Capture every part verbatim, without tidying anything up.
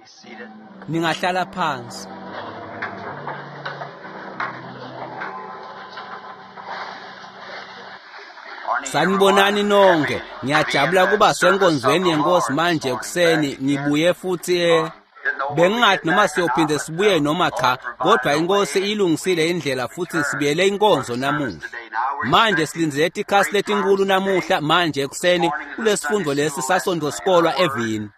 Be seated. Ningahlala phansi. Morning, Sanibonani everyone. nonke. Happy to be Ngiyajabula at the kuba service of senkonzweni the yenkosi Lord this manje morning. ekuseni Back again. ngibuye futhi eh Didn't know whether we'd bengingathi get noma back or not, siyophinde but sibuye uh, noma the cha, Lord kodwa provided a inkosi way. ilungisile indlela futhi Return sibuyele for the inkonzo service namuhla. today. Now we're Manje expecting silindzele ikhasi great letinkulu times today. namuhla manje This ekuseni morning is the kulesifundo Sunday lesi school lesson sasonto and the sikolwa Word. evini. And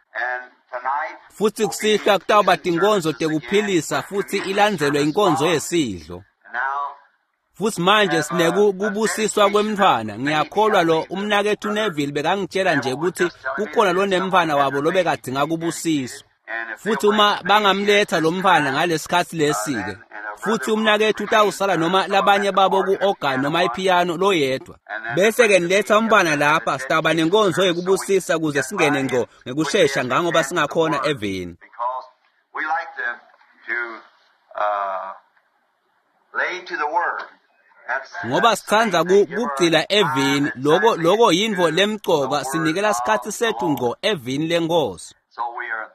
tonight Futhi will be kusihlwa kutawuba healing tinkonzo services again tekuphilisa with futhi communion ilandzelwe service inkonzo following. yesidlo. And now Futhi manje have a, sineku a kubusiswa dedication of kwemntfwana. baby. Ngiyakholwa I lo believe the umnakethu brother Neville bekangitshela nje Neville was ukuthi just telling me kukhona that lo someone nemntfwana had wabo their baby lobekadzinga to be kubusiswa. dedicated, and if they'll Futhi bring uma the baby at bangamletha this lo mntfwana time, ngalesikhatsi uh, lesi-ke. then and a Futhi brother will umnakethu remain utawusala uh, noma some of them labanye at the babo organ or ku-organ piano noma one, ipiyano loyedwa. and then Bese-ke bring the niletha baby up umntfwana there for the lapha sitawuba dedication nenkonzo service so we yekubusisa kuze get singene right ngco in quickly ngekushesha as we ngangoba can to the singakhona Word eveni. because we like to to uh, lay to the Word. That's Ngoba that's the sitsandza main thing. ku- Give our kugcila time evini loko exactly loko yintfo to the lemcoka Word sinikela of sikhatsi the sethu Lord. ngco evini lenkosi. So we are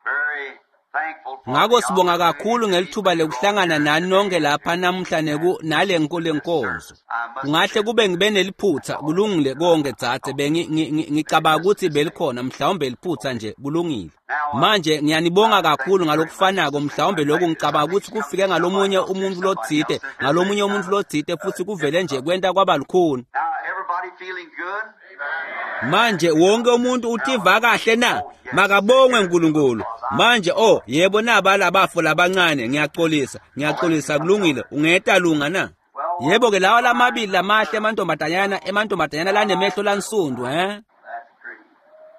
very thankful for Ngako the sibonga opportunity kakhulu to be ngelithuba with you all lekuhlangana here nani nonke today lapha to namuhla neku nale this lenkonzo. service. I must Kungahle admit, kube ngibe neliphutha kulungile konke dzadze bengi ngi- ngi- ngicabanga just ukuthi a mistake. belikhona mhlawumbe liphutha nje kulungile. Now, uh, Manje ngiyanibonga I thank kakhulu you very much. ngalokufanako The same. mhlawumbe I lokhu think this, I ngicabanga think ukuthi it's come kufike from somebody ngalomunye else to umuntu somebody lotsite else. They're just ngalomunye kind umuntu of lotsite uh, futhi kuvele nje difficult. kwenta kwaba lukhuni. Now, everybody feeling good? Manje wonke umuntu Now, utiva kahle na? oh yes, Makabongwe here uNkulunkulu. because I Manje oh yebo naba labafo labancane ngiyaxolisa, oh let me ngiyaxolisa come kulungile. elder. Ungeta lunga na? Well, Yebo ke lawa fine lamabili little lamahle girl. emantombazanyana emantombazanyana lanemehlo lansundu he? That's pretty.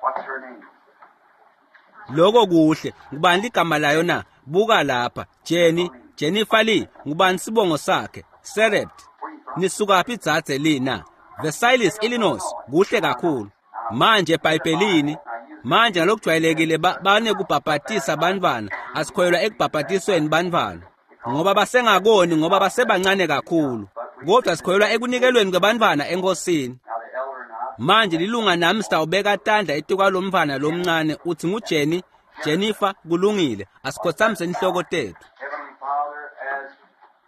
What's her name? Lokho kuhle. Ngubani ligama layo na? Buka lapha. Jenny, Jennifer Lee, ngubani sibongo sakhe? Serept. Where you from? Nisukaphi dzadze Lee na? Versailles, Illinois. Kuhle kakhulu. Manje eBhayibhelini, manje ngalokujwayelekile ba- banekubhabhatisa bantfwana. Asikholelwa ekubhabhatisweni bantfwana. Ngoba basengakoni ngoba basebancane kakhulu. Kodwa sikholelwa ekunikelweni kwebantfwana enkosini. Now the elder and I Manje lilunga nami sitawubeka tandla etikwalomntfwana lomncane uthi nguJenny, Jennifer kulungile asikhothamise inhloko tethu. Heavenly Father, as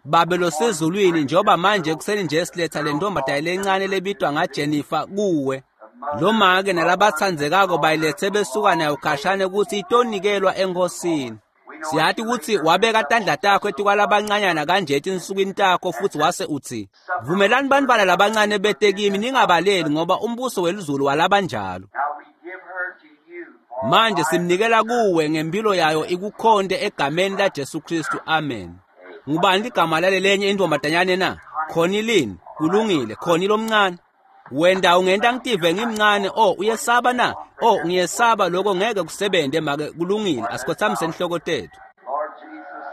Babe this morning we losezulwini bring njengoba this manje little ekuseni nje siletha le girl ntombazane called lencane Jennifer lebitwa to thee, ngaJennifer kuwe. the mother, Lomake loved one, and nalabatsandzekako daughter bayilethe besuka belong nayo to khashane kutsi itonikelwa enkosini. We know that Siyati you laid kutsi your hands wabeka up tandla on takho such little ones etikwalabancanyana kanje etinsukwini takho and futhi wase utsi suffer vumelani little bantfwana children labancane to bete be kimi of ningabaleli such ngoba umbuso welizulu walabanjalo. Now we give her to you for a Manje life of simnikela service. kuwe ngempilo yayo ikukhonte egameni laJesu Kristu. Amen. Ngubani ligama lalelenye intombazanyane na? Khonilini. Kulungile, khoni lomncane. Wenda ungenta ngitive ngimncane, oh uyesaba na? Oh ngiyesaba lokho ngeke kusebente make kulungile asikhothamise inhloko tethu. Lord Jesus,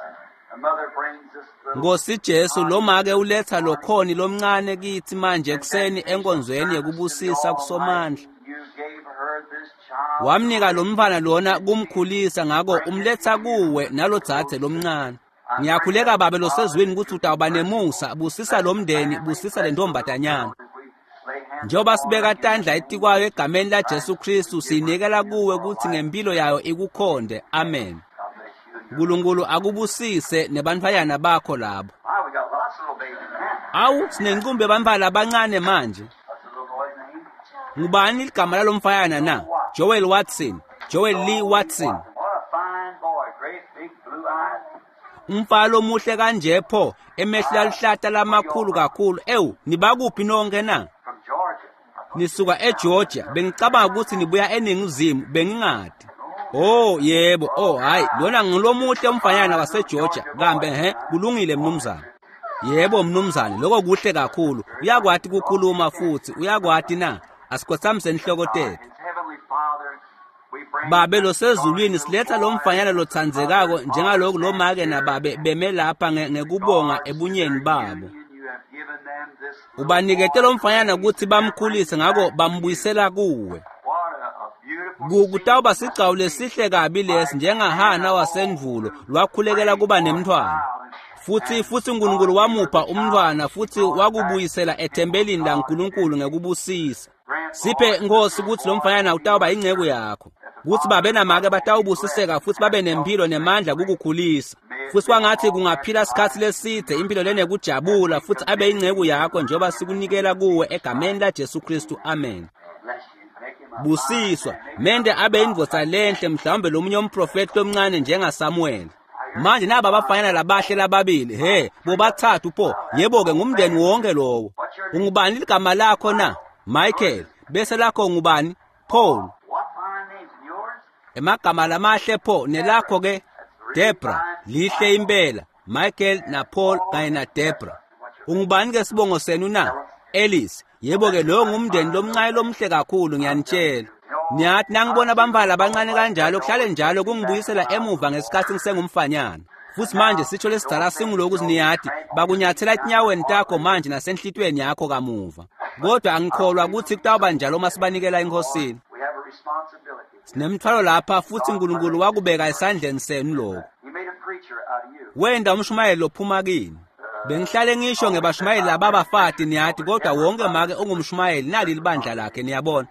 the mother brings this little Nkosi Jesu Connie lomake this uletha morning lokhoni lomncane kithi manje in ekuseni dedication enkonzweni service to the yekubusisa kusomandla. Almighty. You gave her this child to Wamnika lo raise mfana lona and she kumkhulisa ngako bring it umletha to you kuwe with this nalodzadze little sister. lomncane. I pray, Ngiyakhuleka Heavenly babe Father, losezulwini that ukuthi you be utawuba merciful. nemusa, busisa Bless lo the mndeni, family, busisa le bless the little ntombazanyana. girl as we lay hands Njengoba upon her sibeka in the tandla name etikwayo of egameni Jesus laJesu Christ. We Kristu give her to siyinikela you kuwe for a kutsi life ngempilo yayo ikukhonde. Amen. God bless you and your Nkulunkulu akubusise nebantfwanyana bakho labo. My, we got lots of little babies now. Awu sinencumbi yebantfwana labancane manje. What's the little boy's name? Ngubani ligama lalomfanyana na? Joel Joel Watson. Watson. Joel Lee Joel Lee Watson. Watson. What a fine boy. Great big blue eyes. Umfana lomuhle kanje pho emehlo Ah, aluhlata where you all lamakhulu from? kakhulu. Ewu, nibakuphi nonke na? From Georgia. I thought you Nisuka were down eGeorgia. Bengicabanga ukuthi nibuya eNingizimu, bengingadi. Oh, Oh yebo, oh hayi, lona ngilomuhle umfanyana fine little waseGeorgia. Georgia Kambe boy. he, kulungile mnumzane. Yebo mnumzane, lokho kuhle kakhulu. Very nice. Uyakwati Oh, you kukhuluma can. futhi, uyakwati na? Asikhothamise inhloko Uh, tethu. his heavenly Father, we bring Babe this darling losezulwini little siletha lo boy mfanyana as the mother lotsandzekako and father njengaloku stand lomake here nababe beme lapha nge- in ngekubonga regards to their ebunyeni babo. union. You have given them this little Ubanikete boy lo to mfanyana raise, kutsi and they're bamkhulise bringing ngako back to you. bambuyisela kuwe. What a, a beautiful Ku- scene Kutawuba it must sigcawu be. lesihle kabi lesi Like njengaHana Hannah, oh, wasendvulo who lwakhulekela prayed kuba for a nemntfwana. child. And Futsi futsi uNkulunkulu wamupha umntfwana futsi wakubuyisela ethempelini laNkulunkulu ngekubusisa. Siphe Nkosi kutsi lo mfanyana utawuba inceku yakho, kutsi babe namake batawubusiseka futsi babe nempilo nemandla kukukhulisa. Futsi kwangatsi kungaphila sikhatsi lesidze impilo lenekujabula futsi abe inceku yakho njengoba sikunikela kuwe egameni laJesu Kristu. Amen. Busiswa, mende abe indvodza lenhle, mhlawumbe lomunye umprofeti lomncane njengaSamuel. Manje naba abafanyana labahle lababili, he, bobathathu pho, yebo-ke ngumndeni wonke lowo. Ungubani ligama lakho na? Michael. Bese lakho ngubani? Paul. Emagama lamahle pho, nelakho ke? Debra. Lihle impela. Michael na Paul kanye na Debra. Ungubani ke sibongo senu na? Ellis. Yebo-ke lowo ngumndeni lomncane lomhle kakhulu, ngiyanitshela. Niyathi nangibona abamfana labancane kanjalo kuhlale njalo kungibuyisela emuva ngesikhathi ngisengumfanyana. Futsi manje sitsho lesidzala singuloku niyathi bakunyathela etinyaweni takho manje nasenhlitiyweni yakho kamuva. Kodwa angikholwa ukuthi kutawuba njalo uma sibanikela eNkosini. Sinemthwalo lapha futsi uNkulunkulu wakubeka esandleni senu lokho. Wenda umshumayeli lophuma kini. Bengihlale ngisho ngebashumayeli lababafati niyathi, kodwa wonke make ungumshumayeli nali libandla lakhe, niyabona.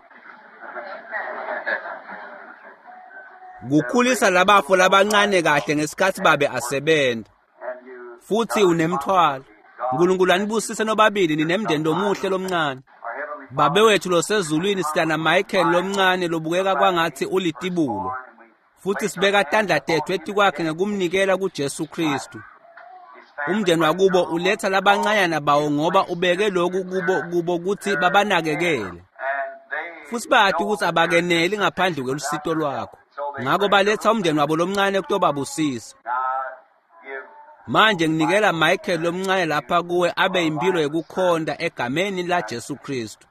Kukhulisa labafo labancane kahle ngesikhathi babe asebenza. Futhi unemthwalo. uNkulunkulu anibusise nobabili ninemndeni lomuhle lomncane. Babe wethu losezulwini, sitana Michael lomncane lobukeka kwangathi ulitibulo. Futhi sibeka tandla tethu etikwakhe ngekumnikela kuJesu Kristu. Umndeni wakubo uletha labancanyana bawo ngoba ubeke lokhu kubo kubo ukuthi babanakekele. Futhi bayathi ukuthi abakeneli ngaphandle kwelusito lwakho. Ngakho baletha umndeni wabo lomncane kutobabusisa. Manje nginikela Michael lomncane lapha kuwe abe impilo yekukhonta egameni laJesu Kristu.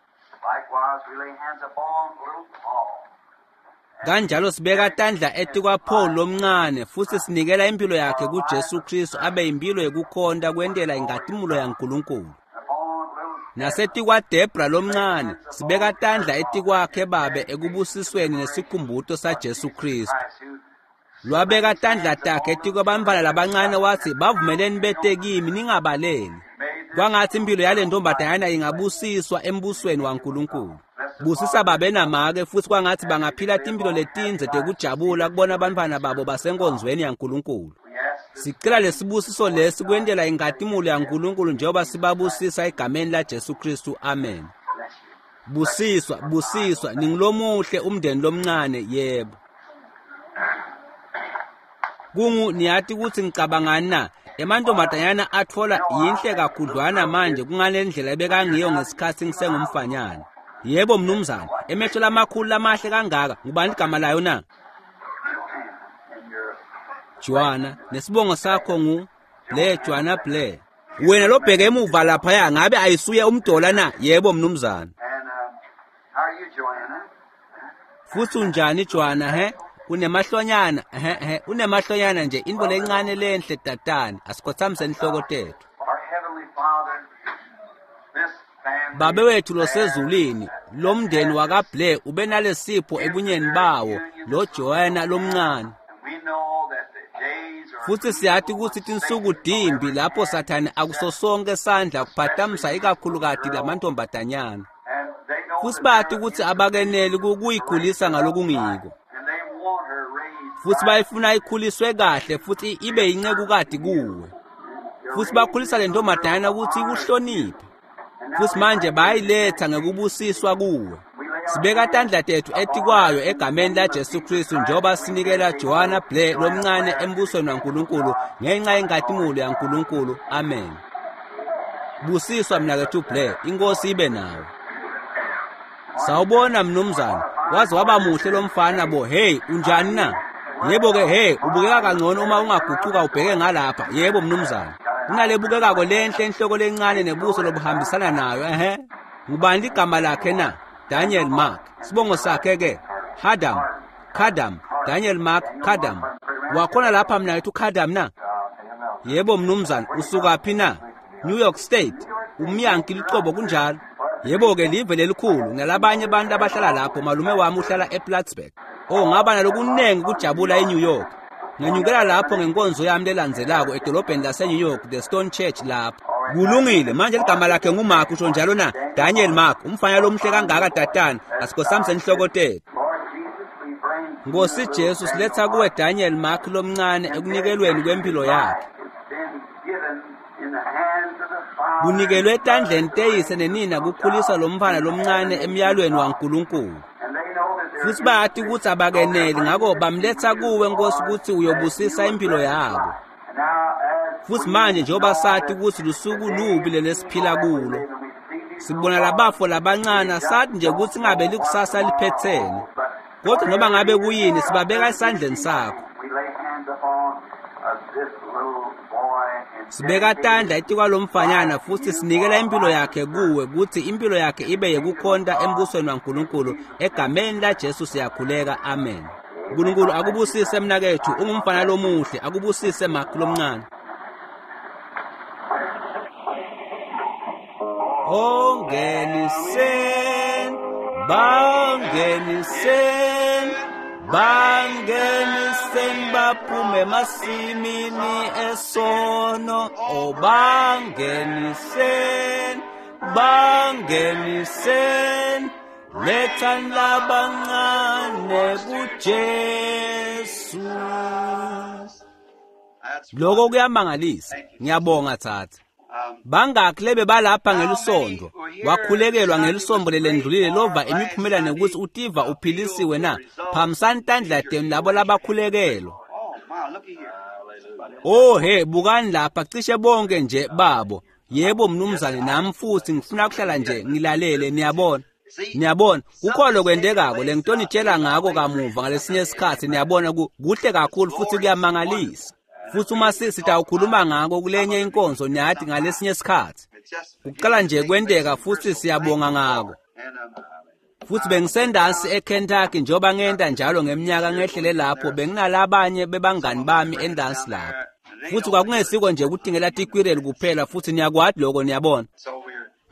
Kanjalo sibeka tandla etikwa Paul lomncane futsi sinikela impilo yakhe kuJesu Kristu abe impilo yekukhonta kwentela inkhatimulo yaNkulunkulu. Nasetikwa Debra lomncane sibeka tandla etikwakhe babe ekubusisweni nesikhumbuto saJesu Kristu. Lwabeka tandla takhe etikwabantfwana labancane wathi bavumeleni bete kimi ningabaleli. Kwangathi impilo yale ntombazanyana ingabusiswa embusweni waNkulunkulu. Busisa babe namake futsi kwangathi bangaphila timpilo letindze tekujabula kubona abantfwana babo basenkonzweni yaNkulunkulu. Sicela lesibusiso lesi kwentela inkhatimulo yaNkulunkulu njengoba sibabusisa egameni laJesu Kristu. Amen. Busiswa, busiswa, ningulomuhle umndeni lomncane, yebo. Kungu niyathi ukuthi ngicabangani na? Emantombazanyana athola yinhle kakhudlwana manje kungale ndlela ebekangiyo ngesikhathi ngisengumfanyana. Yebo mnumzane, emehlo lamakhulu lamahle kangaka, ngubani igama layo na? Joanna, nesibongo sakho ngu Blair, Joanna Blair. Wena lobheke emuva laphaya ngabe ayisuye umdola na? Yebo mnumzane. Futhi unjani Joanna he? Unemahlonyana, he he, unemahlonyana nje into lencane lenhle tatane. Asikhothamise inhloko tethu. Babe wethu losezulwini, lomndeni wakaBlair ube nalesipho ebunyeni bawo, lo Joanna lomncane. Futhi siyathi ukuthi tinsuku dimbi lapho Sathane akusosonke sandla kuphatamisa ikakhulukati lamantombazanyana. Futhi bathi ukuthi abakeneli kuyikhulisa ngalokungiko. Futhi bayifuna ikhuliswe kahle futhi ibe incekukati kuwe. Futhi bakhulisa le ntombazanyana ukuthi ikuhloniphe. Futhi manje bayiletha ngekubusiswa kuwe. Sibeka tandla tethu etikwayo egameni laJesu Kristu njengoba sinikela Joanna Blair lomncane embusweni waNkulunkulu ngenxa yenkhatimulo yaNkulunkulu. Amen. Busiswa mnakethu Blair, inkosi ibe nawe. Sawubona mnumzane, waze waba muhle lomfana bo. Hey, unjani na? Yebo ke, hey, ubukeka kangcono uma ungagucuka ubheke ngalapha. Yebo mnumzane. Kunalebukekako lenhle enhloko lencane nebuso lobuhambisana nayo. Ehe. Ngubani igama lakhe na? Daniel Mark. Sibongo sakhe ke Hadam, Kadam, Daniel Mark Kadam. Wakhona lapha mnakethu Kadam na? Yebo mnumzane, usukaphi na? New York State. Umyanki licobo kunjalo. Yebo ke live lelikhulu nalabanye abantu abahlala lapho. Malume wami uhlala ePlattsburgh. Oh, ngaba nalokunengi kujabula eNew York. Ngenyukela lapho ngenkonzo yami lelandzelako edolobheni lase-New York, The Stone Church lapho. Kulungile, manje ligama lakhe nguMark, usho njalo na? Daniel Mark, umfana lomuhle kangaka tatana, asikosami senhloko tethu. Nkosi Jesu, siletha kuwe Daniel Mark lomncane ekunikelweni kwempilo yakhe. Kunikelwe etandleni teyise nenina kukhulisa lo mfana lomncane emyalweni waNkulunkulu. Futhi bayathi ukuthi abakeneli, ngakho bamletha kuwe Nkosi ukuthi uyobusisa impilo yabo. Futhi manje njengoba sathi ukuthi lusuku lubi lelesiphila kulo, sibona labafo labancane, sathi nje ukuthi ngabe likusasa liphethene. Kodwa noma ngabe kuyini, sibabeka esandleni sakho. Sibeka tandla etikwalomfanyana futhi sinikela impilo yakhe kuwe, ukuthi impilo yakhe ibe yekukhonta embusweni waNkulunkulu. Egameni laJesu siyakhuleka, amen. uNkulunkulu akubusise mnakethu, ungumfana lomuhle, akubusise Mark lomncane. Ongenisen, bangenisen, bangenisen baphume emasimini esono. O bangenisen, bangenisen, lethani labancane kuJesu. Lokho kuyamangalisa. Ngiyabonga thatha. Bangakhi lebe balapha ngelisonto, wakhulekelwa ngelisonto lelendlulile lova imiphumela nekuthi utiva uphilisiwe na? Phamisani tandla tenu labo labakhulekelwa. Oh he, bukani lapha, cishe bonke nje babo. Yebo mnumzane, nami futhi ngifuna ukuhlala nje ngilalele, niyabona. Niyabona, kukhona okwentekako lengitonitshela ngako kamuva ngalesinye isikhathi, niyabona kuhle kakhulu futhi kuyamangalisa. Futhi uma sitawukhuluma ngako kulenye inkonzo niyathi ngalesinye isikhathi. Kuqala nje kwenteka futhi siyabonga ngako. Futhi bengisendansi eKentucky njengoba ngenta njalo ngeminyaka ngehlele lapho, benginalabanye bebangani bami endansi lapho. Futhi kwakungesiko nje ukutingela tikwireli kuphela, futhi niyakwati lokho, niyabona.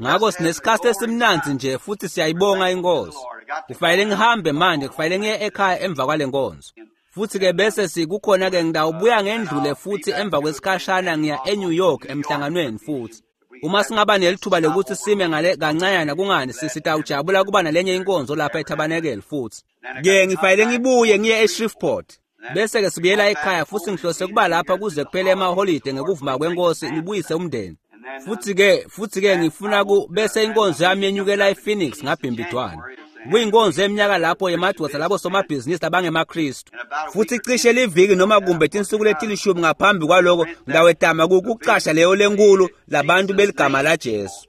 Ngakho sinesikhathi esimnandzi nje futhi siyayibonga inkosi. Kufanele ngihambe manje, kufanele ngiye ekhaya emva kwale nkonzo. Futhi ke bese sikukhona ke ngidawubuya ngendlule futhi emva kwesikhashana ngiya eNew York emhlanganweni futhi. Uma singaba nelithuba lokuthi sime ngale kancanyana kungani sisitawujabula kuba nalenye inkonzo lapha eTabernacle futhi. Ke ngifanele ngibuye ngiye eShreveport. Bese ke sibuyela ekhaya futhi ngihlose kuba lapha kuze kuphele emaholide ngekuvuma kwenkosi ngibuyise umndeni. Futhi ke futhi ke ngifuna ku bese inkonzo yami yenyukela ePhoenix ngabhimbidwana. Kuyinkonzo eminyaka lapho yemadoda labo somabhizinisi abangemaKristu. Futhi cishe liviki noma kumbe tinsuku letilishumi ngaphambi kwaloko ngidawetama kukuqasha leyo lenkulu labantu beligama laJesu.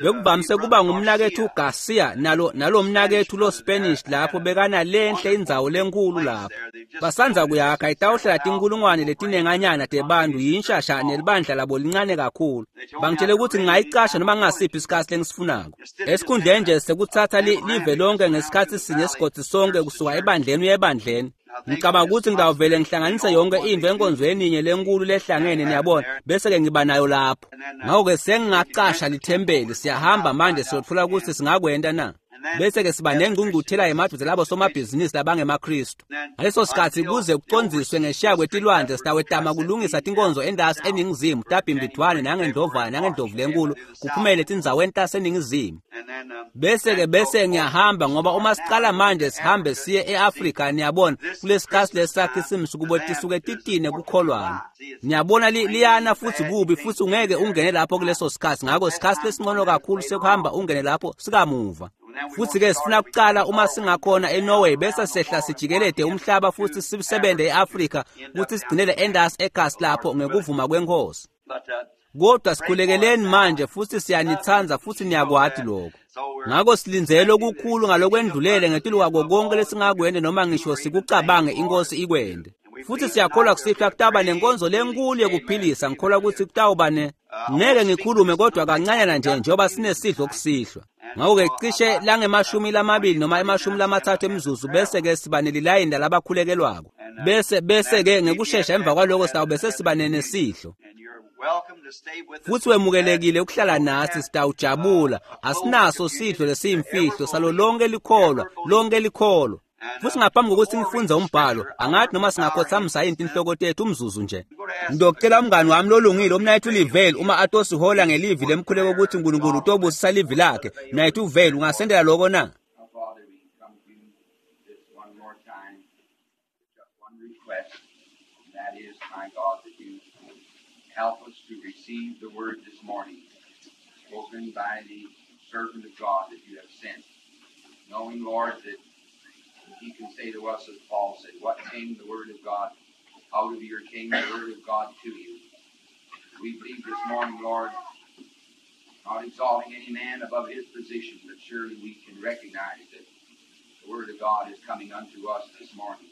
Bekuvamise kuba ngumnakethu Garcia nalo nalo mnakethu lo Spanish lapho bekana lenhle indzawo lenkulu lapho. Basanza kuyakha itawuhlala tinkulungwane letinenganyana tebantu yinshasha nelibandla labo lincane kakhulu. Bangitshele ukuthi ngingayicasha noma ngingasiphi isikhathi lengisifunako. Esikhundleni nje sekuthatha live lonke ngesikhathi sinye esigodzi sonke kusuka ebandleni uye ebandleni. Ngicabanga ukuthi ngidawuvele ngihlanganise yonke into enkonzweni inye lenkulu lehlangene, niyabona, bese ke ngiba nayo lapho. Ngakho-ke sengingacasha lithempeli, siyahamba manje siyotfola ukuthi singakwenta na. Bese ke siba nengqungquthela yemadoda labo somabhizinisi labangemaKristu. Ngaleso sikhathi kuze kucondziswe ngeshiya kwetilwandle sitawetama kulungisa tinkonzo endasi eningizimu tabhimbidwane nangendlovana nangendlovu lenkulu kuphumele etindzaweni taseningizimu. Bese ke bese ngiyahamba ngoba uma siqala manje sihambe siye eAfrika, niyabona, kulesikhathi lesakhe simsukubo tisuke titine kukholwana. Niyabona liyana futhi kubi futhi ungeke ungene lapho kuleso sikhathi, ngakho sikhathi lesingcono kakhulu sekuhamba ungene lapho sikamuva. Futhi ke sifuna kuqala uma singakhona eNorway bese sehla sijikelede umhlaba futhi sisebenze eAfrika ukuthi sigcinele endasi eGas lapho ngekuvuma kwenkosi. Kodwa sikhulekeleni manje futhi siyanithanda futhi niyakwati lokho. Ngakho silindzele okukhulu ngalokwendlulele ngetulu kwako konke lesingakwende noma ngisho sikucabange inkosi ikwende. Futhi siyakholwa kusihlwa kutawuba nenkonzo lenkulu yekuphilisa, ngikholwa ukuthi kutawuba ne ngeke ngikhulume kodwa kancanyana nje njengoba sinesidlo kusihlwa. Ngakho-ke cishe langemashumi lamabili noma emashumi lamathathu emizuzu bese ke siba nelilayini lalabakhulekelwako. Bese bese ke ngekushesha emva kwaloko sitawube sesiba nesidlo. Futhi wemukelekile ukuhlala nathi, sitawujabula. Asinaso sidlo lesiyimfihlo salo lonke likholwa, lonke likholwa. Futhi ngaphambi kokuthi ngifunze umbhalo, angathi noma singakhothamisa yini inhloko tethu umzuzu nje. Ngizocela umngani wami lolungile umnayethu Livale uma atosihola ngelivi lemkhuleko ukuthi uNkulunkulu utobusisa livi lakhe. Mnayethu Vale, ungasendela lokho na? Now, Father, we come to you this one more time, just one request, and that is, my God, that you help us to receive the word this morning, spoken by the servant of God that you have sent, knowing, Lord, that he can say to us, as Paul said, what came the word of God out of your came the word of God to you. We believe this morning, Lord, not exalting any man above his position, but surely we can recognize that the Word of God is coming unto us this morning.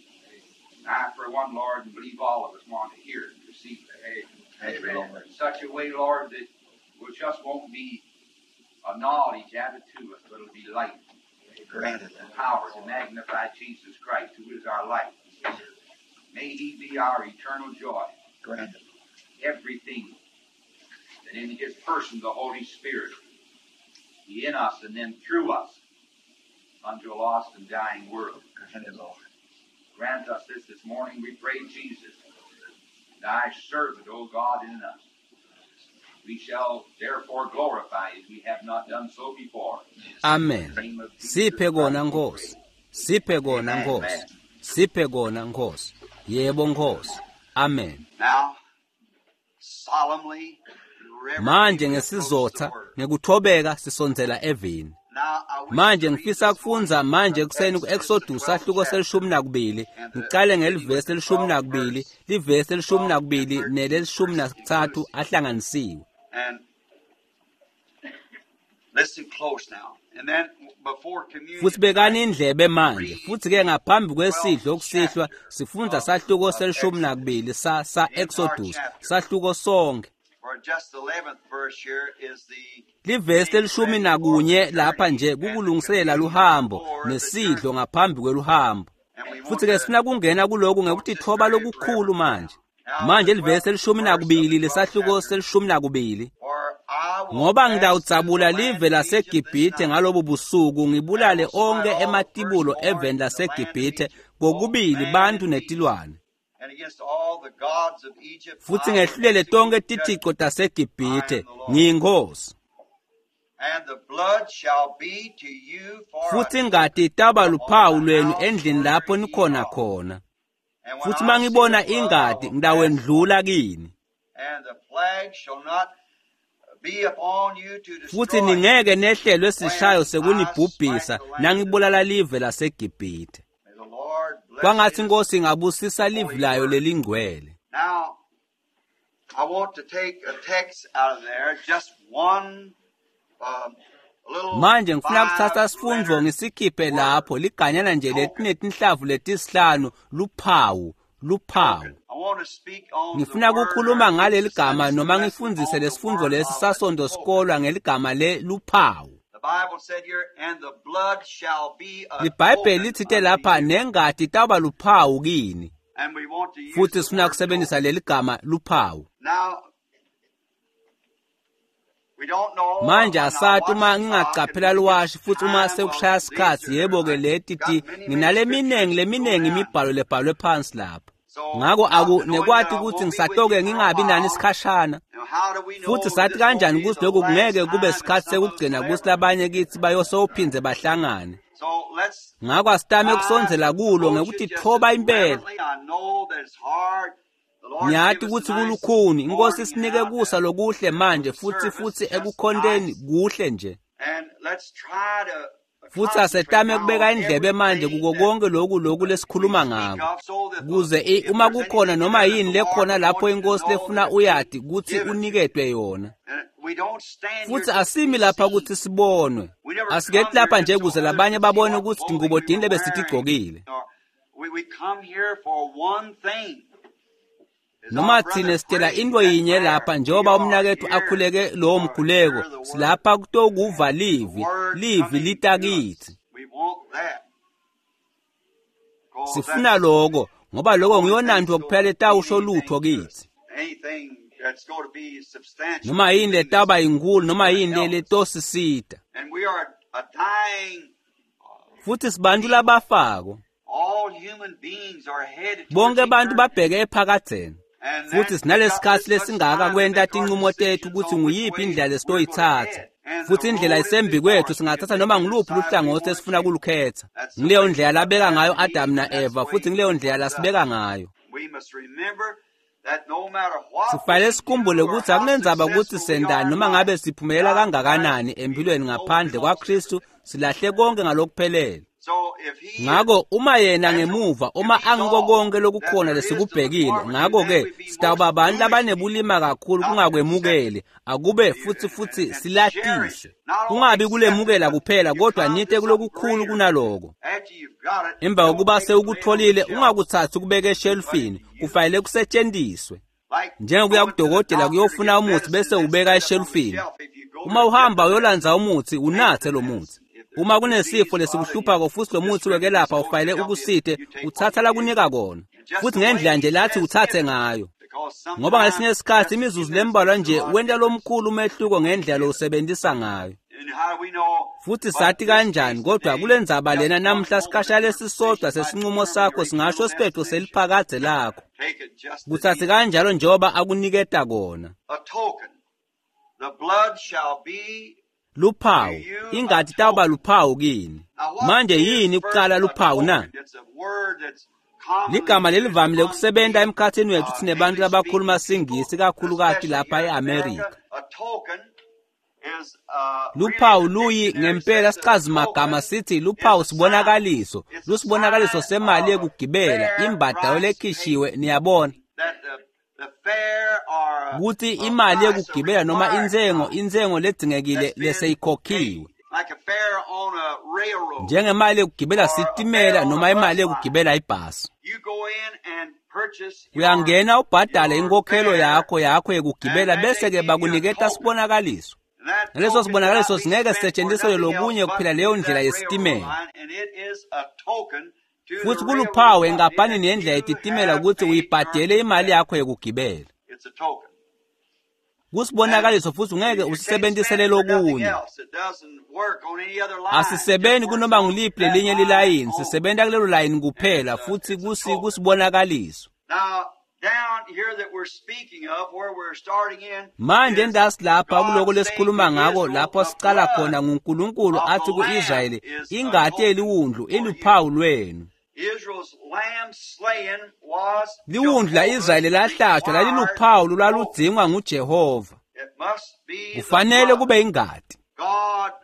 And I, for one, Lord, and believe all of us want to hear it and receive it. Amen. In such a way, Lord, that it just won't be a knowledge added to us, but it'll be light Granted. and power to magnify Jesus Christ, who is our light. May He be our eternal joy. Granted. Everything that in His person, the Holy Spirit, be in us and then through us unto a lost and dying world. Granted, Lord. Grant us this this morning, we pray, Jesus, thy servant, O God, in us. We shall therefore glorify as we have not done so before. Amen. In the name of Jesus Siphe kona Christ, we Nkosi. pray. Siphe kona Nkosi. Siphe kona Nkosi. Yebo Nkosi. Amen. Now, solemnly, reverently, Manje we approach the ngesizotha word. ngekuthobeka sisondzela evini. Now, I wish Manje to read ngifisa this kufundza morning manje from ekuseni Exodus, the ku-Exodus twelfth sahluko chapter, selishumi nakubili and the ngiqale beginning with ngelivesi the elishumi twelfth nakubili verse, livesi elishumi twelve and nakubili thirteen nelelishumi verses nasithathu inclusive. ahlanganisiwe. And listen close now. And then before communion Futhi bekani tonight, indlebe manje. read Futhi ke ngaphambi the kwesidlo twelfth kusihlwa chapter sifundza of, sahluko of selishumi Exodus, nakubili sa sa the entire Exodus chapter. sahluko sonke. For just the eleventh verse here is the Livesi getting lelishumi ready for the nakunye lapha journey nje and the kukulungiselela communion luhambo before the nesidlo journey. ngaphambi kweluhambo. And we want Futhi ke to sifuna kungena kuloku approach ngekuthi this thoba very lokukhulu reverently manje. now. Now, Manje the livesi twelfth elishumi verse of the nakubili twelfth lesahluko chapter. selishumi nakubili. For I will Ngoba pass through the ngitawudzabula land live of Egypt this laseGibhithe night, ngalobu busuku and ngibulale will smite onke all the ematibulo firstborn eveni in the land of laseGibhithe Egypt, both kokubili man bantu and beast. netilwane. And against all the gods of Egypt Futhi I will ngehlulele tonke execute tithico judgment. I taseGibhithe am the Lord. ngiyinkosi. And the blood shall be to you for a Futhi ingati itaba token upon luphawu the lwenu house endlini where lapho ye nikhona are. khona. And when Futhi I see the mangibona blood, I ingati will pass ngitawendlula over, kini. and the plague shall not be upon you to Futhi destroy you ningeke nehlelwe sishayo when I smite sekunibhubhisa the land of nangibulala Egypt. live laseGibhithe. May the Lord bless Kwangathi his inkosi ingabusisa livi holy layo word. lelingcwele. Now, I want to take a text out of there, just one um, little Manje ngifuna kuthatha sifundvo five-letter ngisikhiphe word, lapho liganyana nje token. letinetinhlavu letisihlanu luphawu luphawu. Token. I want to speak on the Ngifuna word or kukhuluma teach ngaleli the gama Sunday school noma lesson ngifundzise on the lesifundvo word lesi of a sasondo token. sikolwa ngeligama le luphawu. The Bible said here, and the blood shall be a Libhayibheli token litsite unto lapha you. nengati itawuba luphawu kini. And we want to use Futhi the sifuna word kusebenzisa token. leli gama luphawu. Now, we don't know Manje when I asati watch uma the clock and ngingacaphela when it gets liwashi futhi uma time, well, sekushaya these sikhatsi are, yebo-ke I leti got ti many, many nginale scriptures miningi to go leminingi down. imibhalo lebhalwe phansi lapha. So, Ngako not aku to knowing that nekwati I ukuthi won't be with ngisatoke you for a ngingabi nani while, isikhashana. now how do we know Futhi that sathi this won't kanjani be ukuthi the lokhu last kungeke kube time and sikhathi some of us sekugcina will kuthi ever labanye kithi bayosowuphindze bahlangane. So let's Ngako asitame try to kusondzela kulo approach ngekuthi it just thoba as impela. reverently. I know that it's hard. The Lord's Ngiyati give us a ukuthi nice kulukhuni inkosi morning isinike now kusa to, lokuhle for manje the futhi service, futhi just ekukhonteni nice. kuhle nje. And let's try to Futhi concentrate asetame now kubeka on indlebe manje everything kuko that konke lokhu lokhu uh, we lesikhuluma speak ngako. of so that the, Kuze i- if uma there's kukhona anything noma there that yini the Lord lekhona would lapho want you to inkosi know, that lefuna it's been uyati ukuthi given to you. uniketwe yona. And we don't stand here Futhi just to asimi be lapha seen. ukuthi sibonwe. We never Asikethi come here lapha just nje so kuze others labanye could see babone what ukuthi clothing tingubo we tini were wearing. lebesitigcokile. Or we, we come here for one thing. As our Noma brother thina sitela prayed into that yinye prayer, lapha we njengoba are umnakethu here akhuleke lowo for mkhuleko hear the word, silapha kutokuva the livi word livi coming lita to us. kithi. We want that. Because Sifuna that's lokho ngoba the lokho only thing ngiyonanto that's going kuphela to mean etawusho anything lutho to us. kithi. Anything that's going to be substantial, Noma yini anything that's letaba inkulu noma going to yini help us. letosisita. And we are a dying Futhi sibantu people labafako. Bonke abantu babheke ephakadzeni. Futhi sinalesikhatsi lesingaka kwenta tincumo tetfu kutsi nguyiphi indlela lesitoyitsatsa. Futhi indlela isembi kwethu singathatha noma ngiluphi luhlangotsi esifuna kulukhetsa. Ngileyo ndlela labeka ngayo Adam na-Eva futhi ngileyo ndlela lasibeka ngayo. Sifanele sikhumbule ukuthi akunendzaba ukuthi sendani noma ngabe siphumelela kangakanani empilweni ngaphandle kwaKristu silahle konke ngalokuphelele. Ngako uma yena ngemuva uma angiko konke lokukhona lesikubhekile ngako-ke sitawuba abantu labanebulima kakhulu kungakwemukeli akube futhi futhi silatise kungabi kulemukela kuphela kodwa nite kulokukhulu kunaloko. Emva kokuba sewukutholile ungakuthatsi kubeke eshelufini kufanele kusetshenziswe. Njengokuya kudokotela kuyofuna umuthi bese ubeka eshelufini. Uma uhamba uyolandza umuthi unathe lo muthi. Uma kunesifo lesikuhluphako futhi lo muthi wekelapha ufanele ukusite uthatha lakunika kona futhi ngendlela nje lathi uthathe ngayo. Ngoba ngesinye isikhathi imizuzu lembalwa nje wenta lomkhulu umehluko ngendlela lowusebenzisa ngayo. Futhi sathi kanjani kodwa kulendzaba lena namhla sikhasha lesisodwa sesinqumo sakho singasho siphetho seliphakadze lakho. Kuthathe kanjalo njengoba akuniketa kona. Luphawu ingati tawuba luphawu kini. Manje yini kuqala luphawu na? Ligama lelivamile kusebenta emkhathini wethu sinebantu labakhuluma siNgisi kakhulukati lapha e-Amerika. Luphawu luyi ngempela sichazimagama sithi luphawu sibonakaliso, lusibonakaliso semali yekugibela, imbadalo lekhishiwe niyabona. Kuthi imali yekugibela noma intsengo intsengo ledzingekile leseyikhokhiwe. Njengemali yekugibela sitimela noma imali yekugibela ibhasi. Uyangena ubhadale inkokhelo yakho yakho yekugibela bese-ke bakuniketa sibonakaliso. Naleso sibonakaliso singeke sisetshenziswe lokunye kuphela leyo ndlela yesitimela. Futhi kuluphawu enkampanini yendlela yetitimela ukuthi uyibhadele imali yakho yekugibela. Kusibonakaliso futhi ungeke usisebenzisele lokunye. Asisebenzi kunoma nguliphi lelinye lilayini, sisebenta kulelo layini kuphela futhi kusi kusibonakaliso. Manje endasi lapha kuloko lesikhuluma ngako lapho sicala khona nguNkulunkulu athi ku-Israyeli ingati yeliwundlu iluphawu lwenu. Liwundlu la-Israyeli lahlatshwa laliluphawu lolwaludzingwa nguJehova. Kufanele kube ingati.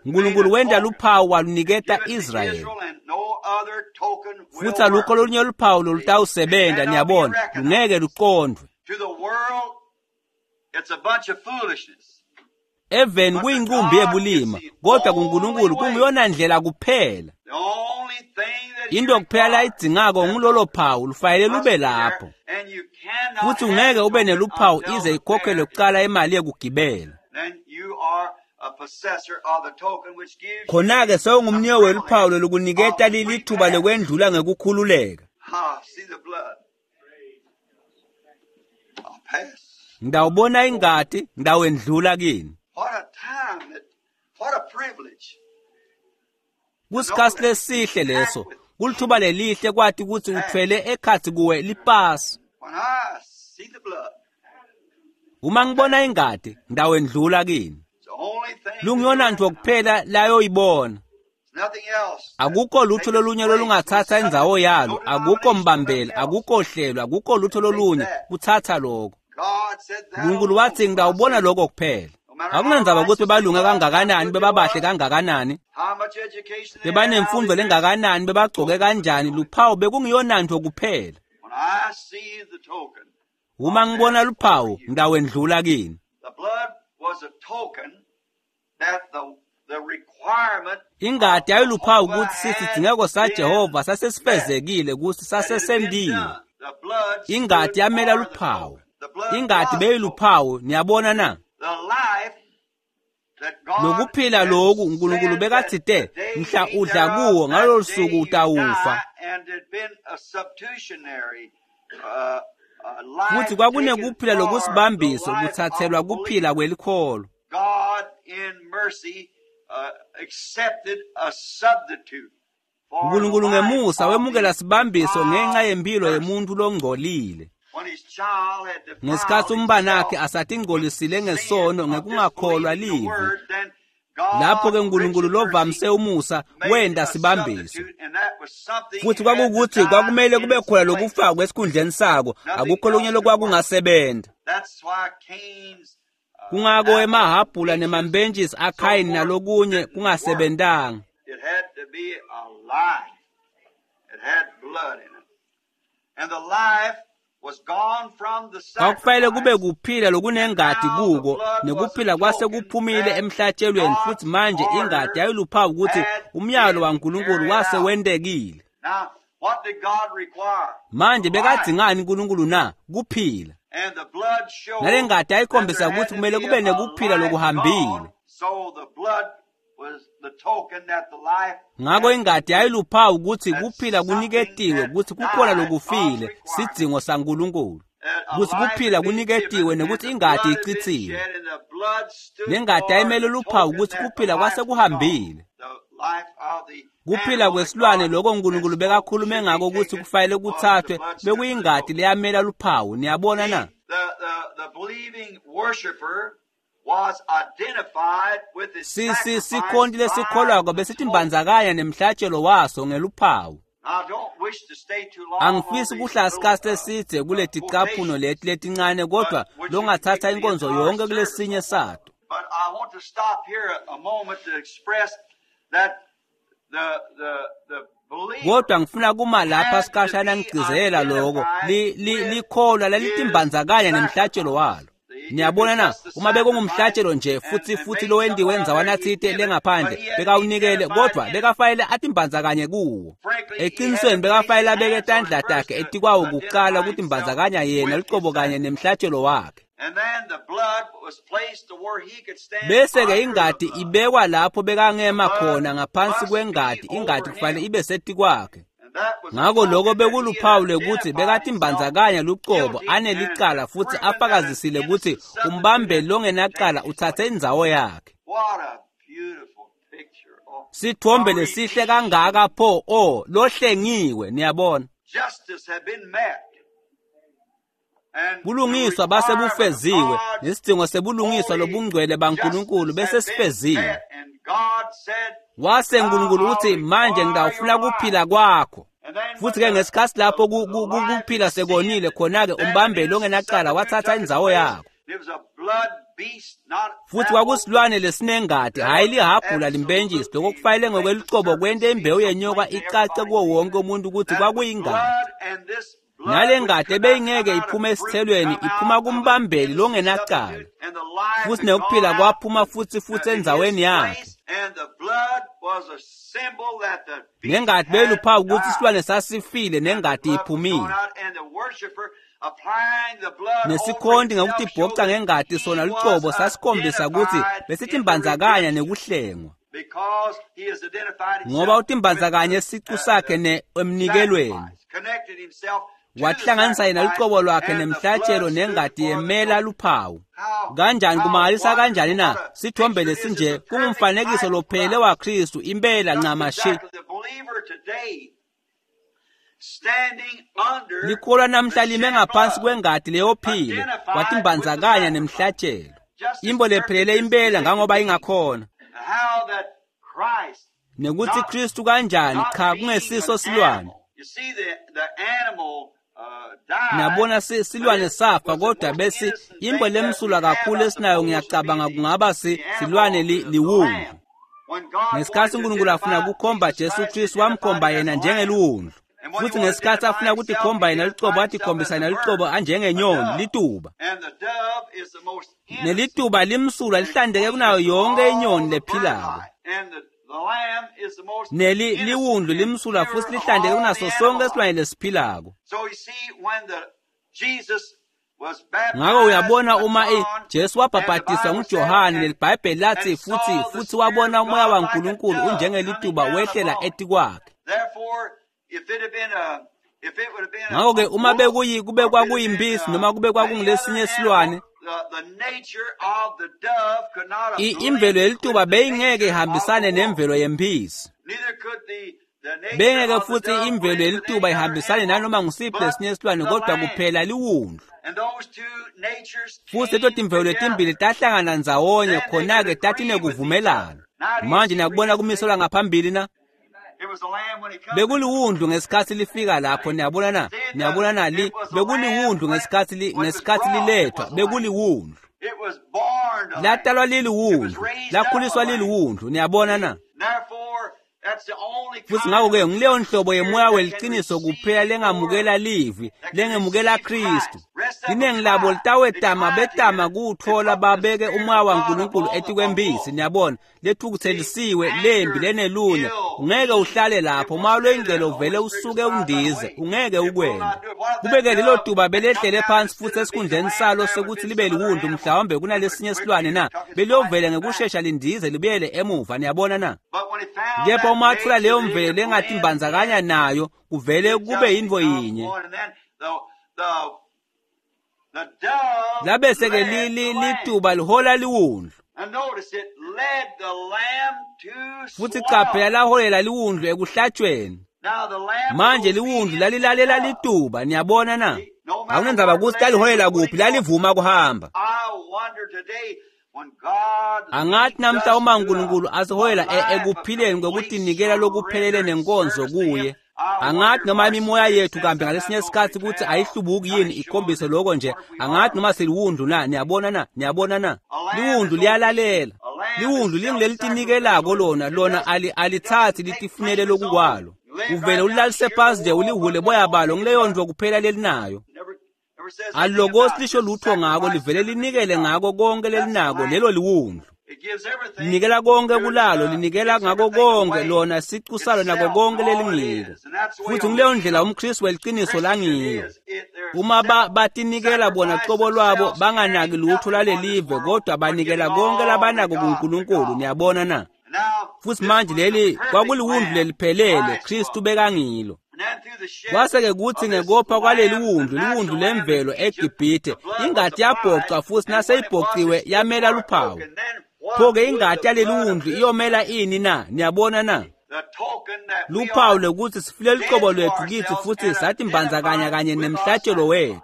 uNkulunkulu wenta luphawu waluniketa Israyeli. Futhi alukho olunye luphawu lolutawusebenta niyabona lungeke luqondvwe. Eveni kuyinqumbi yebulima kodwa kuNkulunkulu kunguyona ndlela kuphela. Into kuphela layidzingako ngulolo phawu lufanele lube lapho. Futhi ungeke ube neluphawu ize ikhokhelwe kuqala imali yekugibela. Khona-ke sewungumniyo weluphawu lolukuniketa lithuba lekwendlula ngekukhululeka. Ngidawubona ingati, ngidawendlula kini. Kusikhatsi lesihle leso, kulithuba lelihle kwati ukuthi uthwele ekhatsi kuwe lipasi. Uma ngibona ingati, ngidawendlula kini. Lungiyona nto kuphela layoyibona. Akukho lutho lolunye lolungathatha indzawo yalo, akukho mbambela, akukho hlelo, akukho lutho lolunye kuthatha lokho. uNkulunkulu wathi ngidawubona lokho kuphela. Akunandzaba ukuthi bebalunge kangakanani, bebabahle kangakanani, bebanemfundo lengakanani, bebagcoke kanjani, luphawu bekungiyona nto kuphela. Uma ngibona luphawu, ngidawendlula kini. Ingati yayiluphawu ukuthi sisidingeko saJehova sasesifezekile ukuthi sasesentiwe. Ingati yamela luphawu. Ingati beyiluphawu niyabona na? Lokuphila loku uNkulunkulu bekathite mhla udla kuwo ngalolu suku utawufa. Futhi kwakunekuphila lokusibambiso kuthathelwa kuphila kwelikholo. God in mercy uh, accepted a substitute Nkulunkulu ngemusa wemukela sibambiso ngenxa yempilo yemuntu longcolile. Ngesikhatsi umntfwanakhe asatingcolisile ngesono ngekungakholwa livi, lapho-ke Nkulunkulu lovamise umusa wenta sibambiso. Futhi kwakukuthi kwakumele kube khona lokufakwa esikhundleni sako, akukho lokunye lokwakungasebenta. Kungako emahhabhula nemambentjisi aKhayini nalokunye kungasebentanga. It had to be a life. It had blood in it. And the life was gone from the Kwakufanele kube sacrifice. kuphila lokunengati kuko, nekuphila kwase kuphumile emhlatshelweni, futhi manje ingati yayiluphawu ukuthi umyalo waNkulunkulu wase wentekile. Now, what did God require? Manje Life. bekadzingani uNkulunkulu na? Kuphila. And the blood showed Nale ngati that there yayikhombisa had ukuthi to kumele be kube a nekuphila life lokuhambile. gone. So the blood was the token that the life Ngako had ingati yayiluphawu ukuthi that kuphila something kuniketiwe, had ukuthi kukhona died, God's lokufile, requirement. sidzingo saNkulunkulu. That a Ukuthi life kuphila had been kuniketiwe given and nekuthi the ingati blood had been icitsiwe. shed and the blood stood Nengati for yayimele the luphawu token ukuthi that the kuphila life kwase was gone. kuhambile. The life of the Kuphila animal that kwesilwane God lokho had uNkulunkulu spoke bekakhulume should be ngako ukuthi taken kufanele was the kuthathwe blood stood for the bekuyingati token. leyamela luphawu. Niyabona na? See, the, the, the believing worshiper was identified with his Si si sacrifice sikhonti by lesikholwako the besithi token. mbandzakanya nemhlatshelo waso ngeluphawu. I don't wish to stay too long on Angifisi these kuhlala little isikhatsi uh, lesidze uh, kuleticaphuno quotations, leti letincane but kodwa which you can longathatha take the inkonzo entire yonke service kulesinye on one. sato. But I want to stop here a, a moment to express that the the the believer Kodwa ngifuna kuma lapha had to sikhashana be ngigcizelela lokho. identified Li li with likholwa his lalitimbandzakanya nemhlatshelo sacrifice. walo. See, if Niyabona it's na, just the uma sacrifice bekungumhlatshelo nje and, futhi and futhi made lowentiwe somewhere out endzawana there, he'd tsite give it, but lengaphandle he had to be bekawunikele identified kodwa in it. bekafanele atimbandzakanye kuwo. Frankly, he had to Eqinisweni place bekafanele his abeke hands on it tandla first takhe to etikwawo kuqala identify ukuthi himself mbandzakanya yena with his luqobo kanye sacrifice. nemhlatshelo wakhe. And then the blood was placed to where he could stand Bese ke under the ingati blood. ibekwa lapho The bekangema blood khona ngaphansi must be kwengati, ingati over kufanele him. ibe setikwakhe. And that was a Ngako lokho token that he had bekuluphawu lwekuthi identified himself bekatimbandzakanya luqobo guilty and anelicala futhi proven that an afakazisile ukuthi innocent substitute umbambeli had longenacala taken his uthathe place. indzawo yakhe. What a beautiful picture. Oh, Sithombe a lesihle redeemed kangaka pho o lohlengiwe niyabona. justice had been met. And the Bulungiswa base requirement of bufeziwe God's nesidingo sebulungiswa holy lobungcwele baNkulunkulu justice bese had been sifeziwe. met. And God said, Wase Now uNkulunkulu I'll uthi manje require ngitawufuna your life. kuphila kwakho. And then when Futhi ke the, ngesikhatsi the, lapho ku- the ku- ku- life kuphila had sekonile sinned, khona-ke then an umbambeli innocent longenacala substitute wathatha took its indzawo place. yakho. It was a blood beast, not Futhi apple. kwakusilwane lesinengati That hhayi was lihhabhula limbentjisi lokho absolutely kufanele make the ngokwelucobo serpent kwente see imbewu so yenyoka plain to icace everybody kuwo wonke umuntu ukuthi that the kwakuyingati. blood and this blood Nale which ngati could not come ebeyingeke out of iphume fruit esithelweni come iphuma out of an kumbambeli innocent longenacala. substitute, and the life Futhi had gone nekuphila out kwaphuma to, futhi futhi uh, in his endzaweni yakhe. place, and the blood was a symbol that the beast Nengati had beyiluphawu ukuthi died. isilwane sasifile And the nengati blood was gone iphumile. out, and the worshiper applying the blood over Nesikhonti himself ngekuthi showed ibhoca that ngengati he sona was lucobo sasikhombisa ukuthi identified in the besitimbandzakanya redemption nekuhlengwa. because he has identified Ngoba himself with utimbandzakanye the, sicu uh, sakhe the ne emnikelweni. sacrifice, connected himself to the Wahlanganisa yena sacrifice, lucobo lwakhe and the nemhlatshelo blood stood nengati for the yemela token. luphawu. How Kanjani how kumangalisa kanjani wonderful, na what a sithombe picture it is. It's lesinje a perfect kungumfanekiso type of lophelele Christ. waKristu impela Just ncamashi. exactly the believer today standing under Likholwa the namhla lime shed ngaphansi blood, kwengati leyophile identified with the watimbandzakanya sacrifice. nemhlatshelo. Just as Imbo perfect lephelele as, as impela it could ngangoba be. ingakhona. How that Christ Nekuthi not Kristu kanjani not cha being kungesiso an silwane. animal. You see, the, the animal uh, died, Niyabona si but silwane it safa was the kodwa most bese innocent imbo thing that we lemsulwa have, kakhulu I esinayo suppose, would be ngiyacabanga the, kungaba si the silwane animal, li, the, the liwundlu. lamb. When God wanted Ngesikhatsi to uNkulunkulu afuna identify kukhomba Jesus Jesu Christ, he Kristu identified wamkhomba him as yena a lamb. njengeliwundlu. And when he Futhi wanted to ngesikhatsi identify afuna himself, he kutikhomba yena lucobo identified himself watikhombisa as yena a lucobo bird, a anjengenyoni dove. lituba. And the dove is the most innocent Nelituba limsulwa and lihlandeke kunayo cleanest of yonke all inyoni the bird lephilako. life. And the, the lamb is the most Neli innocent liwundlu and limsulwa pure futhi of lihlandeke all kunaso the sonke animal isilwane life. lesiphilako. So you see, when the Jesus was Ngako baptized uyabona by uma i John, Jesu and the wabhabhatiswa Bible said, nguJohane and leliBhayibheli lathi and futhi saw the futhi Spirit wabona of umoya God like a waNkulunkulu dove coming unjengelituba down wehlela upon him. etikwakhe. Therefore, if it had been a if it would have been a, Ngako-ke a uma wolf bekuyi kube or if it had been kwakuyimpisi uh, noma kube any other kwakungulesinye animal, isilwane the, the nature of the dove could not have i- imvelo blended yelituba with the beyingeke nature of the ihambisane wolf. nemvelo yempisi. Neither could the Bengeke futhi imvelo yelituba ihambisane nanoma ngusiphi lesinye silwane kodwa kuphela liwundlu. Futhi leto timvelo letimbili tahlangana ndzawonye khona-ke tatinekuvumelana. Manje niyakubona kumiselwa ngaphambili na? Bekuliwundlu ngesikhathi lifika lapho, niyabona na? Niyabona na li bekuliwundlu ngesikhathi li ngesikhathi lilethwa, bekuliwundlu. Latalwa liliwundlu, lakhuliswa liliwundlu, niyabona na? Futhi ngakho-ke ngileyo nhlobo yemoya weliciniso kuphela lengamukela livi, lengemukela Kristu. Liningi labo litawetama betama kuwuthola babeke umoya waNkulunkulu etikwembisi, niyabona, lethukuthelisiwe, lembi, lenelunya. Ungeke uhlale lapho, umoya loyingcwele uvele usuke undize, ungeke ukwente. Kube-ke lelo tuba belehlele phansi futhi esikhundleni salo sekuthi libe liwundlu mhlawumbe kunalesinye silwane na, beliyovele ngekushesha lindize libuyele emuva, niyabona na? Kepha uma atfola leyo mvelo lengatimbandzakanya nayo, kuvele kube yintfo yinye. Labese-ke lituba lihola liwundlu. Futhi qaphela laholela liwundlu ekuhlatshweni. Manje liwundlu lalilalela lituba, niyabona na? Akunandzaba kutsi laliholela kuphi, lalivuma kuhamba. Angathi namhla uma uNkulunkulu asiholela ekuphileni kwekutinikela lokuphelele nenkonzo kuye. Angathi noma imimoya yethu kambe ngalesinye isikhathi ukuthi ayihlubuki yini ikhombise lokho nje. Angathi noma siliwundlu na, niyabona na, niyabona na? Liwundlu liyalalela. Liwundlu lingilelitinikelako lona, lona alithathi litifunele lokukwalo. Uvele ulalise phansi nje ulihule boya balo ngileyo ndlo kuphela lelinayo. Alilokosi lisho lutho ngako, livele linikele ngako konke lelinako, lelo liwundlu. Linikela konke kulalo, linikela ngako konke lona sicu salo nako konke lelingiko. Futhi ngileyo ndlela umKristu weliciniso langiyo. Uma batinikela bona cobo lwabo banganaki lutho lalelive kodwa banikela konke labanako kuNkulunkulu, niyabona na? Futhi manje leli kwakuliwundlu leliphelele, Kristu bekangilo. Kwase-ke kuthi ngekopha kwaleli wundlu, liwundlu lemvelo eGibhithe, ingati yabhoca futhi naseyibhociwe yamela luphawu. Pho-ke ingati yaleli wundlu iyomela ini na? Niyabona na? Luphawu lokuthi sifile lucobo lwethu kithi futhi satimbandzakanya kanye nemhlatshelo wethu.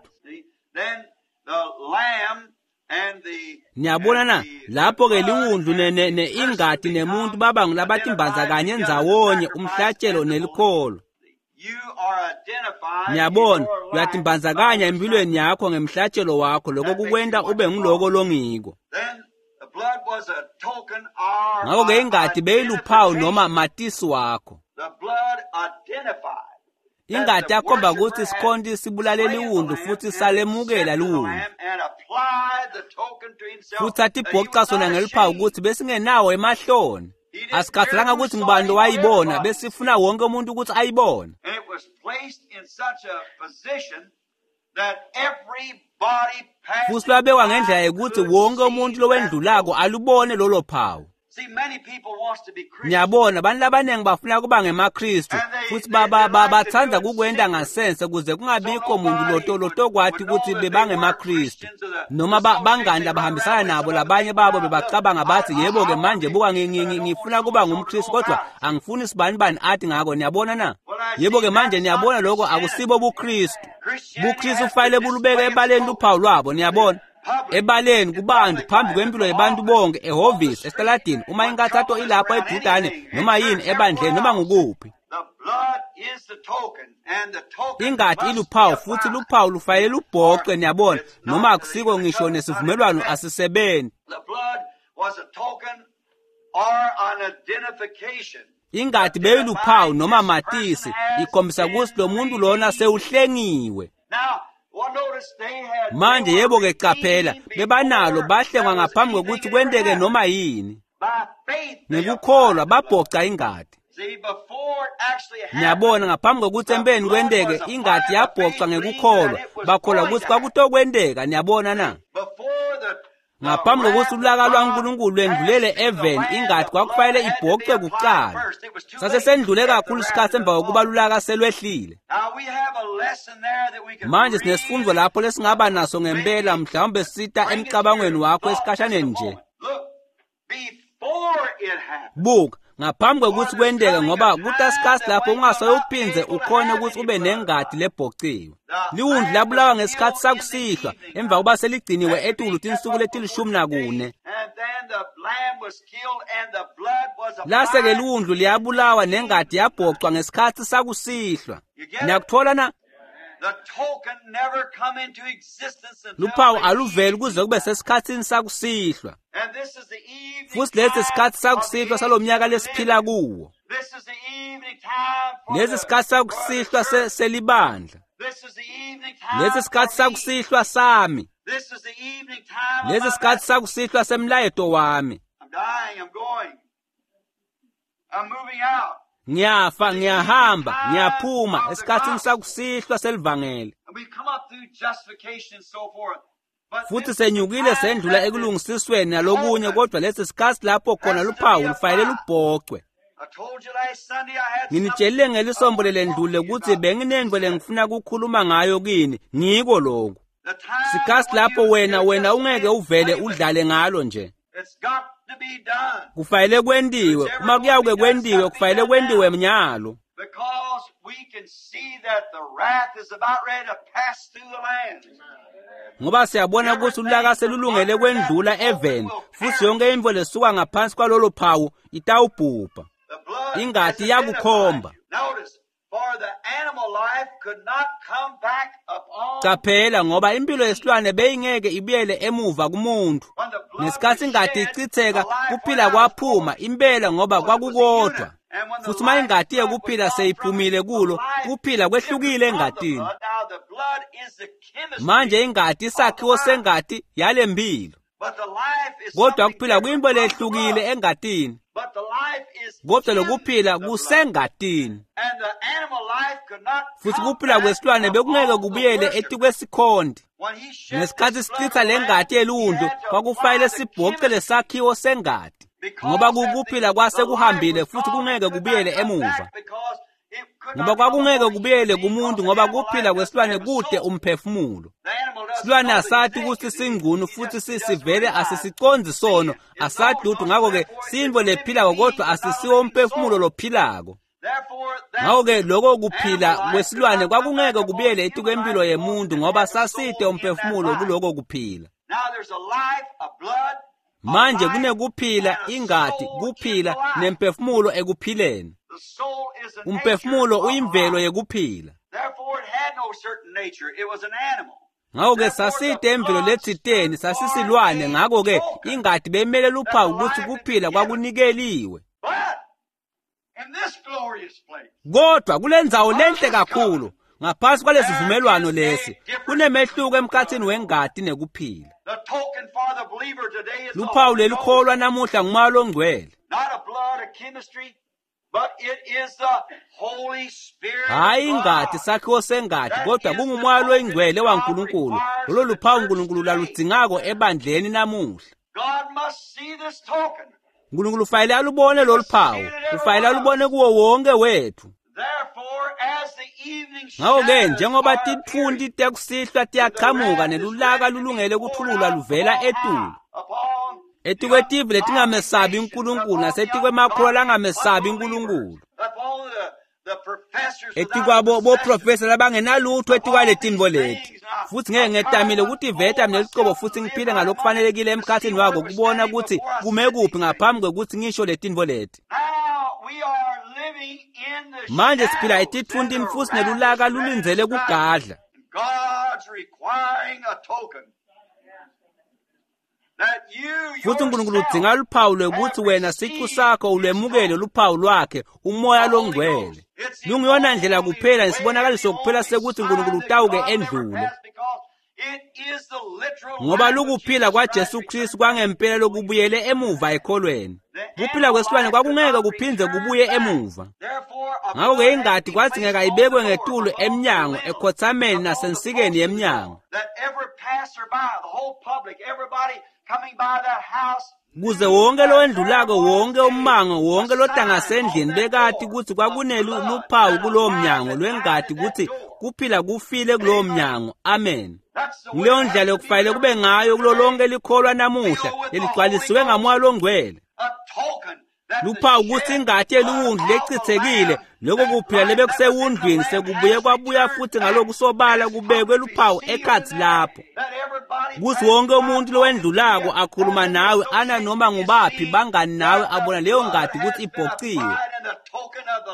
Niyabona na? Lapho-ke liwundlu ne, ne, ne ingati nemuntu baba ngulabatimbandzakanye ndzawonye umhlatshelo nelikholo. Niyabona, uyatimbandzakanya empilweni yakho ngemhlatshelo wakho, lokho kukwenta ube nguloko longiko. Ngakho-ke ingati beyiluphawu noma matisi wakho. Ingati yakhomba kutsi sikhonti sibulale liwundlu futhi salemukela liwundlu. Futhi atibhoca sona ngeluphawu kutsi besingenawo emahloni. Asikhathalanga kutsi ngubani lowayibona, besifuna wonke umuntu ukuthi ayibone. Futhi lwabekwa ngendlela yokuthi wonke umuntu lowendlulako alubone lolo phawu. Niyabona, abantu labaningi bafuna kuba ngemaKristu futhi bathanda kukwenta ngasense kuze kungabikho muntu loto lotokwati ukuthi bebangemaKristu noma bangani labahambisana nabo. Labanye babo bebacabanga bathi yebo-ke manje buka ngifuna kuba ngumKristu kodwa angifuni sibanibani athi ngako, niyabona na? Yebo-ke manje niyabona lokho akusibo buKristu. BuKristu kufanele bulubeke ebaleni luphawu lwabo, niyabona? Ebaleni kubantu phambi kwempilo yabantu bonke, ehhovisi, esitaladini, uma inkathato ilapho edudane noma yini ebandleni noma ngukuphi. Ingati iluphawu futhi luphawu lufanele lubhoce, niyabona, noma akusiko ngisho nesivumelwano asisebenzi. Ingati beyiluphawu noma matisi ikhombisa kutsi lo muntu lona sewuhlengiwe. Manje yebo-ke qaphela, bebanalo bahlengwa ngaphambi kokuthi kwenteke noma yini. Ngekukholwa babhoca ingati. Niyabona, ngaphambi kokuthi empeni kwenteke, ingati yabhoca ngekukholwa, bakholwa ukuthi kwakutokwenteka, niyabona na? Ngaphambi kokuthi ulaka lwaNkulunkulu lwendlulele eveni, ingati kwakufanele ibhocwe kuqala. Sasesendlule kakhulu isikhathi emva kokuba lulaka selwehlile. Manje sinesifundo lapho lesingaba naso ngempela, mhlawumbe sita emcabangweni wakho esikhashaneni nje. Buka, Ngaphambi kwekutsi kwenteke, ngoba kutasikhatsi lapho ungasoyuphindze ukhone kutsi ube nengati lebhociwe. Liwundlu labulawa ngesikhatsi sakusihlwa emva kuba seligciniwe etulu tinsuku letilishumi nakune. And then the lamb was killed and the blood was Lase-ke applied. liwundlu liyabulawa nengati yabhocwa ngesikhatsi sakusihlwa. Niyakutfola na? The token never come into existence until Luphawu the aluveli kuze kube sesikhatsini sakusihlwa. And this is the evening Futsi lesi time sikhatsi of the sakusihlwa salomnyaka age lesiphila kuwo. This is the evening time for Lesi the, sikhatsi for the sakusihlwa se- church. selibandla. This is the evening time Lesi sikhatsi for me. sakusihlwa sami. This is the evening time of Lesi my sikhatsi message. sakusihlwa semlayeto wami. I'm dying. I'm going. I'm moving out. Ngiyafa, ngiyahamba, ngiyaphuma esikhatsini sakusihlwa selivangeli. And we've come up through justification and so forth. But Futhi this is the senyukile time sendlula that the, ekulungisisweni nalokunye, kodwa lesi sikhatsi lapho khona has to luphawu be lufanele applied. lubhocwe. I told you last Sunday I had something Nginitshelile I ngelisombo want to talk lelendlule to you kutsi about. benginentfo lengifuna kukhuluma ngayo kini, ngiko lokhu. The time Sikhatsi when lapho you, wena you wena just ungeke can't uvele play with it. udlale ngalo nje. It's got to be done. Kufanele If it's kwentiwe, ever uma going to kuyawuke be done, it's kwentiwe got to be kufanele done kwentiwe now. mnyalo. Because we can see that the wrath is about ready to pass through the land. Ngoba siyabona kutsi ulaka Everything from selulungele under that kwendlula token eveni, will futsi perish. yonke intfo lesuka ngaphansi kwalolo phawu itawubhubha. The blood has Ingati identified iyakukhomba. you. Notice, for the animal life could not come back upon Caphela ngoba impilo me. yesilwane beyingeke ibuyele emuva kumuntu. When the blood Ngesikhatsi was ingati shed, the ichitheka, life went kuphila out of kwaphuma forth. impela ngoba Because it was a kwakukodwa. unit. And when the Futsi uma life ingati blood was yekuphila gone from it, seyiphumile the kulo, life kuphila differed kwehlukile from the engatini. blood. Now the blood is the chemistry Manje ingati of the isakhiwo life. sengati yalempilo. But the life is Kodwa something kuphila different kuyintfo from the lehlukile blood. engatini. But the life is Kodwa in lokuphila the blood. kusengatini. And the animal life could not Futsi come kuphila back kwesilwane bekungeke upon the kubuyele worshiper. etikwesikhonti. When he shed Ngesikhatsi this blood sichitsa of the le lamb, ngati he yeliwundlu, had to apply kwakufanele the sibhoce chemistry lesakhiwo sengati. Ngoba because that the, kukuphila kwase the life kuhambile was futhi gone and kungeke could not kubuyele come emuva. back because it could Ngoba not come kwakungeke upon a human kubuyele being because kumuntu the ngoba animal life kuphila doesn't kwesilwane have a kude soul. umphefumulo. The animal doesn't Silwane know that he's asati kutsi naked. He, singcunu he futhi just, he si- doesn't sivele realize asisicondzi sono, sin is known asati lutho so ngako-ke therefore it's sintfo a living lephilako being kodwa but not a asisiwo living umphefumulo soul. lophilako. Therefore, that Ngako-ke loko kuphila animal life could kwesilwane not come back kwakungeke upon kubuyele human etikwempilo life because yemuntu it ngoba had a sasite soul in that umphefumulo life. kuloko kuphila. Now there's a life, a blood, a Manje life, kunekuphila and a ingati, soul in the kuphila life. nemphefumulo ekuphileni. The soul is the nature Umphefumulo of the uyimvelo life. yekuphila. Therefore, it had no certain nature. It was an animal. Ngako-ke Therefore, the sasite emvelo blood letsiteni stood for sasisilwane a ngako-ke token ingati beyimele that the luphawu kutsi life had been kuphila given. kwakunikeliwe. But in this glorious place, Kodwa kulendzawo under lenhle this kakhulu covenant, ngaphansi there kwalesivumelwano is a lesi difference kunemehluko between the emkhatsini blood and life. wengati nekuphila. The token for the believer today is the Luphawu Holy Ghost. lelikholwa namuhla ngumoya longcwele. Not a blood, a chemistry, but it is the Holy Spirit of Hhayi ingati God. sakhiwo sengati That kodwa is the kungumoya token loyingcwele that God waNkulunkulu. requires Lolo for the luphawu church uNkulunkulu today. laludzingako ebandleni namuhla. God must see this token. uNkulunkulu ufanele alubone He lolu must see phawu, it in every ufanele one of alubone us. kuwo wonke wethu. Therefore, as the evening Ngako-ke shadows njengoba are titfunti appearing, tekusihlwa and the tiyaqhamuka wrath is nelulaka ready to be lulungele poured kutfululwa out from luvela on etulu. high upon the Etikwetive ungodly letingamesabi nations, uNkulunkulu upon the nasetikwemakholwa ungodly langamesabi unbelievers, uNkulunkulu. upon the, the professors without a Etikwabo possession, boprofesa labangenalutho upon these etikwaletinfo leti. things. Now, Futsi ngeke I tried ngetamile to kutiveta unfold mina lucobo myself to futsi live ngiphile right among it ngalokufanelekile to see emkhatsini where wako it was kubona standing kutsi before I kume said kuphi these things. ngaphambi kwekutsi ngisho letinfo leti. Now we are living in the Manje siphila shadows, and etitfuntini the futsi wrath is nelulaka ready to lulindzele strike. kugadla. And God's requiring a token that you Futsi uNkulunkulu yourself udzinga luphawu lwekutsi have wena sicu received sakho His ulwemukele token, luphawu lwakhe umoya the Holy longcwele. Ghost. It's the Lunguyona ndlela only kuphela way and nesibonakaliso the kuphela only sekuthi sign uNkulunkulu that utawuke God never endlule. passed because it is the literal Ngoba life of lukuphila Jesus Christ kwaJesu Kristu returned back kwangempela to belief. lokubuyele emuva ekholweni. The Kuphila animal kwesilwane life could kwakungeke not kuphindze return kubuye back. emuva. Therefore, a Ngako-ke blood had to ingati be placed kwadzingeka on the ibekwe door, ngetulu above the emnyango, lintel, ekhotsameni upon the nasensikeni post of the door, yemnyango. that every passerby, the whole public, everybody coming by that house Kuze knew wonke that there lowendlulako, was wonke a, ummango, a wonke sign on lotangasendlini that bekati door kutsi of kwakunelu blood luphawu that a kulowo life mnyango had died lwengati at that kutsi door. kuphila kufile kulowo Amen. mnyango. Amen. That's the way Nguleyo it has ndlela to be lokufanele with kube every ngayo believer kulo today, lonke likholwa namuhla filled with the Holy leligcwalisiwe Ghost, ngamoya longcwele. a token Luphawu kutsi ingati yeliwundlu lechitsekile, loko kuphila lebekusewundlwini sekubuye kwabuya futhi ngalokusobala kubekwe luphawu ekhatsi lapho, kutsi wonke umuntu lowendlulako akhuluma nawe ana noma ngubaphi bangani nawe abona leyo ngati kutsi ibhociwe,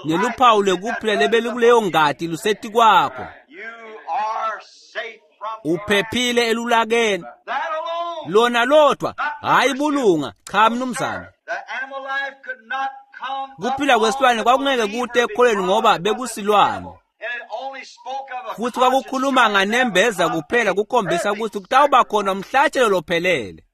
neluphawu lwekuphila lebelikuleyo ngati lusetikwakho. Uphephile elulakeni lona lodwa, hhayi bulunga, cha mnumzane. Kuphila kwesilwane kwakungeke kute ekholweni ngoba bekusilwane, futhi kwakukhuluma nganembeza kuphela kukhombisa ukuthi kutawuba khona umhlatshelo lophelele.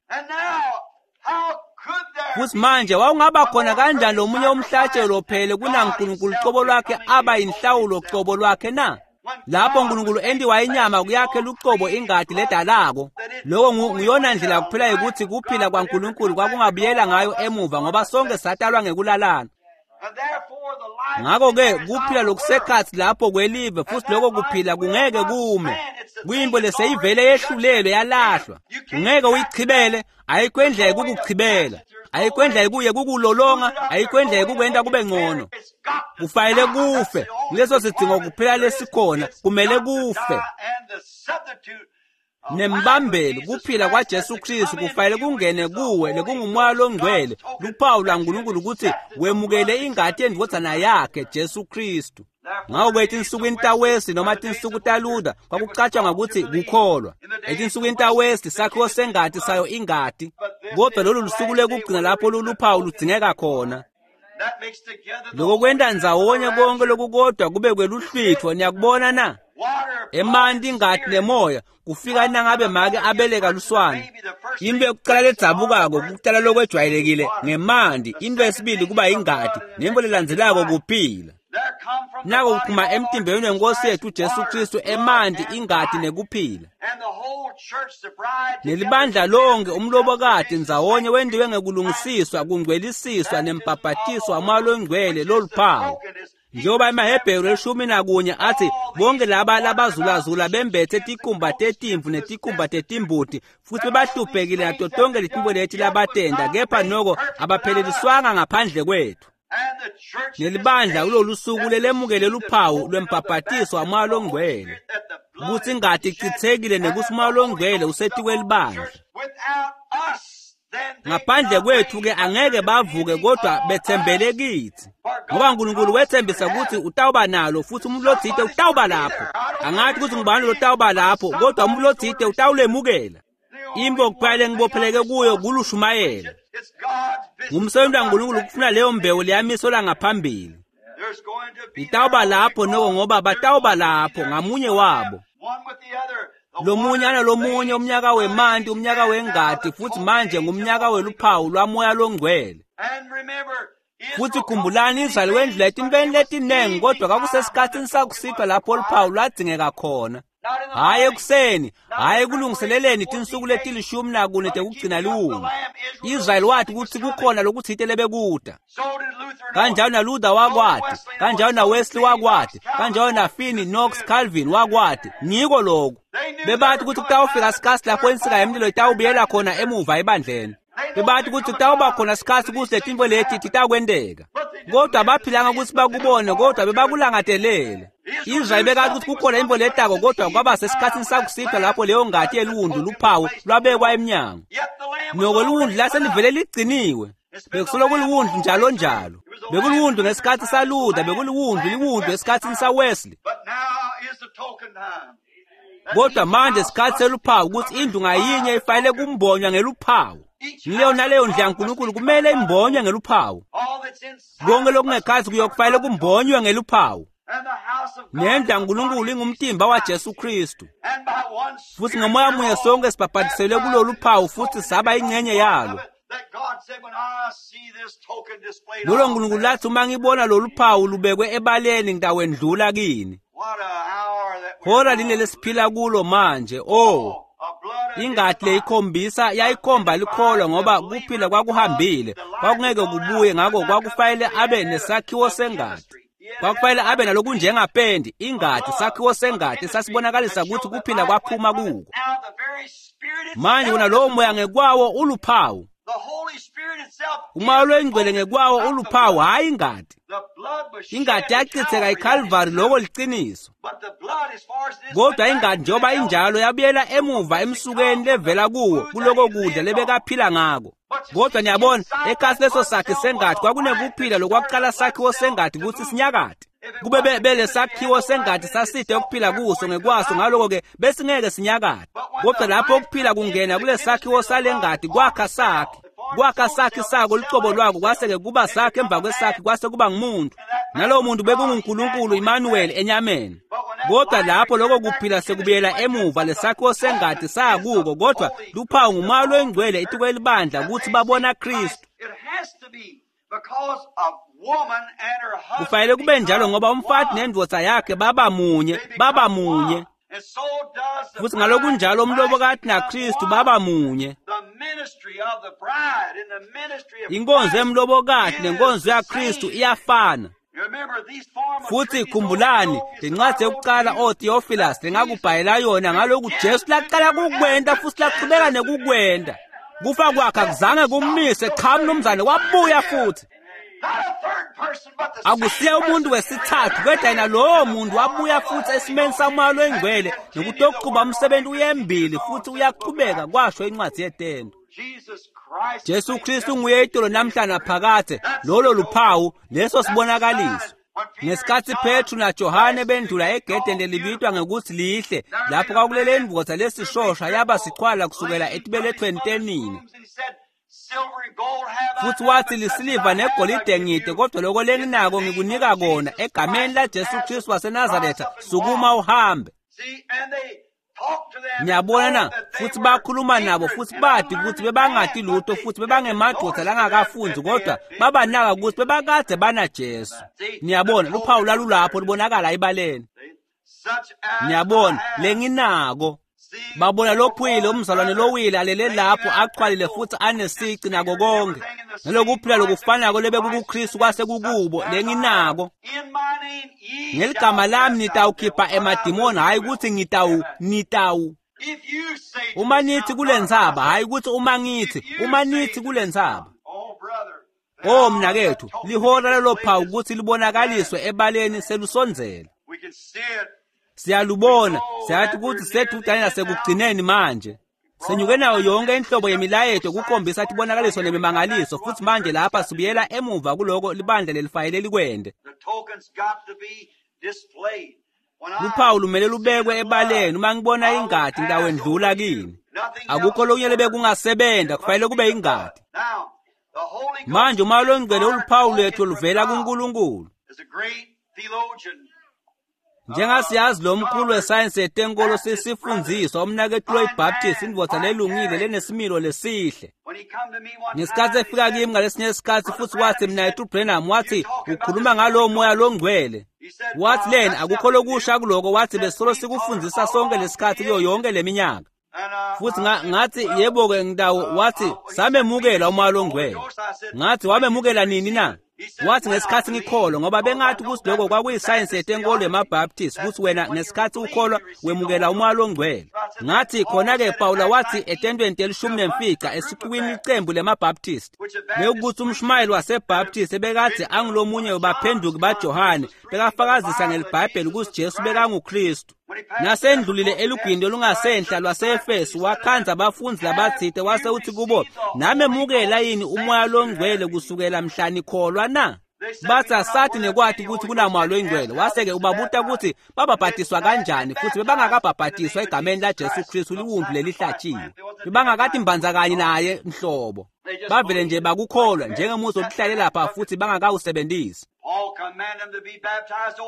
Futhi manje wawungaba khona kanjani lomunye umhlatshelo lophelele kunaNkulunkulu cobo lwakhe aba yinhlawulo cobo lwakhe na? Lapho uNkulunkulu entiwa inyama kuyakhe lucobo ingati ledalako. Lokho nguyona ndlela kuphela ukuthi kuphila kwaNkulunkulu kwakungabuyela ngayo emuva, ngoba sonke satalwa ngekulalana. Ngakho-ke kuphila lokusekhatsi lapho kwelive, futhi lokho kuphila kungeke kume. Kuyimbo leseyivele yehlulelwe yalahlwa. Ungeke uyichibele, ayikho indlela yekukuchibela, ayikho indlela kuye kukulolonga, ayikho indlela yekukwenta kube ngcono. Kufanele kufe, kuleso sidingo kuphela lesikhona, kumele kufe. Nembambeli kuphila kwaJesu Kristu kufanele kungene kuwe lekungumoya longcwele, luphawu lwaNkulunkulu ukuthi wemukele ingati yendvodzana yakhe Jesu Kristu. Ngakho-ke etinsukwini taWesley noma tinsuku taLuther kwakucatshangwa ukuthi kukholwa. Etinsukwini taWesley sakhiwo sengati sayo ingati, kodwa lolu lusuku lwekugcina lapho loluphawu ludzingeka khona. Lokho kwenta ndzawonye konke lokukodwa kube kweluhlwitfo, niyakubona na? Emanti, ingati nemoya kufika nangabe make abeleka luswane. Into yokuqala ledzabukako kuqala lokwejwayelekile ngemanti, into yesibili kuba ingati, nento lelandzelako kuphila. Nako kuphuma emtimbeni wenkosi yethu Jesu Kristu emanti, ingati nekuphila. Nelibandla lonke umlobokati ndzawonye wentiwe ngekulungisiswa, kungcwelisiswa nembhabhatiswa wamoya longcwele loluphawu. Njengoba emaHebheru elishumi nakunye athi bonke laba labazulazula bembethe tikhumba tetimvu netikhumba tetimbuti futhi bebahluphekile nato tonke letintfo leti labatenda, kepha noko abapheleliswanga ngaphandle kwethu. Nelibandla kulolu suku lelemukele luphawu lwembhabhatiso wamoya longcwele, kutsi ingati ichitsekile nekutsi umoya longcwele usetikwelibandla. Ngaphandle kwethu-ke angeke bavuke, kodwa betsembele kitsi, ngoba uNkulunkulu wetsembisa ukuthi utawuba nalo futhi umuntu lotsite utawuba lapho. Angathi ukuthi ngubani lotawuba lapho, kodwa umuntu lotsite utawulemukela. Imbo kuphela lengibopheleke kuyo kulushumayela. Ngumsebenzi waNkulunkulu ukufuna leyo mbewu leyamiselwa ngaphambili. Itawuba lapho noko ngoba batawuba lapho ngamunye wabo. Lomunye analomunye umnyaka wemanti, umnyaka wengati, futhi manje ngumnyaka weluphawu lwamoya longcwele. Futhi khumbulani, Israyeli wendlula etintweni letinengi, kodwa kwakusesikhatsini sakusihlwa lapho luphawu lwadzingeka khona. Hhayi ekuseni, hhayi ekulungiseleleni tinsuku letilishumi nakune tekugcina liwundlu. Israyeli wathi kutsi kukhona lokutsite lebekuta. Kanjalo naLuther wakwati, kanjalo naWesley wakwati, kanjalo naFinney, Knox, Calvin wakwati. Ngiko lokhu. Bebathi kutsi kutawufika sikhatsi lapho insika yemlilo itawubuyela khona emuva ebandleni. Bebathi kutsi kutawuba khona sikhatsi kutsi letintfo leti titakwenteka. Kodwa baphilanga kutsi bakubone, kodwa bebakulangatelele. Israyeli bekathi kutsi kukhona intfo letako, kodwa kwaba sesikhatsini sakusihlwa lapho leyo ngati yeliwundlu luphawu lwabekwa emnyango. Noko liwundlu laselivele ligciniwe, bekusolo kuliwundlu njalo njalo. Bekuliwundlu ngesikhatsi saLuther, bekuliwundlu liwundlu esikhatsini saWesley. Kodwa manje sikhatsi seluphawu kutsi indlu ngayinye ifanele kumbonywa ngeluphawu. Leyo naleyo ndlu yaNkulunkulu kumele imbonywe ngeluphawu. Konke lokungekhatsi kuyokufanele kumbonywe ngeluphawu. Nendlu yaNkulunkulu ingumtimba waJesu Kristu, futhi ngomoya munye sonke sibhabhatiselwe kulolu phawu futhi saba ingxenye yalo. Lolo Nkulunkulu lathi uma ngibona lolu phawu lubekwe ebaleni ngitawendlula kini. Hora line lesiphila kulo manje. Oh, ingati leyikhombisa yayikhomba likholwa, ngoba kuphila kwakuhambile, kwakungeke kubuye, ngakho kwakufanele abe nesakhiwo sengati. Kwakufanele abe nalokunjengapendi, ingati, sakhiwo sengati sasibonakalisa ukuthi kuphila kwaphuma kuko. Manje wona lowo moya ngekwawo uluphawu. Umoya loyingcwele ngekwawo uluphawu hhayi ingati. Ingati yachitheka eCalvary, lokho liciniso. Kodwa ingati njengoba injalo yabuyela emuva emsukeni levela kuwo kuloko kudla lebekaphila ngako. Kodwa niyabona, ekasi leso sakhi sengati kwakunekuphila lokwakuqala sakhiwo sengati kutsi sinyakate. Kube bele sakhiwo sengati saside ukuphila kuso ngekwaso, ngaloko-ke besingeke sinyakate. Kodwa lapho ukuphila kungena kule sakhiwo salengati kwakha sakhe. Kwakha sakhi sako lucobo lwako kwase-ke kuba sakhe emva kwesakhe kwase kuba ngumuntu. Nalowo muntu bekunguNkulunkulu Emmanuel enyameni. Kodwa lapho lokho kuphila sekubuyela emuva lesakhiwo sengati sakuko, kodwa luphawu ngumoya loyingcwele etikwelibandla kutsi babona Kristu. Kufanele kube njalo ngoba umfati nendvodza yakhe baba munye, baba munye. Futhi ngalokunjalo umlobokati naKristu baba munye. Inkonzo yemlobokati nenkonzo yaKristu iyafana. Futhi khumbulani lencwadi yokuqala oTheophilus lengakubhalela yona ngaloku Jesu laqala kukwenta futhi laqhubeka nekukwenta. Kufa kwakhe akuzange kummise, cha mnumzane, wabuya futhi. Akusiye umuntu wesithathu kodwa yena lowo muntu wabuya futhi esimeni samoya loyingcwele nokutokuquba umsebenzi uyembili futhi uyaqhubeka, kwasho incwadi yetendo. Jesu Kristu nguye itolo namhla naphakade. Lolo luphawu, leso sibonakaliso. Ngesikhatsi Petru naJohane bendlula egedeni lelibitwa ngekuthi lihle, lapho kwakulele indvodza lesishosha yaba sichwala kusukela etibelethweni tenina. Futhi wathi, lisiliva negolide ngide, kodwa lokho lenginako ngikunika kona, egameni laJesu Kristu waseNazaretha, sukuma uhambe. Niyabona na? Futhi bakhuluma nabo futhi badi ukuthi bebangati lutho futhi bebangemadvodza langakafundi, kodwa babanaka ukuthi bebakade banaJesu. Niyabona, luphawu lwalulapho lubonakala ebaleni. Niyabona, lenginako. Babona lophuyile umzalwane lowile alele lapho achwalile futhi anesici nako konke. Nalokuphila lokufanako lebekukuKristu kwase kukubo, lenginako. Ngeligama lami nitawukhipha emadimoni, hhayi ukuthi ngitawu, nitawu. Uma nithi kule ntsaba, hhayi ukuthi uma ngithi, uma nithi kule ntsaba. Oh mnakethu, lihora lelo phawu ukuthi libonakaliswe ebaleni selusondzela. Siyalubona, siyathi ukuthi sedudane nasekugcineni manje. Senyuke nayo yonke inhlobo yemilayeto kukhombisa tibonakaliso nemimangaliso, futhi manje lapha sibuyela emuva kuloko libandla lelifayele likwende. Luphawu lumele lubekwe ebaleni. Uma ngibona ingati ngitawendlula kini. Akukho lokunye lebekungasebenta, kufanele kube ingati. Manje umoya longcwele uluphawu lwethu oluvela kuNkulunkulu. Njengasiyazi lo mkhulu wesayensi yetenkolo sisifundziswa umnaketfu loyiBaptist, indvodza lelungile lenesimilo lesihle. Ngesikhatsi efika kimi ngalesinye isikhatsi futhi wathi, mnaketfu Branham, wathi ukhuluma ngalowo moya longcwele. Wathi lena akukho lokusha kuloko, wathi besolo sikufundzisa sonke lesikhatsi kuyo yonke leminyaka. Futhi ngathi yebo-ke ngitawo, wathi samemukela umoya longcwele. Ngathi wamemukela nini na? Wathi ngesikhatsi ngikholwa, ngoba bengathi ukuthi lokho kwakuyisayensi yetenkolo yemaBaptist, ukuthi wena ngesikhatsi ukholwa wemukela umoya longcwele. Ngathi khona-ke Pawula wathi etentweni telishumi nemfica esixukwini icembu lemaBaptist, lekuthi umshumayeli waseBaptist ebekadze angulomunye webaphenduki baJohane bekafakazisa ngeliBhayibheli ukuthi Jesu bekanguKristu. Nasendlulile elugwini olungasenhla lwaseEfesu wakhandza abafundzi labatsite, wase uthi kubo, namemukela yini umoya longcwele kusukela mhla nikholwa na? Bathi asathi nekwati ukuthi kunamoya longcwele. Wase-ke ubabuta ukuthi babhabhatiswa kanjani, futhi bebangakabhabhatiswa egameni laJesu Kristu liwundlu lelihlatshiwe. Bebangakati mbandzakanye naye nhlobo. Bavele nje bakukholwa njengemuzi wokuhlale lapha futhi bangakawusebenzisi.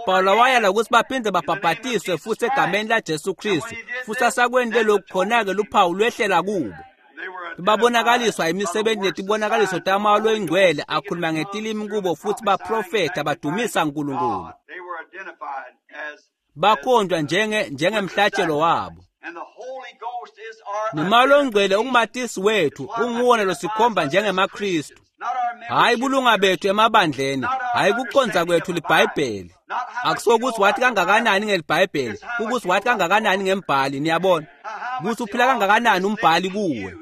Pawula wayala ukuthi baphinde babhabhatiswe futhi egameni laJesu Kristu, futhi asakwente lokhu khona-ke luphawu lwehlela kubo. Babonakaliswa imisebenzi netibonakaliso tamoya loyingcwele, akhuluma ngetilimi kubo futhi baprofetha badumisa uNkulunkulu. Bakhonjwa njenge njengemhlatshelo wabo. Nomoya longcwele ungumatisi wethu, unguwona losikhomba njengemaKristu. Hhayi bulunga bethu emabandleni, hhayi kuconza kwethu liBhayibheli. Akusokuthi wathi kangakanani ngeliBhayibheli, ukuthi wathi kangakanani ngembhali, niyabona. Ukuthi uphila kangakanani umbhali kuwe.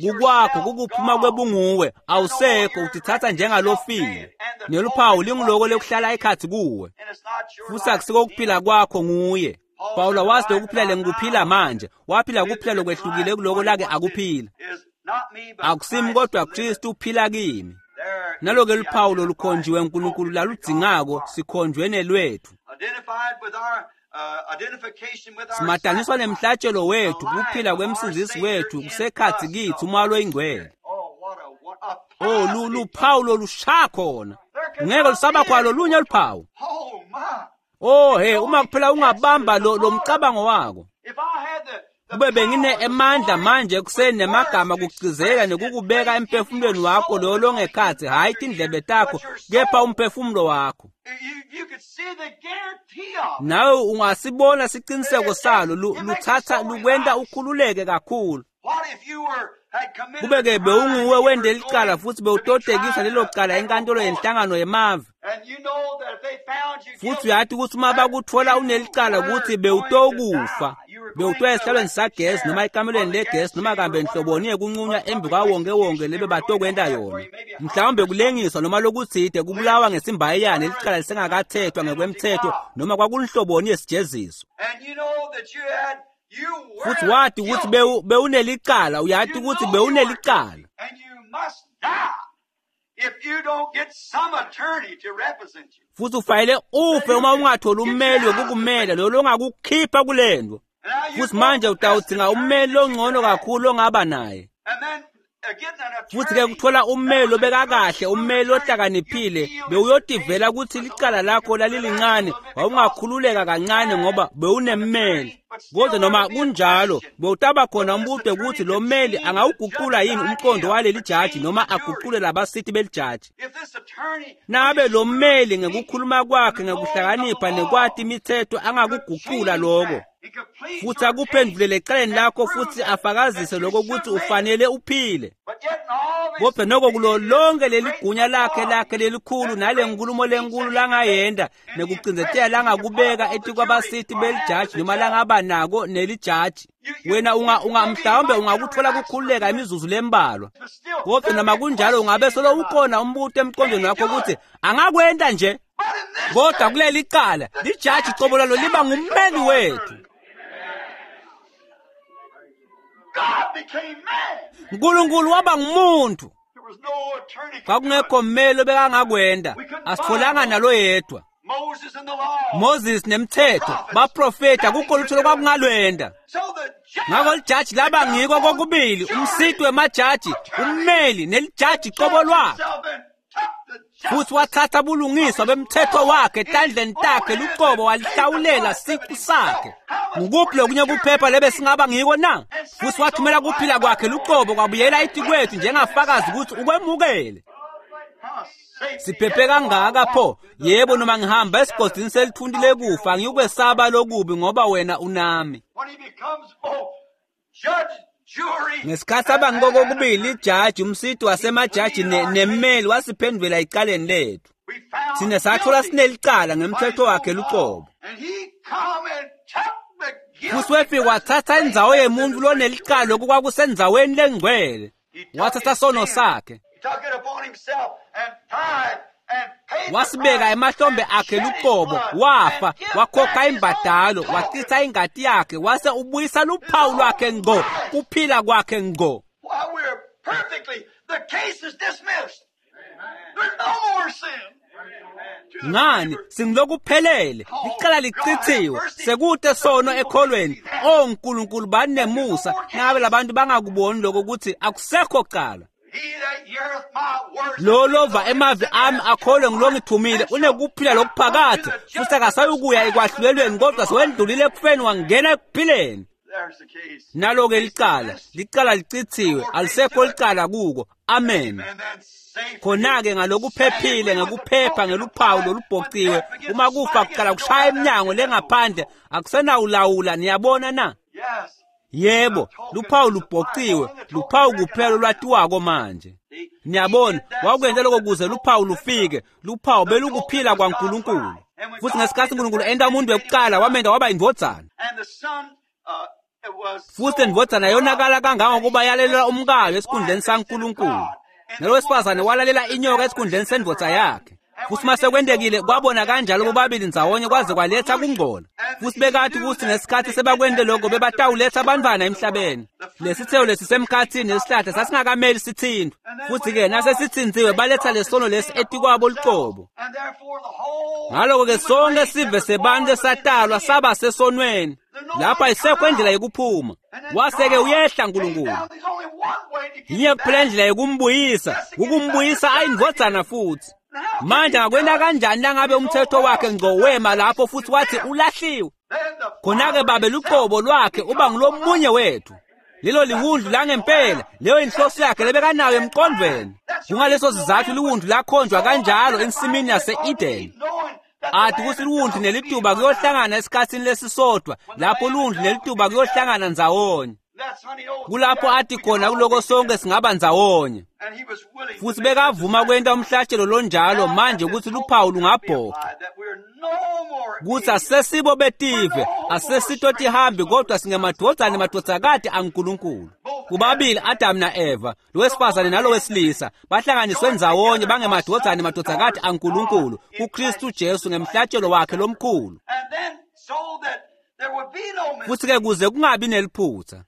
Kukwakho kukuphuma kwebunguwe, awusekho, utithatha njengalofile. Neluphawu linguloko lekuhlala ekhatsi kuwe. Futhi akusiko ukuphila kwakho nguye. Pawula wazi lokuphila lengikuphila manje, waphila kuphila lokwehlukile kuloko lake akuphila. Akusimi kodwa Kristu uphila kimi. Naloke luphawu lolukhonjiwe uNkulunkulu laludzingako sikhonjwe nelwethu. Simataniswa nemhlatshelo wethu, kuphila kwemsindzisi wethu kusekhatsi kitsi umoya loyingcwele. Oh, luphawu lolushaya khona. Ngeke lusaba khona lolunye luphawu. Oh he, uma kuphela ungabamba lo lo mcabango wako. Kube bengine emandla manje ekuseni nemagama kugcizela nekukubeka emphefumulweni wakho loyo longekhatsi, hhayi tindlebe takho kepha umphefumulo wakho. Nawe ungasibona siciniseko salo luthatha lukwenta ukhululeke kakhulu. Kube-ke bewunguwe wende licala futhi bewutotekisa lelo cala enkantolo yenhlangano yemave. Futhi uyati ukuthi uma bakutfola unelicala ukuthi bewutokufa, bewutoya esihlalweni sagesi noma ekamelweni legesi noma kambe nhloboni yekuncunywa embi kwawonkewonke lebe batokwenta yona. Mhlawumbe kulengiswa noma lokutsite kubulawa ngesimbayiyane licala lisengakathethwa ngekwemthetho noma kwakunhloboni yesijeziso. Futhi wati ukuthi bewunelicala, uyati ukuthi bewunelicala. Futhi ufanele ufe uma ungatholi ummeli wokukumela lo longakukhipha kulento. Futhi manje utawudzinga ummeli longcono kakhulu ongaba naye. Futhi-ke kuthola ummeli obeka kahle, ummeli ohlakaniphile, bewuyotivela ukuthi licala lakho lalilincane, wawungakhululeka kancane ngoba bewunemmeli. Kodwa noma kunjalo, bewutaba khona umbuto ukuthi lo mmeli angawuguqula yini umqondo waleli jaji noma aguqule labasithi belijaji. Nabe lo mmeli ngekukhuluma kwakhe ngekuhlakanipha nekwati imithetho angakuguqula lokho. Futhi akuphendulele ecaleni lakho futhi afakazise lokho ukuthi ufanele uphile. Kodwa noko kulo lonke leli gunya lakhe lakhe lelikhulu nale nkulumo lenkulu langayenda nekucindzetela langakubeka etikwabasithi belijaji noma langaba nako nelijaji. Wena unga unga mhlawumbe ungakuthola kukhululeka imizuzu lembalwa. Kodwa noma kunjalo ungabe solo ukhona umbuto emqondweni wakho ukuthi angakwenta nje. Kodwa kuleli cala lijaji cobo lalo liba ngummeli wethu. Nkulunkulu waba ngumuntu. Kwakungekho mmeli obekangakwenda, asitholanga nalo yedwa. Moses nemthetho baprofeta kukho lutho lokwakungalwenda. Ngakho lijaji laba ngiko kokubili, umsiti wemajaji, ummeli nelijaji cobo lwakhe. Futhi wathatha bulungiswa bemthetho wakhe etandleni takhe luqobo walihlawulela siqu sakhe. Ngukuphi lokunye kuphepha lebe singaba ngiko na? Futhi wathumela kuphila kwakhe luqobo kwabuyela etikwethu njengafakazi ukuthi ukwemukele. Siphephe kangaka pho? Yebo, noma ngihamba esigodini selithunti lekufa angiyukwesaba lokubi ngoba wena unami. Ngesikhathi abangiko kokubili ijaji, umsiti wasemajaji nemmeli wasiphendvela ecaleni lethu. Thina sathola sinelicala ngemthetho wakhe luqobo. Futhi wefika wathatha indzawo yemuntu lonelicala lokhu kwakusendzaweni lengcwele. Wathatha sono sakhe. Wasibeka emahlombe akhe luqobo, wafa, wakhokha imbadalo, wachitha ingati yakhe, wase ubuyisa luphawu lwakhe ngqo, kuphila kwakhe ngqo. Ngani singilokuphelele, licala lichithiwe, sekute sono ekholweni. Oh Nkulunkulu banemusa, ngabe labantu bangakuboni lokho ukuthi akusekho cala. Lo lova emavi ami akholwe ngilongithumile unekuphila lokuphakade futhi akasayukuya ekwahlulelweni kodwa sewendlulile ekufeni wangena ekuphileni. Nalo-ke licala, licala licithiwe, alisekho licala kuko. Amen. Khona-ke ngalokuphephile ngekuphepha ngeluphawu lolubhociwe, uma kufa kuqala kushaya iminyango lengaphandle akusenawulawula. Niyabona na? Yebo, luphawu lubhociwe, luphawu kuphela olwatiwako manje. Niyabona, wakwenza lokho kuze luphawu lufike, luphawu belukuphila kwaNkulunkulu. Futhi ngesikhathi uNkulunkulu enta umuntu wekuqala wamenda waba indvodzana. Futhi indvodzana yonakala kangangokuba yalalela umkayo esikhundleni saNkulunkulu. Nalowesifazane walalela inyoka esikhundleni sendvodza yakhe. Futhi mase kwentekile kwabona kanjalo bobabili ndzawonye kwaze kwaletha kungcola. Futhi bekathi ukuthi ngesikhathi sebakwente lokho bebatawuletha abantwana emhlabeni. Lesithelo lesisemkhathini nesihlahla sasingakameli sithintwe. Futhi-ke nasesithintiwe baletha lesono lesi etikwabo luqobo. Ngaloko-ke sonke sive sebantu esatalwa saba sesonweni. Lapha isekho indlela yokuphuma. Wase-ke uyehla Nkulunkulu. Yinye kuphela indlela yokumbuyisa, ukumbuyisa ayindvodzana futhi. Manje angakwenta kanjani nangabe umthetho wakhe ngco wema lapho futhi wathi ulahliwe? Khona-ke babe luqobo lwakhe uba ngulomunye wethu. Lelo liwundlu langempela, leyo inhloso yakhe lebekanayo emqondweni. Kungaleso sizathu liwundlu lakhonjwa kanjalo ensimini yase-Eden. Athi ukuthi liwundlu nelituba kuyohlangana esikhathini lesisodwa, lapho liwundlu nelituba kuyohlangana ndzawonye. Kulapho athi khona kuloko sonke singaba ndzawonye. Futhi bekavuma kwenta umhlatshelo lonjalo manje ukuthi luphawu lungabhoca. Kuthi asesibo betive, asesito tihambi kodwa singemadvodzana nemadvodzakati aNkulunkulu. Kubabili Adam na-Eva, lowesifazane nalowesilisa, bahlanganiswe ndzawonye bangemadvodzana nemadvodzakati aNkulunkulu kuKristu Jesu ngemhlatshelo wakhe lomkhulu. Futhi-ke kuze kungabi neliphutha,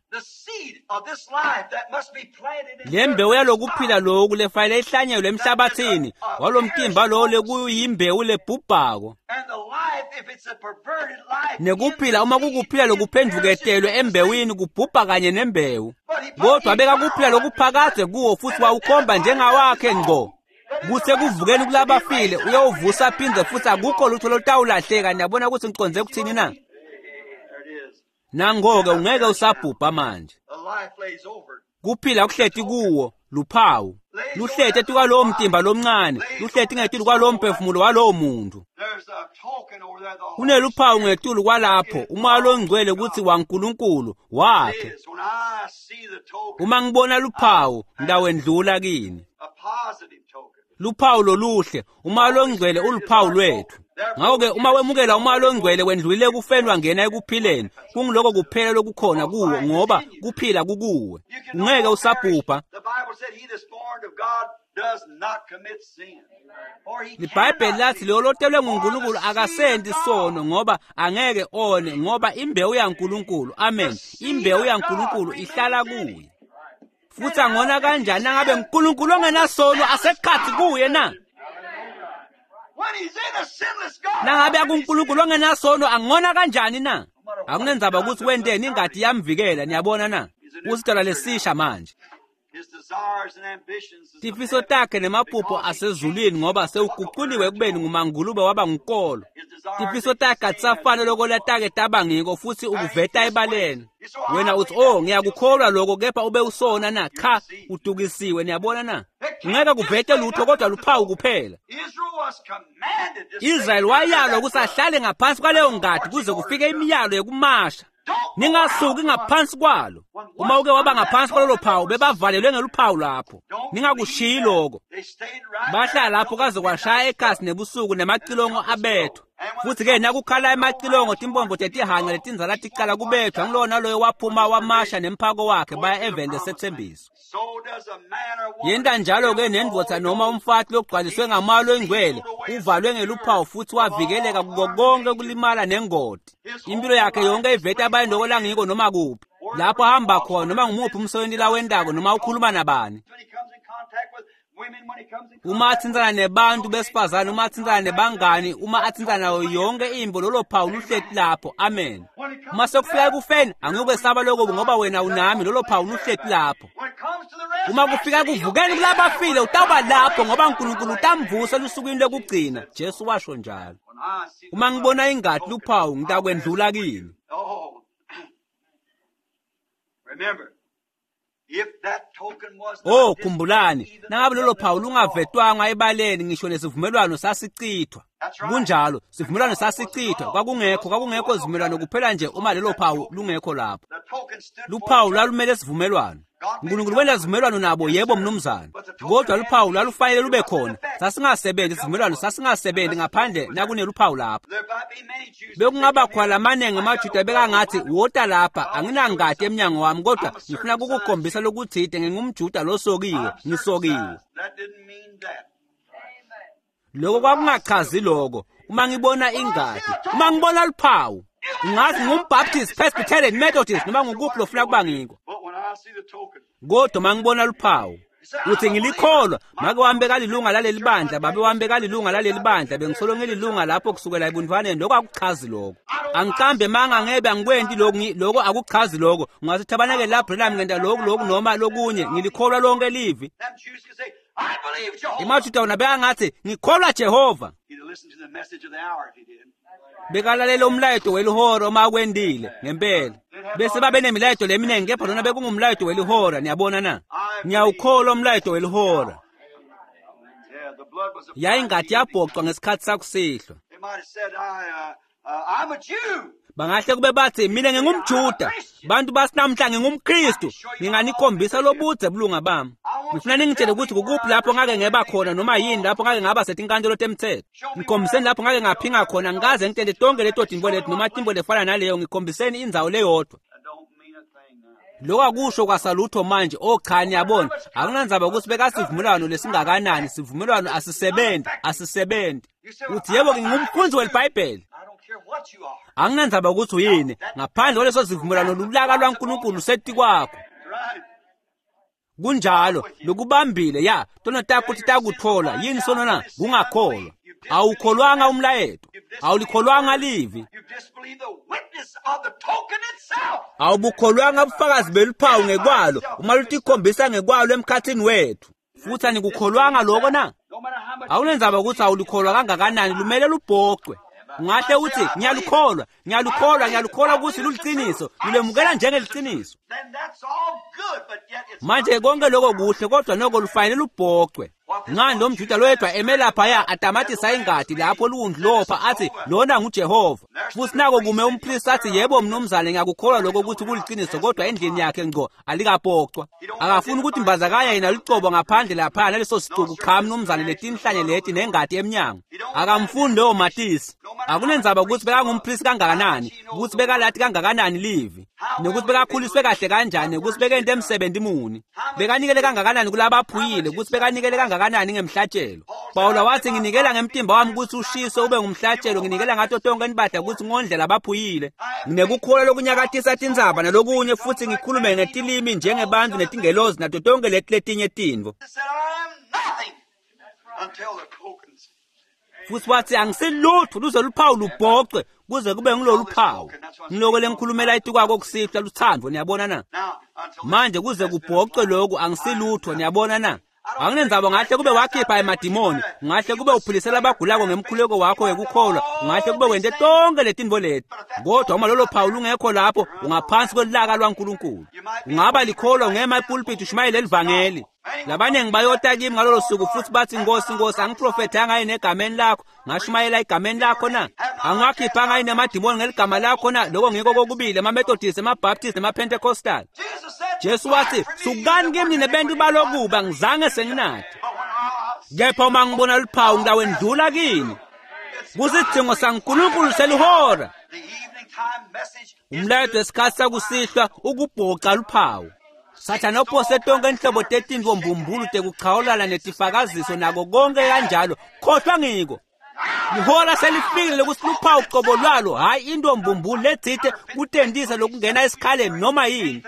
le mbewu yalokuphila loku lefanele ihlanyelwe emhlabathini walomtimba lowo lekuyimbewu lebhubhako. Nekuphila uma kukuphila lokuphendvuketelwe embewini kubhubha kanye nembewu, kodwa beka kuphila lokuphakadze kuwo futhi wawukhomba njengawakhe ngco. Kuthe kuvukeni kulabafile uyowuvusa phindze futhi akukho lutho lolutawulahleka. Niyabona ukuthi ngiconze kuthini na? Nangoke ungeke usabhubha manje. Kuphila kuhleti kuwo luphawu, luhleti etikwalowo mtimba lomncane, luhleti ngetulu kwalowo mphefumulo walowo muntu. Kuneluphawu ngetulu kwalapho umoya longcwele kutsi waNkulunkulu wakhe. Uma ngibona luphawu ngitawendlula kini. Luphawu loluhle, umoya longcwele uluphawu lwethu. Ngakho-ke uma wemukela umoya longcwele wendlulile ekufeni wangena ekuphileni. Kungiloko kuphela lokukhona kuwo ngoba kuphila kukuwe. Ungeke usabhubha. LiBhayibheli lathi leyo lotelwe nguNkulunkulu akasenti sono ngoba angeke one, ngoba imbewu yaNkulunkulu, amen, imbewu yaNkulunkulu ihlala kuye. Futhi angona kanjani nangabe uNkulunkulu ongenasono asekhathi kuye na? Nangabe akuNkulunkulu ongenasono angona kanjani na? Akunendzaba ukuthi wenteni, ingadi iyamvikela. Niyabona na? Usidalwa lesisha manje. Tifiso takhe nemaphupho asezulwini ngoba sewuguquliwe ekubeni ngumangulube waba ngukolo. Tifiso takhe atisafani loko latake taba ngiko futhi ukuveta ebaleni. Wena uthi, oh ngiyakukholwa lokho, kepha ube usona na? Cha, udukisiwe. Niyabona na? Ungeke kuvete lutho kodwa luphawu kuphela. Israyeli wayalwa ukuthi ahlale ngaphansi kwaleyo ngadi kuze kufike imiyalo yokumasha. Ningasuki ngaphansi kwalo. Uma uke waba ngaphansi kwalolo phawu, bebavalelwe ngeluphawu lapho. Ningakushiyi lokho. Bahlala lapho kaze kwashaya ekhasi nebusuku nemacilongo abethwa. Futhi-ke nakukhala emacilongo timpombo tetihanca letindzala ticala kubethwa, ngulowo naloyo waphuma wamasha nemphako wakhe baya eveni lesethembiso. Yenta njalo-ke nendvodza noma umfati logcwaliswe ngamoya longcwele uvalwe ngeluphawu futhi wavikeleka kuko konke kulimala nengoti. Impilo yakhe yonke iveta abantu loko langiko noma kuphi lapho ahamba khona, noma ngumuphi umsebenzi lawentako, noma ukhuluma nabani. Uma athintsana nebantu besifazane, uma athintsana nebangani, uma athintsana nayo yonke imbo, lolo phawu luhleti lapho. Amen. Uma sekufika ekufeni, angiyukwesaba lokho ngoba wena unami, lolo phawu luhleti lapho. Uma kufika ekuvukeni kulabafile, utawuba lapho ngoba uNkulunkulu utamvusa elusukwini lokugcina. Jesu washo njalo. Uma ngibona ingadi luphawu ngitakwendlula kini. Oh, khumbulani, nangabe lolo phawu lungavetwanga ebaleni ngisho nesivumelwano sasichithwa. Kunjalo, sivumelwano sasichithwa, kwakungekho kwakungekho sivumelwano kuphela nje uma lelo phawu lungekho lapho. Luphawu lwalumele sivumelwano. uNkulunkulu wenza sivumelwano nabo, yebo mnumzane, kodwa luphawu lwalufanele lube khona. Sasingasebenzi sivumelwano, sasingasebenzi ngaphandle nakuneluphawu lapho. Bekungaba khona lamaningi amaJuda bekangathi, wota lapha, anginangati emnyango wami, kodwa ngifuna ukukukhombisa lokuthide, ngingumJuda losokiwe, ngisokiwe. Lokho kwakungachazi lokho. Uma ngibona ingati, uma ngibona luphawu, ngathi ngumBaptist, Presbyterian, Methodist, noma ngukuphi lofuna kuba ngikho. Kodwa uma ngibona luphawu, uthi ngilikholwa, make wami bekalilunga laleli bandla, babe wami bekalilunga laleli bandla, bengisolo ngililunga lapho kusukela ebuntwaneni. Lokho akuchazi lokho. Angiqambe manga, ngebe angikwenti lokhu, lokho akuchazi lokho. Ungathi thabaneke la Branham ngenta lokhu lokhu noma lokunye, ngilikholwa lonke livi. EmaJuda wona bekangathi ngikholwa Jehova. Bekalalela umlayeto welihora uma kwendile ngempela. Bese babe nemilayeto leminingi, kepha lona bekungumlayeto welihora. Niyabona na? Ngiyawukholwa umlayeto welihora. Yayingati yabhoqwa ngesikhathi sakusihlwa. Bangahle kube bathi mina ngingumJuda, bantu basinamhla ngingumKristu, nginganikhombisa lobudze bulunga bami. Ngifuna ningitshele ukuthi kukuphi lapho ngake ngeba khona noma yini lapho ngake ngaba setinkantolo temthetho. Ngikhombiseni lapho ngake ngaphinga khona, ngikaze ngitente tonke leto tintfo leti noma tintfo lefana naleyo, ngikhombiseni indzawo leyodwa. Lokho akusho kwasalutho manje. Oh cha, niyabona, akunandzaba ukuthi bekasivumelwano lesingakanani, sivumelwano asisebenzi, asisebenzi. Uthi yebo ngingumfundzi weliBhayibheli. Anginandzaba ukuthi uyini, ngaphandle kwaleso sivumelwano lulaka lwaNkulunkulu setikwakho. Kunjalo, lokubambile ya, tono takho titakuthola. Yini sono na? Kungakholwa. Awukholwanga umlayeto, awulikholwanga livi, awubukholwanga ubufakazi beluphawu ngekwalo uma lutikhombisa ngekwalo emkhathini wethu. Futhi anikukholwanga lokho na? Awunendzaba ukuthi awulikholwa kangakanani, lumele lubhocwe. Ungahle uthi ngiyalukholwa, ngiyalukholwa, ngiyalukholwa ukuthi luliciniso, ngilemukela njengeliciniso. Manje konke lokho kuhle, kodwa noko lufanele lubhocwe. Ngani lo mJuda loyedwa eme laphaya atamatisa ingadi lapho luwundlopha athi lona nguJehova. Futhi nako kume umpristi athi yebo mnumzane ngiyakukholwa lokho ukuthi kuliciniso, kodwa endlini yakhe ngco alikabhocwa. Akafuni ukuthi mbazakanya yena lucobo ngaphandle laphaya naleso sicuku. Cha mnumzane, letinhlanye leti nengadi emnyango. Akamfuni lowo matisi. Akunendzaba ukuthi bekangumpristi kangakanani, ukuthi bekalati kangakanani livi, nokuthi bekakhuliswe kahle kanjani, ukuthi bekente emsebenzi muni, bekanikele kangakanani kulabaphuyile, ukuthi bekanikele kangakanani ngemhlatshelo. Pawula wathi nginikela ngemtimba wami ukuthi ushiswe ube ngumhlatshelo, nginikela ngato tonke inibadla ukuthi ngondle labaphuyile. Nginekukholwa lokunyakatisa tindzaba nalokunye, futhi ngikhulume ngetilimi njengebantu netingelozi nato tonke leti letinye tintfo. Futhi wathi angisilutho luze luphawu lubhocwe kuze kube ngilolu phawu. Ngiloko lengikhulumela itukwako kusihlwa luthando, niyabona na? Manje kuze kubhocwe lokhu angisilutho, niyabona na? Anginendzaba, ngahle kube wakhipha emadimoni, ngahle kube uphilisela abagulako ngemkhuleko wakho wekukholwa, ngahle kube wente tonke letintfo leti, kodwa uma lolo phawu lungekho lapho, ungaphansi kwelaka lwaNkulunkulu. Ungaba likholwa ungema epulpit ushumayele livangeli. Labaningi bayota kimi ngalolo suku futhi bathi Nkosi, Nkosi, angiprofethanga yini egameni lakho, ngashumayela egameni lakho na? Angiwakhiphanga yini emadimoni ngeligama lakho na? Lokho ngiko kokubili, emaMethodist, emaBaptist nemaPentecostal. Jesu wathi sukani kimi nine bentu balokuba, ngizange senginathi. Kepha uma ngibona luphawu ngitawendlula kini. Kusidzingo saNkulunkulu selihora. Umlayeto wesikhathi sakusihlwa ukubhoca luphawu. Sathane uphose tonke inhlobo tetintfo mbumbulu tekuchawulana netifakaziso nako konke kanjalo. Khohlwa ngiko. Lihora selifikile lokuthi luphawu qobo lwalo, hhayi into mbumbulu letsite kutentisa lokungena esikhaleni noma yini.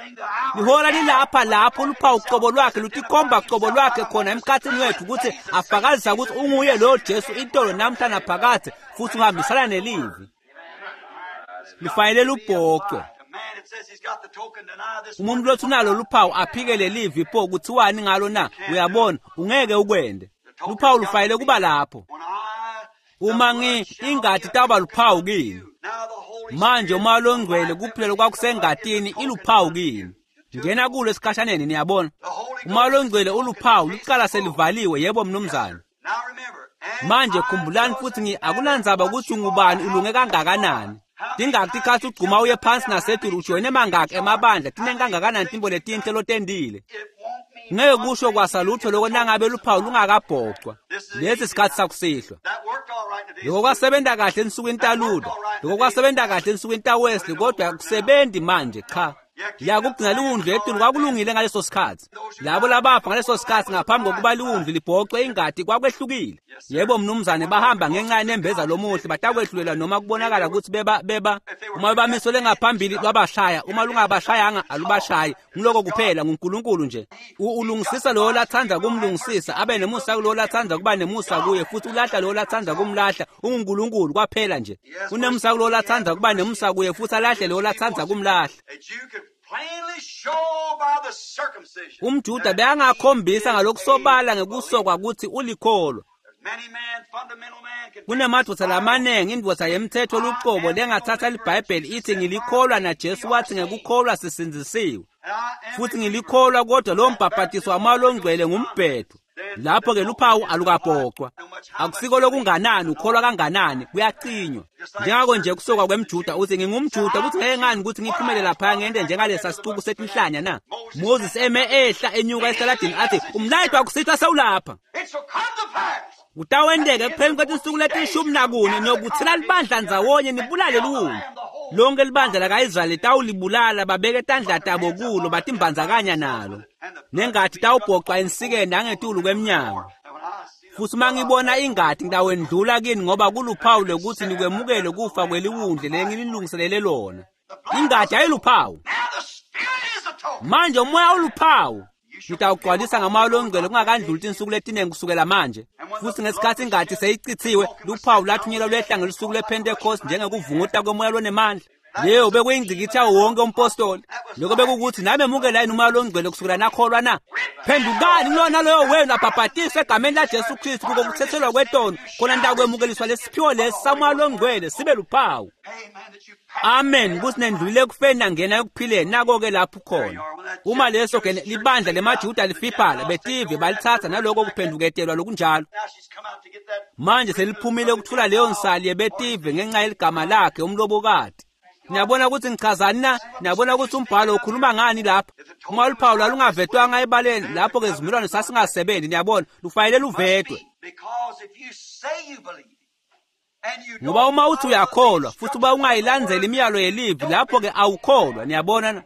Lihora lilapha lapho luphawu qobo lwakhe lutikhomba qobo lwakhe khona emkhathini wethu ukuthi afakazisa ukuthi unguye loyo Jesu itolo namhla naphakadze, futhi uhambisana nelivi. Lifanele lubhocwe. Umuntu lothi unalo luphawu aphikele livi, pho kuthiwani ngalo na? Uyabona, ungeke ukwende. Luphawu lufanele kuba lapho. Uma ngi ingati taba luphawu kini. Manje uma longcwele kuphela kwakusengatini iluphawu kini. Ngena kulo esikhashaneni, niyabona. Uma longcwele uluphawu lucala selivaliwe, yebo mnumzane. Manje khumbulani futhi ngi akunandzaba ukuthi ungubani ulunge kangakanani. Tingaki tikhatsi ugcuma uye phansi nasetulu ujoyine mangaki emabandla tinengi kangakanani tintfo letinhle lotentile. Ngeke kusho kwasalutho loko nangabe luphawu lungakabhocwa. Lesi sikhatsi sakusihlwa. Loko kwasebenta kahle ensukwini taLuther, loko kwasebenta kahle ensukwini taWesley, kodwa akusebenzi manje cha. Yakugcina liwundlu etulu kwakulungile ngaleso sikhatsi. Labo labafa ngaleso sikhatsi ngaphambi kokuba liwundlu libhocwe ingati kwakwehlukile. Yebo mnumzane, bahamba ngenxa yenembeza lomuhle batakwehlulelwa noma kubonakala kutsi beba beba uma bamisole ngaphambili lwabashaya, uma lungabashayanga alubashayi. Ngiloko kuphela nguNkulunkulu nje. Ulungisisa lowo latsandza kumlungisisa, abe nemusa kulowo latsandza kuba nemusa kuye, futhi ulahla lowo latsandza kumlahla. UnguNkulunkulu kwaphela nje. Unemusa kulowo latsandza kuba nemusa kuye, futhi alahle lowo latsandza kumlahla. UmJuda bekangakhombisa ngalokusobala ngekusokwa kutsi ulikholwa. Kunemadvodza lamanengi indvodza yemthetho lucobo lengatsatsa liBhayibheli ithi ngilikholwa na Jesu wathi ngekukholwa sisindzisiwe. Futhi ngilikholwa kodwa lo mbhaphatiso wamoya longcwele ngumbhedo. Lapho ke luphawu alukabhocwa. Akusiko lokunganani ukholwa kanganani kuyacinywa. Njengako nje kusokwa kwemJuda uthi ngingumJuda kuthi ngeke ngani ukuthi ngiphumele lapha ngente njengalesa sicuku setinhlanya na. Moses eme ehla enyuka esitaladini athi umlayito wakusihlwa sewulapha. Kutawenteka ekupheleni kwetinsuku letishumi nakune niyokuthela libandla ndzawonye nibulale liwundlu. Lonke libandla laka-Israyeli tawulibulala babeke tandla tabo kulo batimbandzakanya nalo. Nengati tawubhocwa ensikeni nangetulu kwemnyango. Futhi uma ngibona ingati ngitawendlula kini ngoba kuluphawu lwekutsi nikwemukele kufa kweliwundlu lengililungiselele lona. Ingati ayiluphawu. Manje umoya uluphawu. Ngitawugcwalisa ngamoya longcwele kungakandluli tinsuku letinengi kusukela manje. Futhi ngesikhatsi ingati seyicithiwe, luphawu lwathunyelwa lwehla ngelusuku lwePhentekoste njengekuvunguta kwemoya lonemandla. Leyo bekuyingcikitsi yawo wonke umpostoli. Lokho bekukuthi namemukela yini umoya longcwele kusukela nakholwa na? Phendukani kulona loyo wenu abhabhatiswe egameni laJesu Kristu kuko kuthethelwa kwetono, khona nitakwemukeliswa lesiphiwo lesi samoya longcwele sibe luphawu. Amen. Kuthi nendlulile ekufeni nangena ekuphileni. Nako-ke lapho khona. Uma leso ke libandla lemaJuda lifiphala betive balithatha naloko kuphenduketelwa lokunjalo. Manje seliphumile ukuthula leyo nsali yebetive ngenxa yeligama lakhe umlobokati. Niyabona ukuthi ngichazani na? Niyabona ukuthi umbhalo ukhuluma ngani lapha? Uma luphawu lwalungavetwanga ebaleni lapho ke isivumelwano sasingasebenzi. Niyabona lufanele luvetwe. Ngoba uma uthi uyakholwa futhi uba ungayilandzeli imiyalo yelivi lapho ke awukholwa. Niyabona na?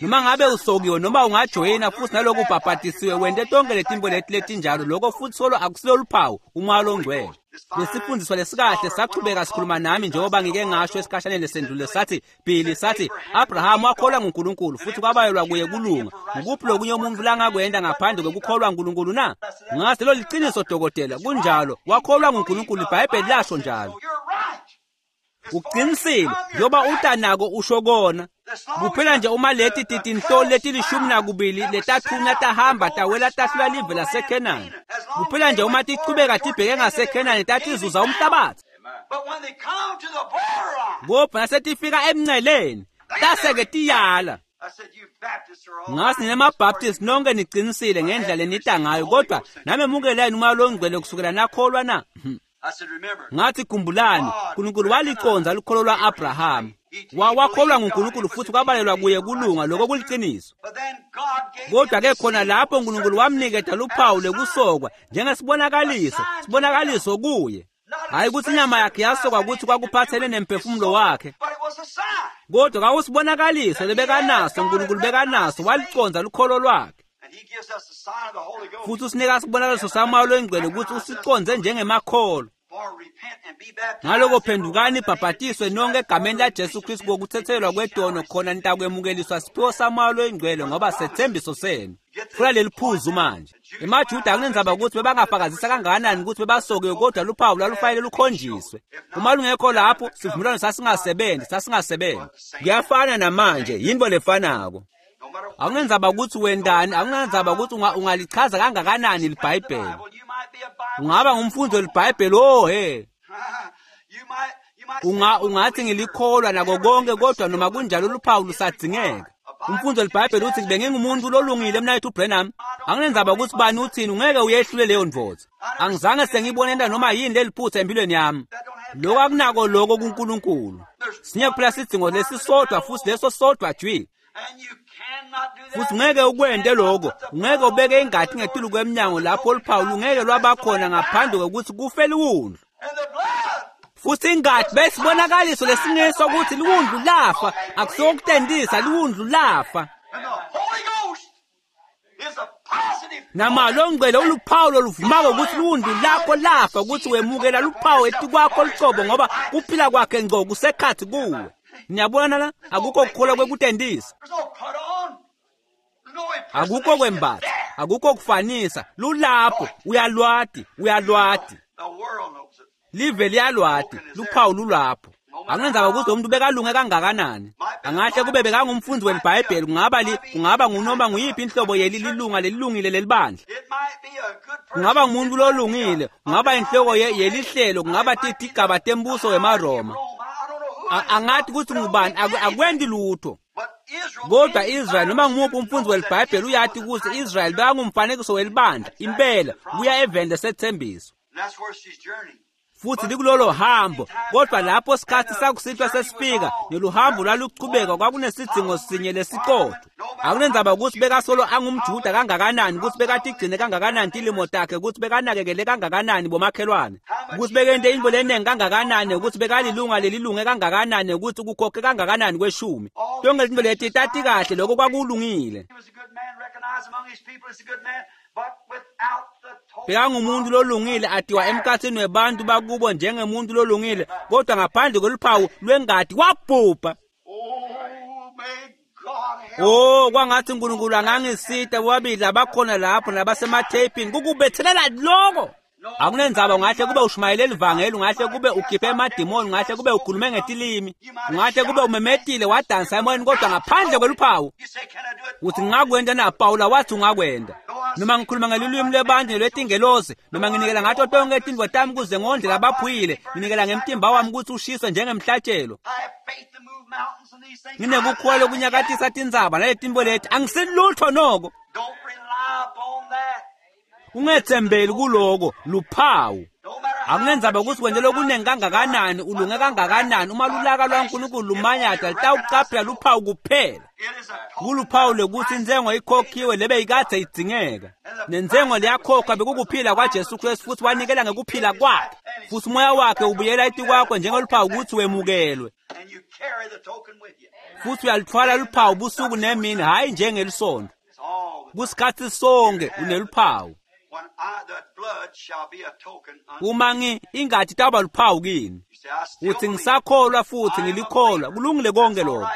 Noma ngabe usokiwe noma ungajoyina futhi naloko ubhabhatisiwe wente tonke letinto leti letinjalo, lokho futhi solo akusilo luphawu umoya longcwele. Lesifundiswa lesikahle sachubeka sikhuluma nami njengoba ngike ngasho esikhashaneni lesendlule sathi Billy sathi Abraham wakholwa nguNkulunkulu futhi kwabayelwa kuye kulunga. Ngukuphi lokunye umuntu langakwenda ngaphandle kokukholwa nguNkulunkulu na? Ngase lo liqiniso dokotela, kunjalo, wakholwa nguNkulunkulu, iBhayibheli lasho njalo. Uqinisile njengoba utanako usho kona. Kuphela nje uma leti titinhloli letilishumi nakubili letathunywa tahamba tawela tahlula live laseKhenani. Kuphela nje uma tichubeka tibheke ngaseKhenani tatizuza umhlabathi. Kodwa nasetifika emnceleni tase-ke tiyala. Ngasi nemaBaptist nonke nicinisile ngendlela lenita ngayo, kodwa namemukeleni umoya longcwele kusukela nakholwa na? Ngathi khumbulani, uNkulunkulu waliconza lukholo lwa-Abraham. Wakholwa nguNkulunkulu futhi kwabalelwa kuye kulunga, lokho kuliciniso. Kodwa ke khona lapho uNkulunkulu wamniketa luphawu lekusokwa njengesibonakaliso, sibonakaliso kuye. Hayi ukuthi inyama yakhe yasokwa ukuthi kwakuphathele nemphefumulo wakhe, kodwa kwakusibonakaliso lebekanaso uNkulunkulu bekanaso, waliconza lukholo lwakhe. Futhi usinika isibonakaliso samoya longcwele ukuthi usiconze njengemakholo. Ngaloko phendukani ibhabhatiswe nonke egameni laJesu Kristu kokuthethelwa kwetono, khona nitakwemukeliswa siphiwo samoya longcwele ngoba sethembiso senu. Funa leli phuzu manje. EmaJuda akunenzaba ukuthi bebangafakazisa kangakanani ukuthi bebasokiwe, kodwa luphawu lwalufanele lukhonjiswe. Uma lungekho lapho, sivumelwano sasingasebenzi, sasingasebenzi. Kuyafana namanje, yinto lefanako. Akunenzaba ukuthi wendani, akunenzaba ukuthi ungalichaza kangakanani liBhayibheli. Ungaba ngumfundi weliBhayibheli, oh he. Unga ungathi ngilikholwa nako konke, kodwa noma kunjalo luphawu lusadzingeka. Umfundzi welibhayibheli uthi bengingumuntu lolungile mnayethu Branham. Anginendzaba ukuthi bani uthini, ungeke uyehlule leyo ndvodza. Angizange sengibone into noma yini leliphutha empilweni yami. Lokho akunako lokho kuNkulunkulu. Sinye kuphela isidingo lesisodwa futhi leso sodwa jwi. And you cannot do that. Futhi ungeke ukwente lokho, ungeke ubeke ingati ngetulu kwemnyango lapho oluphawu lungeke lwabakhona ngaphandle kokuthi kufe liwundlu. And the blood Futhi ingati besibonakaliso lesingeso ukuthi liwundlu lafa, akusokutendisa liwundlu lafa. and the Holy Ghost is a positive Nama longcwele uluphawu loluvumako ukuthi liwundlu lakho lafa, ukuthi wemukela luphawu etikwakho lucobo ngoba kuphila kwakhe ngco kusekhathi kuwe. Niyabona la, akukho kukholwa kwekutendisa. There's no put on. There's no Akukho impersonation. kwembatha, akukho kufanisa, lulapho, uyalwati, uyalwati. The world knows it. Live liyalwati, luphawu lulapho. Akunenzaba ukuthi umuntu bekalunge kangakanani. Angahle kube bekangumfundi welibhayibheli, kungaba li, kungaba ngunoma nguyiphi inhlobo yeli lilunga lelilungile lelibandla. It might be a good person. Kungaba ngumuntu lolungile, kungaba inhloko ye- yelihlelo, kungaba tigaba tembuso wemaRoma. Rome. I don't know who A- it is. Angathi ukuthi ngubani, aku- akwendi lutho. But Israel, Kodwa Israel noma ngumuphi umfundi welibhayibheli uyati ukuthi Israel bekangumfanekiso welibandla impela kuya eveni lesethembiso. And that's where she's journeying. Futhi likulolo hambo, kodwa lapho sikhathi sakusihlwa sesifika neluhambo lwaluchubeka, kwakunesidingo sinye lesiqotho. Akunendzaba ukuthi bekasolo angumJuda kangakanani, ukuthi bekatigcine kangakanani tilimo takhe, ukuthi bekanakekele kangakanani bomakhelwane, ukuthi bekente intfo lenengi kangakanani, ukuthi bekalilunga lelilunge kangakanani, ukuthi kukhokhe kangakanani kweshumi. Tonke letintfo leti tati kahle lokho kwakulungile. He was a good man, recognized among his people as a good man, but without the token Bekangumuntu lolungile atiwa emkhathini webantu bakubo njengemuntu lolungile, kodwa ngaphandle kweluphawu lwengati wabhubha. Oh, may God help. Oh, kwangathi uNkulunkulu angangisita bobabili abakhona lapho nabasematheyipini kukubethelela lokho. Akunendzaba ungahle kube ushumayele livangeli, ungahle kube ukhiphe emadimoni, ungahle kube ukhulume ngetilimi, ungahle kube umemetile wadansa emoyeni, kodwa ngaphandle kweluphawu You say, can I do it? uthi ngingakwenta na? Pawula wathi ungakwenta. Noma ngikhuluma ngelulwimi lwebantu nelwetingelosi, noma nginikela ngato tonke tintfo tami kuze ngondle labaphuyile, nginikela ngemtimba wami ukuthi ushiswe njengemhlatshelo. I have faith to move mountains and these things. Nginekukholwa lokunyakatisa tintsaba naletinto leti, angisilutho noko. Don't rely upon that. Ungethembeli kuloko, luphawu. No matter how Akunendzaba much ukuthi you've wente done, lokunengi kangakanani, ulunge kangakanani, uma lulaka lwaNkulunkulu lumanyata litawucaphela luphawu kuphela. It is a token Kuluphawu lokuthi intsengo ikhokhiwe lebe ikadze idzingeka. Nentsengo leyakhokhwa bekukuphila kwaJesu Kristu, futhi wanikela ngekuphila kwakhe. Futhi umoya wakhe ubuyela etikwakho njengeluphawu ukuthi wemukelwe. and you carry the token with you. Futhi uyalithwala luphawu busuku nemini, hhayi njengelisonto. It's all with Kusikhathi sonke uneluphawu. when I the blood shall be a token unto Uma ngi ingati tawuba luphawu kini. you. Say, I still Uthi believe. ngisakholwa futhi ngilikholwa, kulungile konke lokho.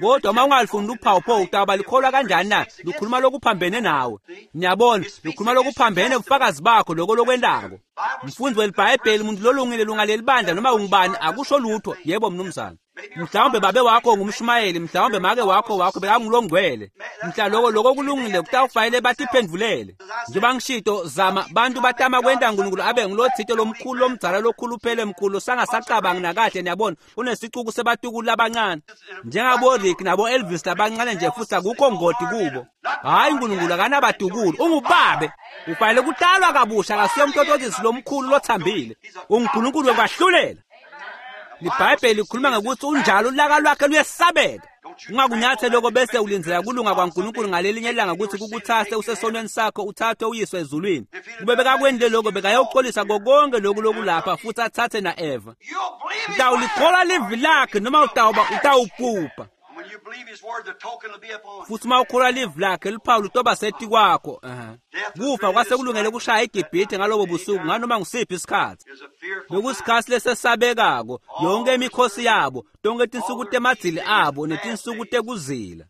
Kodwa uma ungalifuni luphawu pho utawuba likholwa kanjani na? Lukhuluma lokuphambene nawe. Niyabona, lukhuluma lokuphambene ubufakazi bakho lokho lokwentako. Mfundi welibhayibheli, umuntu lolungile lunga lelibandla noma ungubani akusho lutho. Yebo mnumzane. Mhlawumbe babe wakho ngumshumayeli, mhlawumbe make wakho wakho bekangulongcwele. Mhla lokho lokho kulungile kutawufanele batiphendvulele. Njengoba ngishito zama bantu batama kwenta uNkulunkulu abe ngulothito lomkhulu lomdzala lokhuluphele mkhulu sangasacabangi nakahle niyabona unesicuku sebatukulu labancane. Njengabo Rick nabo Elvis labancane nje futhi akukho ngodi kubo. Hayi uNkulunkulu akanabatukulu, ungubabe. Ufanele kutalwa kabusha akasiyo umtotozisi lomkhulu lothambile. UnguNkulunkulu wekwahlulela. Libhayibheli likhuluma ngokuthi unjalo ulaka lwakhe luyesabeka. Ungakunyatheli lokho bese ulindzela kulunga kwaNkulunkulu ngalelinye ilanga ukuthi kukuthathe usesonweni sakho uthathwe uyiswe ezulwini. Kube bekakwendile lokho bekayoxolisa kokonke lokhu lokulapha futhi athathe na-Eva. You'll believe his word. Utawulikholwa livi lakhe noma utawuba utawubhubha. And when you believe his word, the token will be upon you. Futhi uma ukholwa livi lakhe luphawu lutoba setikwakho. Ehhe. Kufa kwase kulungele kushaya iGibhithe ngalobo busuku nganoma ngusiphi isikhathi. There's a fearful Bekusikhathi lesesabekako, yonke imikhosi yabo, tonke tinsuku temadzili abo netinsuku tekuzila.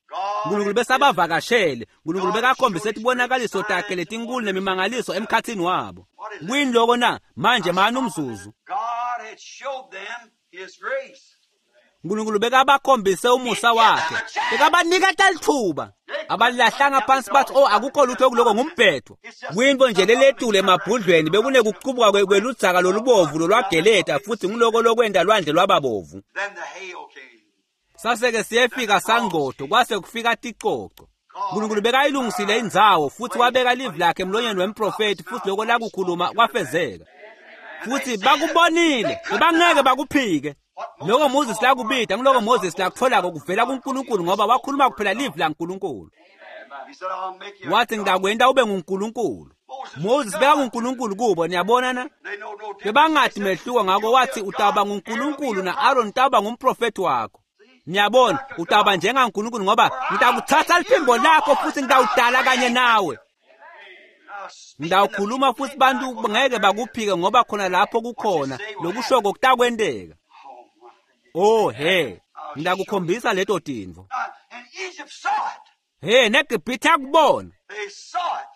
Nkulunkulu besabavakashele, Nkulunkulu bekakhombise tibonakaliso takhe letinkulu nemimangaliso emkhathini wabo. Kuyini loko na? Manje mani umzuzu. God had showed them his grace. Nkulunkulu bekabakhombise umusa wakhe. Bekabaniketa lithuba. Abalilahlanga phansi bathi oh akukho lutho kuloko ngumbhedo. Kuyinto nje leletule emabhudlweni bekunekuqubuka kwe- kweludzaka lolubovu lolwageleta futhi nguloko lokwenta lwandle lwababovu. Then the hail came. Saseke siyefika sangcotho kwase kufika ticoco. Nkulunkulu bekayilungisile indzawo futhi wabeka livi lakhe emlonyeni wemprofethi futhi lokho lakukhuluma kwafezeka. Futhi bakubonile, bebangeke bakuphike. Lokho Moses lakubida, ngiloko Moses lakutholako kuvela kuNkulunkulu ngoba wakhuluma kuphela livi laNkulunkulu. He said, I'll make you a Wathi God. ngidakwenta ube nguNkulunkulu. Moses bekanguNkulunkulu kubo, niyabona na? They know no difference. Bebangadi mehluko ngakho wathi utawuba nguNkulunkulu na-Aaron utawuba ngumprofethi wakho. Niyabona, utawuba njengaNkulunkulu ngoba ngitakuthatha liphimbo lakho futhi ngitawudala kanye nawe. I'll speak Ngitawukhuluma futhi bantu ngeke bakuphike ngoba khona lapho kukhona lokushoko kutakwenteka. Oh, my. Oh he, ngidakukhombisa leto tintfo. Uh, and Egypt saw it. He, neGibhithe akubona. They saw it.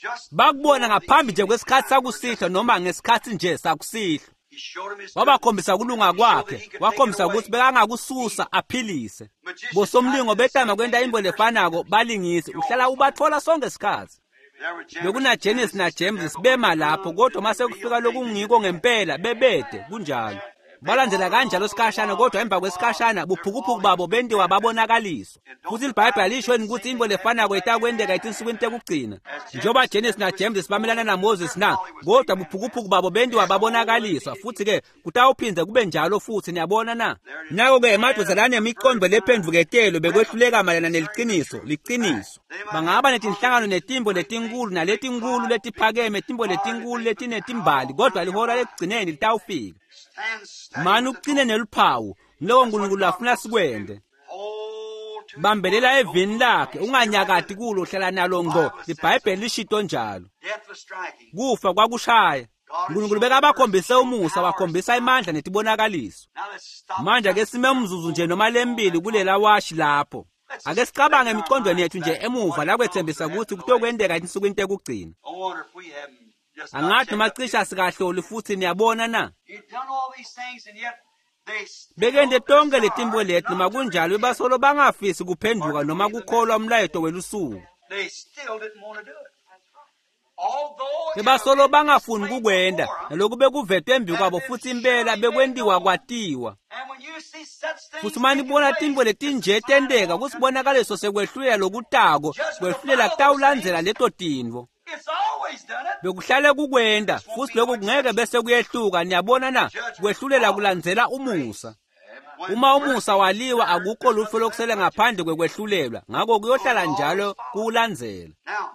Just Bakubona before ngaphambi the nje kwesikhathi sakusihlwa noma ngesikhathi nje sakusihlwa. He showed him his Wabakhombisa kulunga goodness. He showed kwakhe, that he could take it wakhombisa away. ukuthi bekangakususa aphilise. Bosomlingo betama kwenta into lefanako balingisi, uhlala ubathola sonke isikhathi. There were Jannes Bekuna Jannes na James bema lapho kodwa mase kufika lokungiko ngempela bebede kunjalo. Balandela kanjalo sikhashana kodwa emva kwesikhashana buphukuphuku babo bentiwa babonakaliswa. Futhi iBhayibheli lisho ukuthi into lefanako itakwenteka etinsukwini tekugcina. Njengoba Jannes na James bamelana na Moses na kodwa buphukuphuku babo bentiwa babonakaliswa futhi ke kutawuphinze kube njalo futhi niyabona na. Nako ke emadoda lanemiqondo lephendvuketelo bekwehluleka mayelana neliqiniso, liqiniso. Bangaba netinhlangano netimbo letinkulu naletinkulu letiphakeme, timbo letinkulu letinetimbali kodwa lihora lekugcineni litawufika. Stand steady Mani with the uqine neluphawu, ngiloko uNkulunkulu afuna sikwente. Hold to Bambelela evini lakhe, unganyakati kulo hlala nalo ngqo. IBhayibheli lishito njalo. Death was striking. Kufa kwakushaya. uNkulunkulu bekabakhombise umusa, wakhombisa imandla netibonakaliso. Now let's stop. Manje ake sime umzuzu nje noma lembili kulela washi lapho. Ake sicabange emicondweni yethu nje emuva la kwethembisa ukuthi kutokwenteka etinsukwini tekugcina. I wonder if we haven't just not Angathi checked noma up. cishe sikahloli futhi niyabona na? He'd done all these things and yet they still Bekente tonke desired letimbo leti noma not to kunjalo repent. bebasolo bangafisi kuphenduka noma kukholwa umlayeto welusuku. They still didn't want to do it. Although it Bebasolo had been bangafuni displayed kukwenda before 'em, naloku bekuvetwe embi kwabo futhi impela bekwentiwa kwatiwa. and when you see such things Futhi uma nibona taking tintfo place, letinje it's a sign tenteka of kusibonakaliso sekwehlulela lokutako, kwehlulela kutawulandzela leto tintfo. It's always done it. Bekuhlale kukwenda futhi lokhu kungeke bese kuyehluka niyabona na kwehlulela kulandzela umusa. When Uma umusa waliwa akukho lutho lokusele ngaphandle kwekwehlulelwa ngakho kuyohlala njalo kuwulandzela. Now,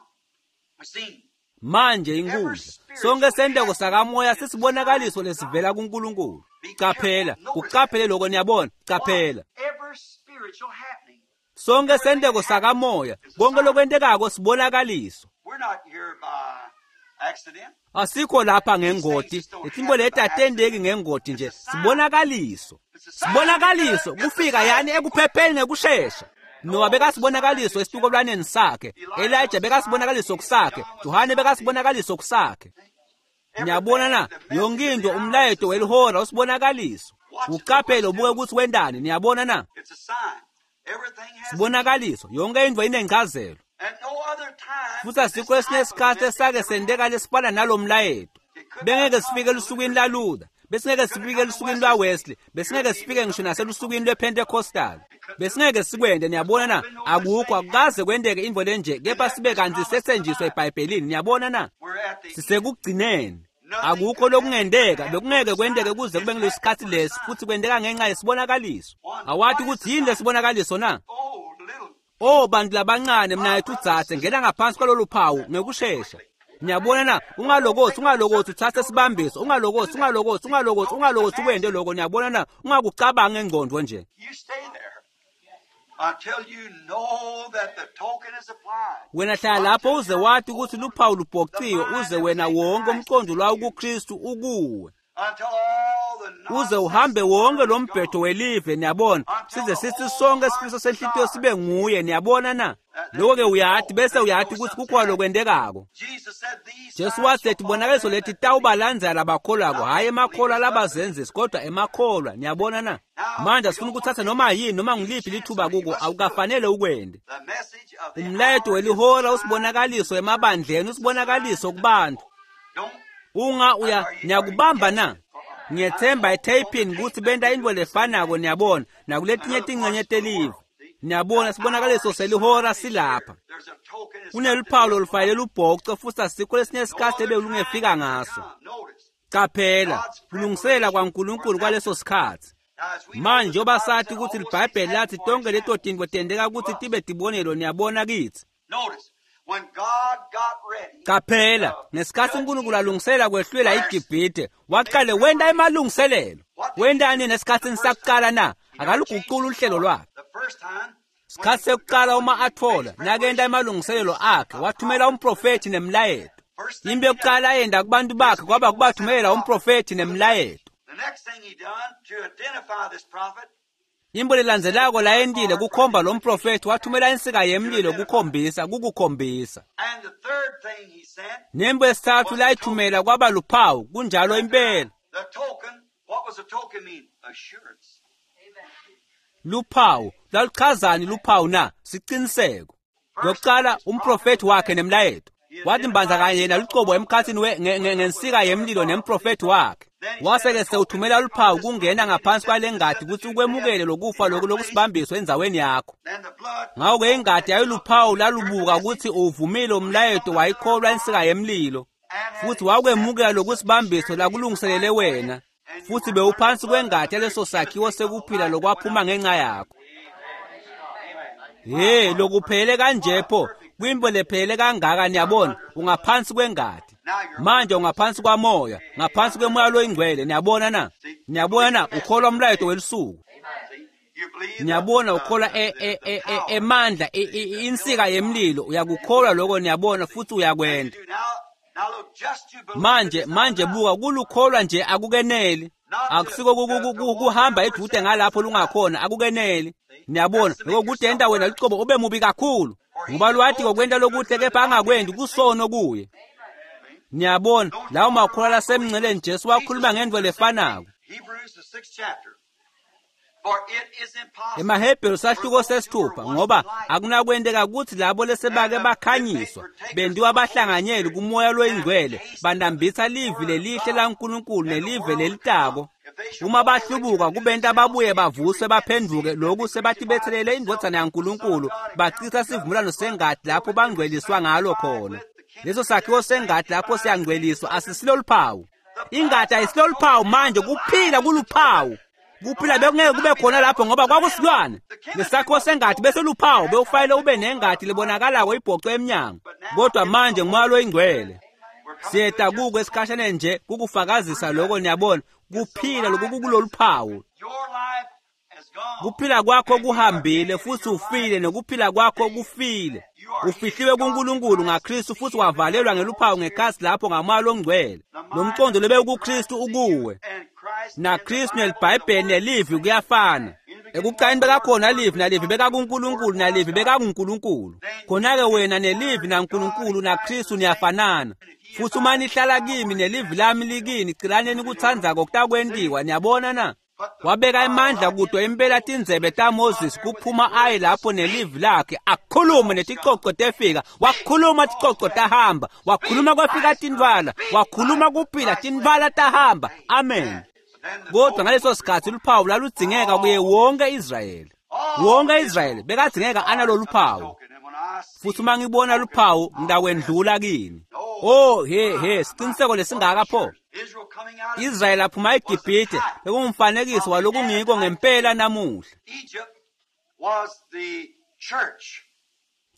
we see Manje inkundla sonke senteko sakamoya sisibonakaliso lesivela kuNkulunkulu. Qaphela, kuqaphele lokho niyabona, qaphela. every spiritual happening. Sonke senteko sakamoya, konke lokwentekako sibonakaliso. We're not here by accident. Asikho lapha ngengoti, letimbo leti atendeki ngengoti nje, sibonakaliso. Sibonakaliso kufika yani ekuphepheni ngekushesha. Noah bekasibonakaliso esitukulwaneni sakhe, Elijah bekasibonakaliso kusakhe, Johane bekasibonakaliso kusakhe. Niyabona na, yonke into umlayeto welihora usibonakaliso. Uqaphele ubuke ukuthi wendani, niyabona na? It's a sign. Everything has Sibonakaliso, yonke into inencazelo. At no other time Futhi asikho esinye isikhathi esake senteka lesifana nalo mlayeto. Bengeke sifike elusukwini laLuther, besingeke sifike elusukwini lwaWesley, besingeke sifike ngisho naselusukwini lwePentecostal. Besingeke sikwente niyabona na? Akukho akukaze kwenteke into lenje kepha sibe kanti sesenjiswa eBhayibhelini niyabona na? we're at the Sisekugcineni. Akukho lokungenteka, bekungeke kwenteke kuze kube ngilesikhathi lesi futhi kwenteka ngenxa yesibonakaliso. Awathi ukuthi yini lesibonakaliso na? oh little Oh bantu labancane mina udzadze ngena ngaphansi kwalolu phawu ngekushesha. Niyabona na ungalokothi ungalokothi uthathe sibambiso ungalokothi ungalokothi ungalokothi ungalokothi ukwente lokho niyabona na ungakucabangi ngengqondo nje. you stay there until you know that the token is applied. Wena hlala lapho uze wathi ukuthi luphawu lubhociwe uze wena wonke umqondo lwawo kuKristu ukuwe. Until all the Uze uhambe wonke lo mbhedo welive niyabona size sithi sonke isifiso senhlitiyo sibe nguye niyabona na. Lokho ke uyathi bese uyathi ukuthi kukhona lokwentekako. Jesus said these Jesu signs wathi shall letibonakaliso follow them leti that tawubalandzela labakholwako hhayi emakholwa labazenzisi kodwa emakholwa niyabona na manje asifuni ukuthatha noma yini noma ngiliphi lithuba kuko awukafanele ukwende The message of the umlayeto hour is welihora the usibonakaliso emabandleni usibonakaliso kubantu Don't unga uya niyakubamba na Ngiyethemba etheyipini kutsi benta intfo lefanako, niyabona, nakuletinye tincenye telive. Niyabona, sibonakaliso selihora silapha. Kuneluphawu lolufanele lubhoce futsi asikho lesinye sikhatsi lebelungefika ngaso. Caphela, kulungiselela kwaNkulunkulu kwaleso sikhatsi. Manje njengoba sathi kutsi liBhayibheli lathi tonke leto tintfo tenteka kutsi tibe tibonelo, niyabona kitsi. Caphela, ngesikhatsi uNkulunkulu alungisela kwehlulela iGibhithe, waqale wenta emalungiselelo. Wentani nesikhatsini sakuqala na? Akaluguculi uhlelo lwakhe. Sikhatsi sekuqala uma atfola, nakenta emalungiselelo akhe, wathumela umprofethi nemlayeto. Into yokuqala ayenda kubantu bakhe kwaba kubathumela umprofethi nemlayeto. Into lelandzelako layentile kukhomba lo mprofethi, wathumela insika yemlilo kukhombisa, kukukhombisa. Nembo yesithathu layithumela kwaba luphawu, kunjalo impela. Luphawu, lwaluchazani luphawu na? Siciniseko. Lokuqala umprofethi wakhe nemlayeto. Wathi mbandzakanye yena lucobo emkhatsini ngensika yemlilo nemprofethi wakhe. Wase-ke sewuthumela luphawu kungena ngaphansi kwale ngadi kutsi ukwemukele lokufa loku lokusibambiso endzaweni yakho. Ngako-ke ingadi yayiluphawu lalubuka kutsi uvumile umlayeto, wayikholwa insika yemlilo, futsi wakwemukela lokusibambiso lakulungiselele wena, futsi bewuphansi kwengadi yaleso sakhiwo sekuphila lokwaphuma ngenxa yakho. He, lokuphele kanje pho, kwimbo lephele kangaka, niyabona, ungaphansi kwengadi. Manje ungaphansi kwamoya, ngaphansi kwemoya loyingcwele, niyabona na? Niyabona na? Ukholwa umlayeto welusuku. Niyabona, ukholwa emandla, insika yemlilo, uyakukholwa lokho, niyabona, futhi uyakwenda. Manje, manje buka, kulukholwa nje akukeneli. Akusiko kuhamba edude ngalapho lungakhona, akukeneli. Niyabona, lokho kudenta wena lucobo ube mubi kakhulu. Ngoba lwathi kokwenta lokuhle kepha angakwendi kusono kuye. Niyabona, lawo makholwa lasemnceleni Jesu wakhuluma ngento lefanako. EmaHebheru sahluko sesithupha, ngoba akunakwenteka kutsi labo lesebake bakhanyiswa bentiwa bahlanganyeli kumoya loyingcwele, bandambitsa livi lelihle laNkulunkulu nelive lelitako. Uma bahlubuka kubenta babuye bavuswe baphenduke, loku sebatibethelele indvodzana yaNkulunkulu, bachitha sivumelwano sengati lapho bangcweliswa ngalo khona. Leso sakhiwo sengati lapho siyangcweliswa asisilo luphawu. Ingati ayisilo luphawu manje, kuphila kuluphawu. Kuphila bekungeke kube khona lapho ngoba kwakusilwane. Lesakhiwo sengati bese luphawu, bewufanele ube nengati lebonakalako ibhocwe emnyango. Kodwa manje ngumoya loyingcwele. Siyeta kuko esikhashaneni nje kukufakazisa lokho, niyabona, kuphila loku kuloluphawu. Kuphila kwakho kuhambile futhi ufile, nokuphila kwakho kufile. Ufihliwe kuNkulunkulu ngaKristu futhi wavalelwa ngeluphawu ngekhasi lapho ngamoya longcwele. Lo mqondo lobe kuKristu ukuwe. NaKristu neliBhayibheli nelivi kuyafana. Ekuqaleni bekakhona livi, nalivi bekakuNkulunkulu, nalivi bekakuNkulunkulu. Khona-ke wena nelivi naNkulunkulu naKristu niyafanana. Futhi uma nihlala kimi nelivi lami likini, cilaneni kutsandzako kutakwentiwa, niyabona na? Wabeka emandla kuto impela tindzebe taMoses kuphuma aye lapho nelivi lakhe, akhulume neticoco tefika, wakhuluma ticoco tahamba, wakhuluma kwafika tintfwala, wakhuluma kuphila tintfwala tahamba. Amen. Kodwa ngaleso sikhatsi luphawu laludzingeka kuye wonke Israyeli. Wonke Israyeli bekadzingeka analolu phawu. Futhi uma ngibona luphawu ngitakwendlula kini. Oh he he, siciniseko lesingaka pho. Israyeli aphuma eGibhithe bekungumfanekiso walokungiko ngempela namuhla.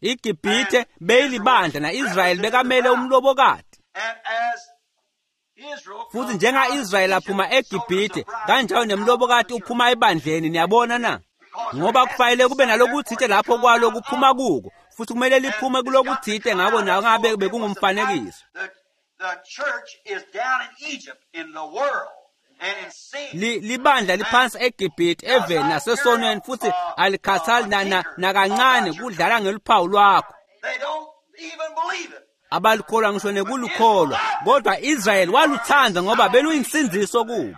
IGibhithe beyilibandla na-Israyeli bekamele umlobokati. Futhi njenga-Israyeli aphuma eGibhithe, kanjalo nemlobokati uphuma ebandleni, niyabona na? Ngoba kufanele kube nalokuthite lapho kwalo kuphuma kuko, futhi kumele liphume kulokuthite, ngako nangabe bekungumfanekiso. Li, libandla liphansi eGibhithe eveni nasesonweni, futhi alikhathali nakancane kudlala ngeluphawu lwakho. Abalikholwa ngisho nekulukholwa, kodwa Israyeli waluthanda ngoba beluyinsindziso kubo.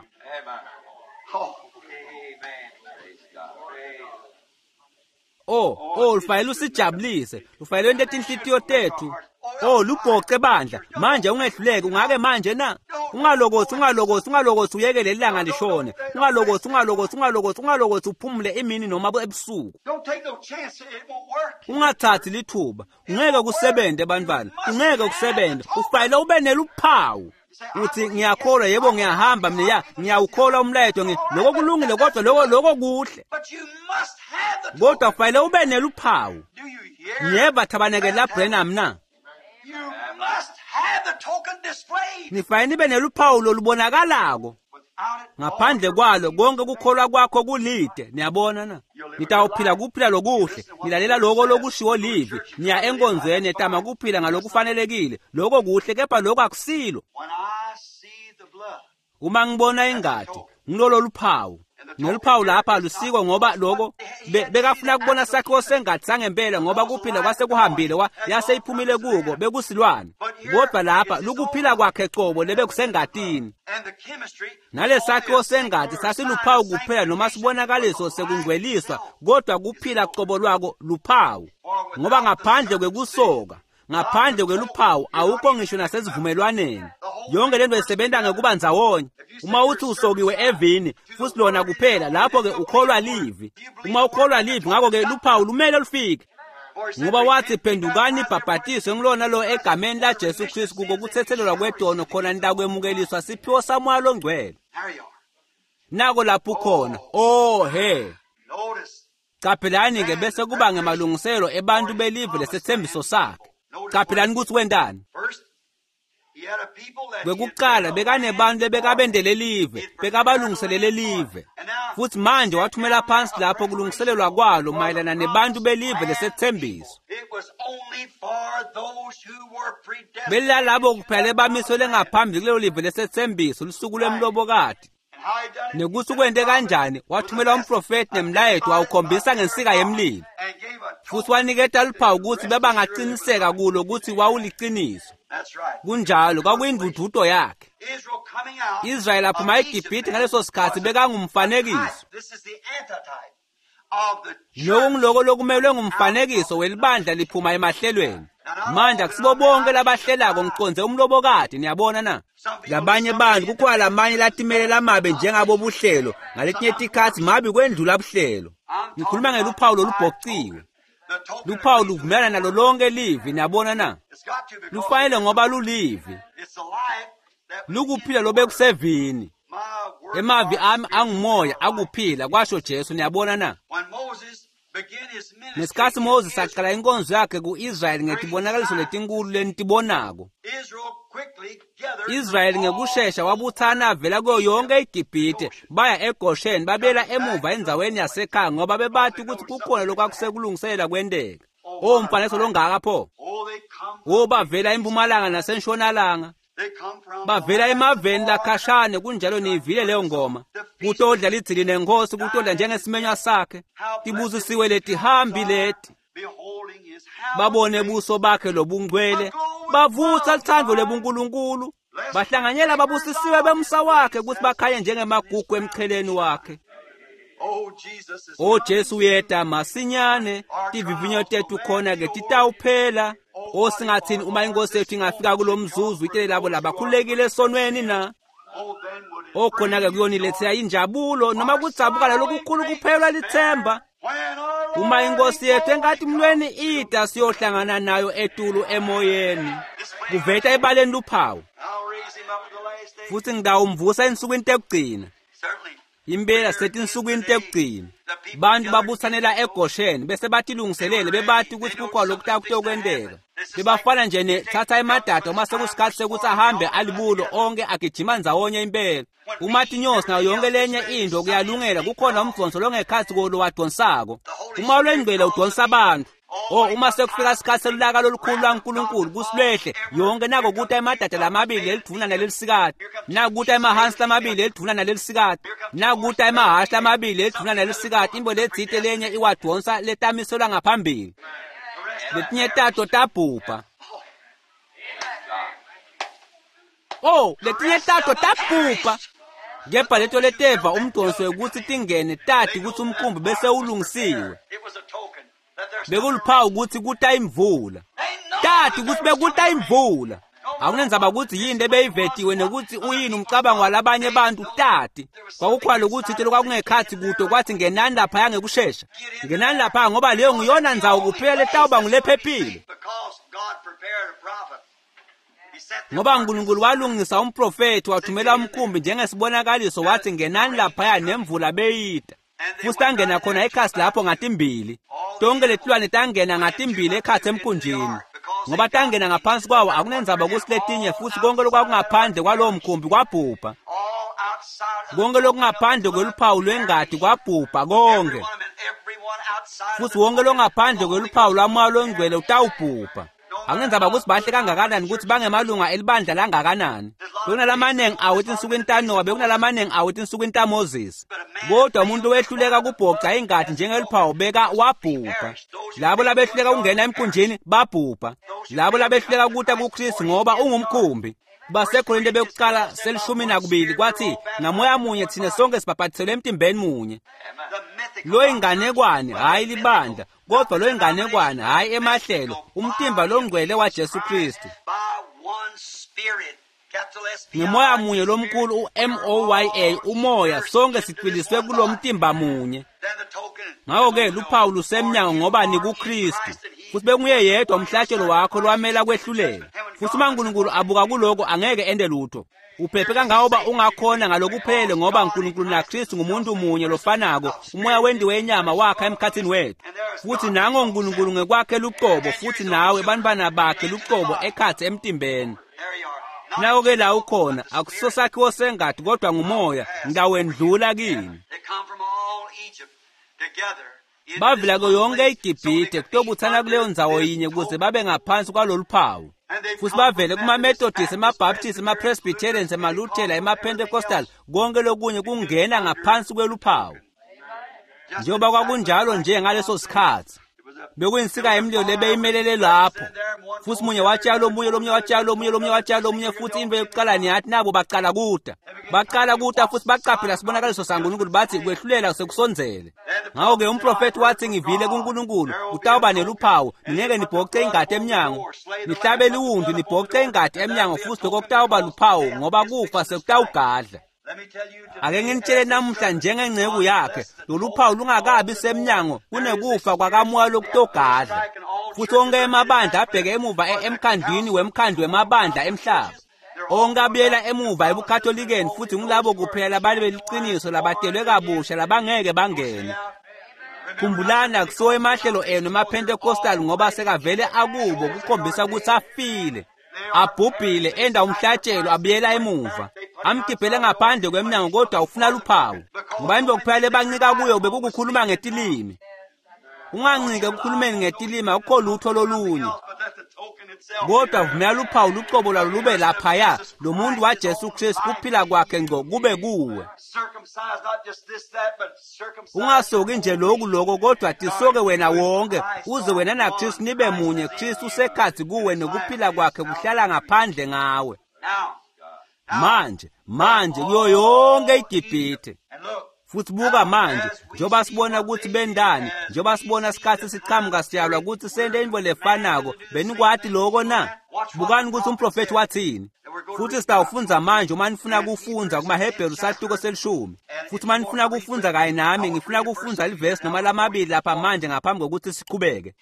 Oh, oh, lufanele usijabulise, lufanele lwente tinhlitiyo tethu. Oh, lubhoce bandla manje ungehluleki ungake manje na ungalokothi ungalokothi ungalokothi uyeke leli langa lishone ungalokothi ungalokothi ungalokothi ungalokothi uphumule emini noma ebusuku. Don't take no chance, it won't work. Ungathathi lithuba, ungeke kusebenze bantwana, ungeke kusebenze. Ufanele ube neluphawu. Uthi ngiyakholwa, yebo ngiyahamba mina, ya ngiyawukholwa umlayeto, ngi lokho kulungile kodwa lokho lokho kuhle. But you must have the Kodwa token. kufanele ube neluphawu. Do you hear? Ngiyeva thabaneke la Branham na. You must have the token displayed. Nifanele nibe neluphawu lolubonakalako. Without it, Ngaphandle kwalo konke kukholwa kwakho kulide. Niyabona na? Nitawuphila kuphila lokuhle, nilalela lokho lokushiwo livi, niya enkonzweni etama kuphila ngalokufanelekile. Lokho kuhle kepha lokho akusilo. When I see the blood, Uma ngibona ingadi, ngilolo luphawu. Neluphawu lapha alusiko ngoba lokho be- bekafuna kubona sakhiwo sengadi sangempela ngoba kuphila kwase kuhambile wa yase iphumile kuko bekusilwane. Kodwa lapha lukuphila kwakhe cobo lebekusengadini. and the chemistry, Nalesakhiwo sengadi sasiluphawu kuphela noma sibonakaliso sekungcweliswa, kodwa kuphila cobo lwako luphawu. Ngoba ngaphandle kwekusoka, ngaphandle kweluphawu awukho ngisho nasesivumelwaneni. Yonke lento isebenza ngekuba ndzawonye. Uma uthi usokiwe evini futhi lona kuphela, lapho ke ukholwa livi. Uma ukholwa livi, ngakho ke luphawu lumele lufike. For he said, Ngoba wathi "Repent, be phendukani baptized ibhabhatiswe ngilona lo egameni laJesu Kristu kuko kuthethelelwa kwetono khona nitakwemukeliswa siphiwo samoya longcwele. There you are. Nako lapho ukhona. Oh he. Notice. Qaphelani ke bese kuba ngemalungiselo ebantu belive lesethembiso sakhe. Qaphelani ukuthi wentani. First, he had a people that he had Kwekuqala bekanebantu lebekabendele live, bekabalungiselele live. Futhi manje wathumela phansi lapho kulungiselelwa kwalo mayelana nebantu belive lesethembiso. It was only for those who were predestined. Belalabo kuphela ebamiselwe ngaphambili kulelo live lesethembiso lusuku lwemlobokati. And how he done it? Nekuthi kwente kanjani, wathumela umprofeti nemlayeto wawukhombisa ngensika yemlilo. And gave a Futhi token. waniketa luphawu ukuthi bebangaqiniseka kulo ukuthi wawuliciniso. That's right. Kunjalo kwakuyindududo yakhe. Israel coming out Israel aphuma of eGibhithe Egypt ngaleso sikhathi was a bekangumfanekiso. type. This is the antitype of the church. Lokhu ngiloko lokumelwe ngumfanekiso welibandla liphuma emahlelweni. Manje akusibo bonke labahlelako ngiqonze umlobokati, niyabona na? Labanye bantu kukhona lamanye latimele lamabe njengabo buhlelo, ngaletinye tikhatsi mabi kwendlula buhlelo. Ngikhuluma ngeluphawu lolubhociwe. The token Luphawu luvumelana nalo lonke livi, niyabona na? It's got to because Lufanele ngoba lulivi. it's the life that Lukuphila lobekusevini. my word Emavi ami angumoya akuphila kwasho Jesu, niyabona na? When Moses began his ministry, Ngesikhatsi Moses in aqala inkonzo yakhe ku-Israyeli ngetibonakaliso letinkulu lenitibonako. Israel quickly gathered Israyeli ngekushesha wabuthana avela kuyo yonke iGibhithe baya eGosheni babuyela emuva endzaweni yasekhaya ngoba bebati ukuthi kukhona lokwakusekulungiselela kwenteka. O mfanekiso longaka pho! Oh, they come O bavela empumalanga nasentshonalanga, they come from bavela emaveni lakhashane kunjalo niyivile leyo ngoma. Kutodla lidzili nenkosi, kutodla njengesimenywa sakhe. Tibusisiwe letihambi leti. beholding his Babone buso bakhe lobungcwele, bavutsa luthando lwebunkulunkulu, bahlanganyela babusisiwe bemsa wakhe ukuthi bakhanye njengemagugu emcheleni wakhe. Oh, Jesus is O Jesu uyeta masinyane, tivivinyo tethu khona ke titawuphela. O singathini uma inkosi yethu ingafika kulo mzuzu itele labo labakhululekile esonweni na? Oh, then would it O khona ke kuyonilethela injabulo noma kudzabukala lokukhulu kuphelwa lithemba. when our Uma inkosi yethu enkatimulweni ida siyohlangana nayo etulu emoyeni. Kuveta ebaleni luphawu I'll raise him up in the last day. futhi ngitawumvusa ensukwini tekugcina. Certainly. Impela setinsukwini tekugcina. Bantu babuthanela eGosheni bese batilungiselele bebati ukuthi kukhona lokutakutokwenteka. Bebafana nje ne thatha emadada uma sekusikhathi sekuthi ahambe alibulo onke agijima ndzawonye impela. Uma tinyosi nayo yonke lenye into kuyalungela kukhona umdonso longekhathi kolo wadonsako. Uma lwengcwele udonsa abantu. O uma sekufika isikhathi selulaka lolukhulu lwaNkulunkulu kusilwehle yonke nako kuta emadada lamabili lelidvuna nalelisikati nakuta emahansi lamabili lelidvuna nalelisikati nakuta emahhashi lamabili lelidvuna nalelisikati imbo letsite lenye iwadonsa letamiselwa ngaphambili letinye tato tabhubha. Oh letinye tato tabhubha kepha leto leteva umdonso wekuthi tingene tati ukuthi umkhumbi bese ulungisiwe. It was a token that there's Bekuluphawu ukuthi kuta imvula. They know Tati kutsi bekuta imvula. Akunendzaba ukuthi yini lebeyivetiwe nekuthi uyini umcabango walabanye bantu tati. Kwakukhwala ukuthi into kwakungekhathi kude kwathi ngenani laphaya ngekushesha. Ngenani lapha ngoba leyo ngiyona ndzawo kuphela letawuba ngulephephile. Ngoba uNkulunkulu walungisa umprofethi wathumela umkhumbi njengesibonakaliso wathi ngenani laphaya nemvula beyida. Futhi tangena khona ekhasi lapho ngatimbili. Tonke letilwane tangena ngatimbili ekhathi emkhunjini. Ngoba tangena ngaphansi kwawo akunendzaba ukuthi letinye futhi konke lokwakungaphandle kwalowo mkhumbi kwabhubha. Konke lokungaphandle kweluphawu lwengati kwabhubha konke. Futhi wonke longaphandle kweluphawu lwamoya longcwele utawubhubha. Akunendzaba ukuthi bahle kangakanani ukuthi bangemalunga elibandla langakanani. Bekunalamanengi awo etinsukwini taNowa, bekunalamanengi awo etinsukwini taMoses. Kodwa umuntu wehluleka kubhoca ingati njengeluphawu beka wabhubha. Labo labehluleka ukungena emkhunjini babhubha. Labo labehluleka ukuta kuKristu ngoba ungumkhumbi. Basekorinte bekuqala selishumi nakubili kwathi ngamoya munye thina sonke sibhaphathiselwe emtimbeni munye. Lo inganekwane hayi libandla, kodwa lo inganekwane hayi emahlelo, umtimba longcwele waJesu Kristu. Ngemoya munye lomkhulu u-M O Y A umoya sonke sicwiliswe kulo mtimba munye. Ngakho-ke luphawu lusemnyango ngoba nikuKristu. Futhi bekunguye yedwa umhlatshelo wakho lwamela kwehlulela. Futhi uma uNkulunkulu abuka kuloko angeke ende lutho. Uphephe kangangoba ungakhona ngalokuphelele ngoba uNkulunkulu naKristu ngumuntu munye lofanako, umoya wendiwe inyama wakha emkhathini wethu. Futhi nango uNkulunkulu ngekwakhe luqobo futhi nawe bantwana bakhe luqobo ekhathi emtimbeni. Nawo-ke la ukhona akusiso sakhiwo sengati kodwa ngumoya ngitawendlula kini. Bavela kuyo yonke iGibhithe kutobuthana kuleyo ndzawo yinye ukuze babe ngaphansi kwalolu phawu. Futhi bavele kuma-Methodist, ema-Baptist, ema-Presbyterians, emaLuthela, ema-Pentecostal, konke lokunye kungena ngaphansi kweluphawu. Njengoba kwakunjalo nje ngaleso sikhathi. Bekuyinsika yemlilo lebeyimelele lapho. Futhi munye watshala omunye, lomunye watshala omunye, lomunye watshala omunye, futhi into yokuqala niyathi nabo baqala kuda. Baqala kuda futhi baqaphela sibonakaliso saNkulunkulu bathi kwehlulela sekusondzele. Ngakho-ke umprofethi wathi ngivile kuNkulunkulu, utawuba neluphawu, ningeke nibhoce ingati emnyango. Nihlabe liwundlu nibhoce ingati emnyango futhi lokho kutawuba luphawu ngoba kufa sekutawugadla. Ake nginitshele namuhla njengenceku yakhe, lolu phawu lungakabi semnyango kunekufa kwakamoya lokutogadla. Futhi onke emabandla abheke emuva emkhandlwini wemkhandlu wemabandla emhlaba. Onke abuyela emuva ebukatholikeni futhi ngulabo kuphela labali beliqiniso labatelwe kabusha labangeke bangene. Khumbulani akusiwo emahlelo enu emaPentecostal ngoba sekavele akubo kukhombisa ukuthi afile. Abhubhile enda umhlatshelo abuyela emuva. Amkhiphele ngaphandle kwemnyango kodwa ufuna luphawu. Ngoba into kuphela lebancika kuyo bekukukhuluma ngetilimi. Ungancike ekukhulumeni ngetilimi akukho lutho lolunye. Kodwa vumela luphawu luqobo lwalo lube laphaya lo muntu waJesu Kristu kuphila kwakhe ngco kube kuwe. Ungasoki nje lokhu lokho kodwa tisoke wena wonke uze wena naKristu nibe munye. Kristu usekhathi kuwe nokuphila kwakhe kuhlala ngaphandle ngawe. Manje manje kuyo yonke iGibhithe. Futhi buka manje njengoba sibona ukuthi bendani, njengoba sibona isikhathi siqhamuka siyalwa ukuthi sente into lefanako, benikwati lokho na? Bukani ukuthi umprofethi wathini. Futhi sitawufundza manje uma nifuna kufundza kumaHebheru sahluko selishumi. Futhi uma nifuna kufundza kanye nami, ngifuna kufundza livesi noma lamabili lapha manje ngaphambi kokuthi siqhubeke.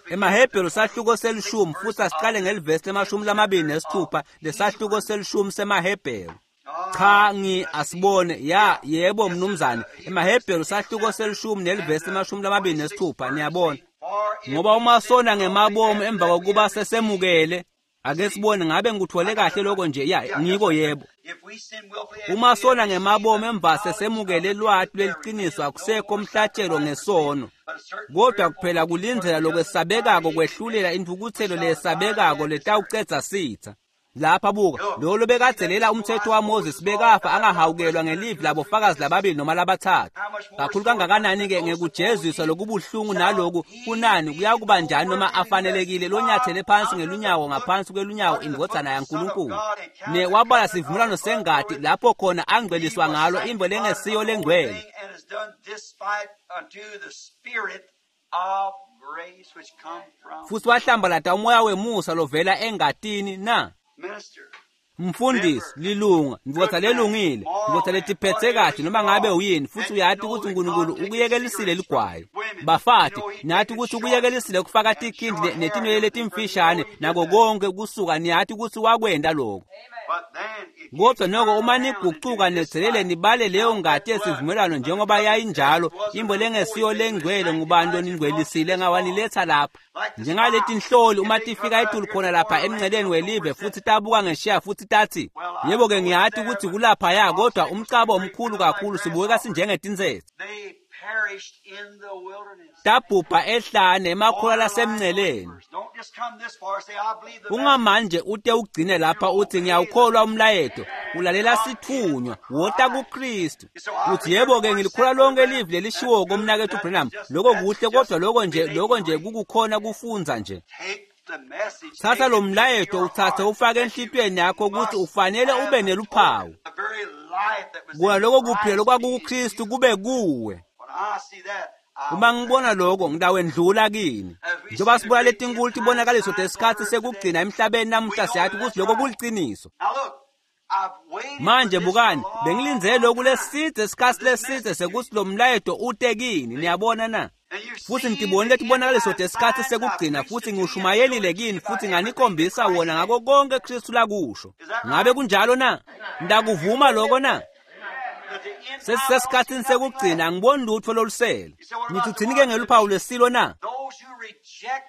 EmaHebheru sahluko selishumi futhi asiqale ngelivesi lemashumi lamabili nesithupha lesahluko selishumi semaHebheru. Cha ngi asibone ya yebo mnumzane. EmaHebheru sahluko selishumi nelivesi lemashumi lamabili nesithupha niyabona. Ngoba uma sona ngemabomu emva kokuba sesemukele, ake sibone ngabe ngikuthole kahle lokho nje ya ngiko yebo. Uma sona ngemabomu emva sesemukele lwati lweliqiniso akusekho umhlatshelo ngesono. Kodwa kuphela kulindzela lokwesabekako kwehlulela intfukutselo leyesabekako letawucedza sitha. Lapha buka lo lobekadzelela umthetho waMoses bekafa angahawukelwa ngelivi labofakazi lababili noma labathathu. Kakhulu kangakanani-ke ngekujeziswa lokubuhlungu naloku kunani kuyakuba njani noma afanelekile lonyathele phansi ngelunyawo ngaphansi kwelunyawo indvodzana yaNkulunkulu. Ne wabala sivumelwano sengati lapho khona angcweliswa ngalo imvo lengesiyo lengcwele. grace which come from Futhi wahlambalata umoya wemusa lovela engatini na? minister. Mfundisi, lilunga, ndvodza lelungile, ndvodza letiphethe kahle noma ngabe uyini, futhi uyati ukuthi uNkulunkulu ukuyekelisile ligwayi. Bafati, niyati ukuthi ukuyekelisile kufaka tikhindi ne- netinwele letimfishane nako konke kusuka, niyati ukuthi wakwenta lokho. But then if you Kodwa noko uma nigucuka nethelele nibale leyo ngati yesivumelwano njengoba yayinjalo, imbo lengesiyo lengcwele ngubani loningcwelisile ngawaniletha lapha. Njengaleti nhloli uma tifika etulu khona lapha emnceleni welive futhi tabuka ngeshiya futhi tathi, yebo-ke ngiyati ukuthi kulaphaya kodwa umcabo omkhulu kakhulu sibukeka sinjengetintsetse. they perished in the wilderness. Tabhubha ehlane emakholwa lasemnceleni. Don't just come this far and say, I believe the message. Ungamanje ute ugcine lapha uthi ngiyawukholwa umlayeto, ulalela sithunywa, wota kuKristu. Uthi yebo-ke ngilikholwa lonke livi lelishiwo komnakethu Branham. Lokho kuhle kodwa lokho nje lokho nje kukukhona kufundza nje. Take the message. Thatha take lo it into mlayeto your uthathe heart ufake that you enhlitiyweni yakho ukuthi must ufanele have ube neluphawu. the very life that was Kona in lokho kuphila Christ be in lokwakukuKristu you. kube kuwe. When I see that, I Uma ngibona lokho ngitawendlula kini. Njengoba sibona letinkulu tibonakaliso tesikhatsi sekugcina emhlabeni namuhla siyati ukuthi lokho kuliciniso. Now look, I've waited Manje for this bukani, a long bengilindzele lokhu time. lesidze isikhatsi lesidze sekuthi lo mlayeto ute kini, niyabona na? And you've Futhi seen ngitibonile the tibonakaliso end time tesikhatsi signs I've sekugcina preached futhi it to you and ngiwushumayelile showed it to kini you by futhi everything that nganikhombisa Christ wona said. ngako konke Kristu lakusho. Is that Ngabe right? kunjalo na? Ndakuvuma lokho na? That the end time I don't see Sesisesikhatsini nothing sekugcina left. angiboni lutho lolusele. You say, what Ngithi about the uthini ke mark of the ngeluphawu beast? lwesilo na? Those who reject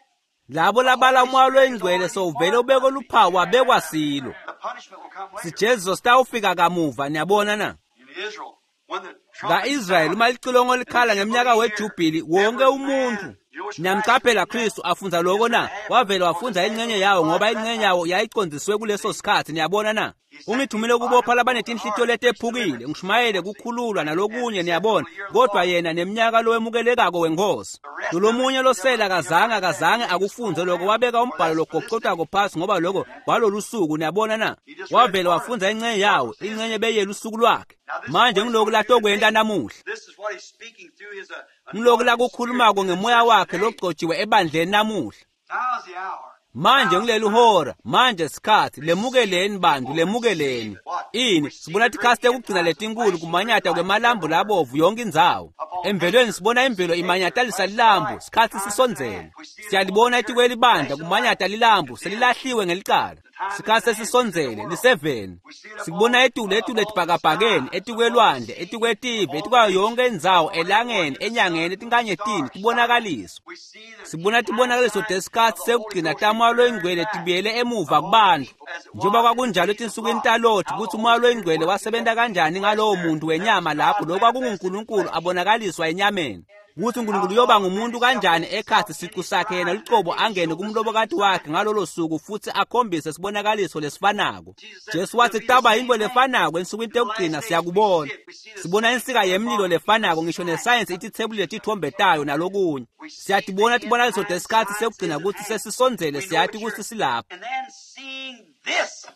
Labo the labala Holy umoya Spirit is loyingcwele already sowuvele marked by ubekwe the beast. luphawu wabekwa silo. The punishment will come later. Sijeziso sitawufika kamuva, niyabona na? In Israel, when the trumpet Ka-Israyeli sounded, uma licilongo and the likhala people ngemnyaka hear, wejubhili wonke every umuntu man, you know which Christ niyamqaphela did that? Kristu afundza lokho Israel na had it, wavele because wafundza they had ingxenye no yawo blood ngoba at that ingxenye time. yawo yayicondziswe kuleso sikhathi niyabona na He sent me ungithumele to bind ukubopha up the broken labanetinhlitiyo heart, preach letephukile deliverance. ngishumayele See? kukhululwa And nalokunye he said, niyabona till the year of the kodwa Lord. yena nemnyaka lowemukelekako wenkosi The rest of it, lolomunye he never, losela he never kazange read that. akazange He just akufunze scrolled lokho down. wabeka For umbhalo that's for this day. logocotako phasi ngoba lokho kwalolu suku niyabona na He just read wavele part of it. wafundza ingxenye What yawo was his ingxenye day? beyela usuku lwakhe Now this is manje what he's ngiloku going to do latokwenta today. namuhla This is what he's speaking through his uh, ngiloku anointed spirit lakukhulumako to the ngemoya church wakhe today. logcotshiwe ebandleni namuhla Now's the hour. manje Now's the ngileli time. hora manje sikhathi Receive lemukeleni it, bantu people. Receive lemukeleni it. What? ini We see sibona the great tikhatsi end tekugcina times, the letinkulu flashing great kumanyata lights kwemalambu everywhere. labovu yonke indzawo Upon emvelweni nature, sibona we imvelo see nature imanyatalisa flashing lilambu light, sikhatsi time at sisondzele hand. We see it upon the siyalibona church, etikwelibandla flashing light, kumanyata lilambu condemned. selilahliwe ngelicala The time is sikhatsi at hand. It's in the sesisondzele world. liseveni We see it upon sikubona etulu uh, etulu upon the etibhakabhakeni skies, upon the etikwelwandle sea, etikwetive upon the etikwayo yonke nations, indzawo upon everywhere elangeni under the enyangeni sun, etinkanyetini stars shining. tibonakaliswa We see the sibona end time tibonakaliso signs of tesikhatsi the Holy sekugcina Ghost tamoya returning loyingcwele back tibuyele emuva upon the kubantu people as it njengoba was in the kwakunjalo days of etinsukwini Lot, taloti how the kutsi umoya Holy Spirit loyingcwele worked through wasebenta that human kanjani flesh ngalowo there. muntu That was wenyama lapho God lokho manifested in kwakunguNkulunkulu flesh. abonakaliswa enyameni kutsi uNkulunkulu How uyoba God ngumuntu made himself kanjani ekhatsi himself in sicu his sakhe yena bride in that lucobo day to angene show the same kumlobokati wakhe sign. ngalolo suku futsi akhombise sibonakaliso lesifanako Jesus said, Jesu It'll watsi be the kutawuba same yintfo thing. lefanako ensukwini In the last tekugcina days, we siyakubona see it. We see the sibona same insika yemlilo symbol, lefanako ngisho sign. nesayensi itithebulile titfombe tayo nalokunye We see the siyatibona end tibonakaliso time tesikhatsi signs sekugcina is at kutsi hand. sesisondzele We know siyati it's kutsi here. silapha And then seeing this,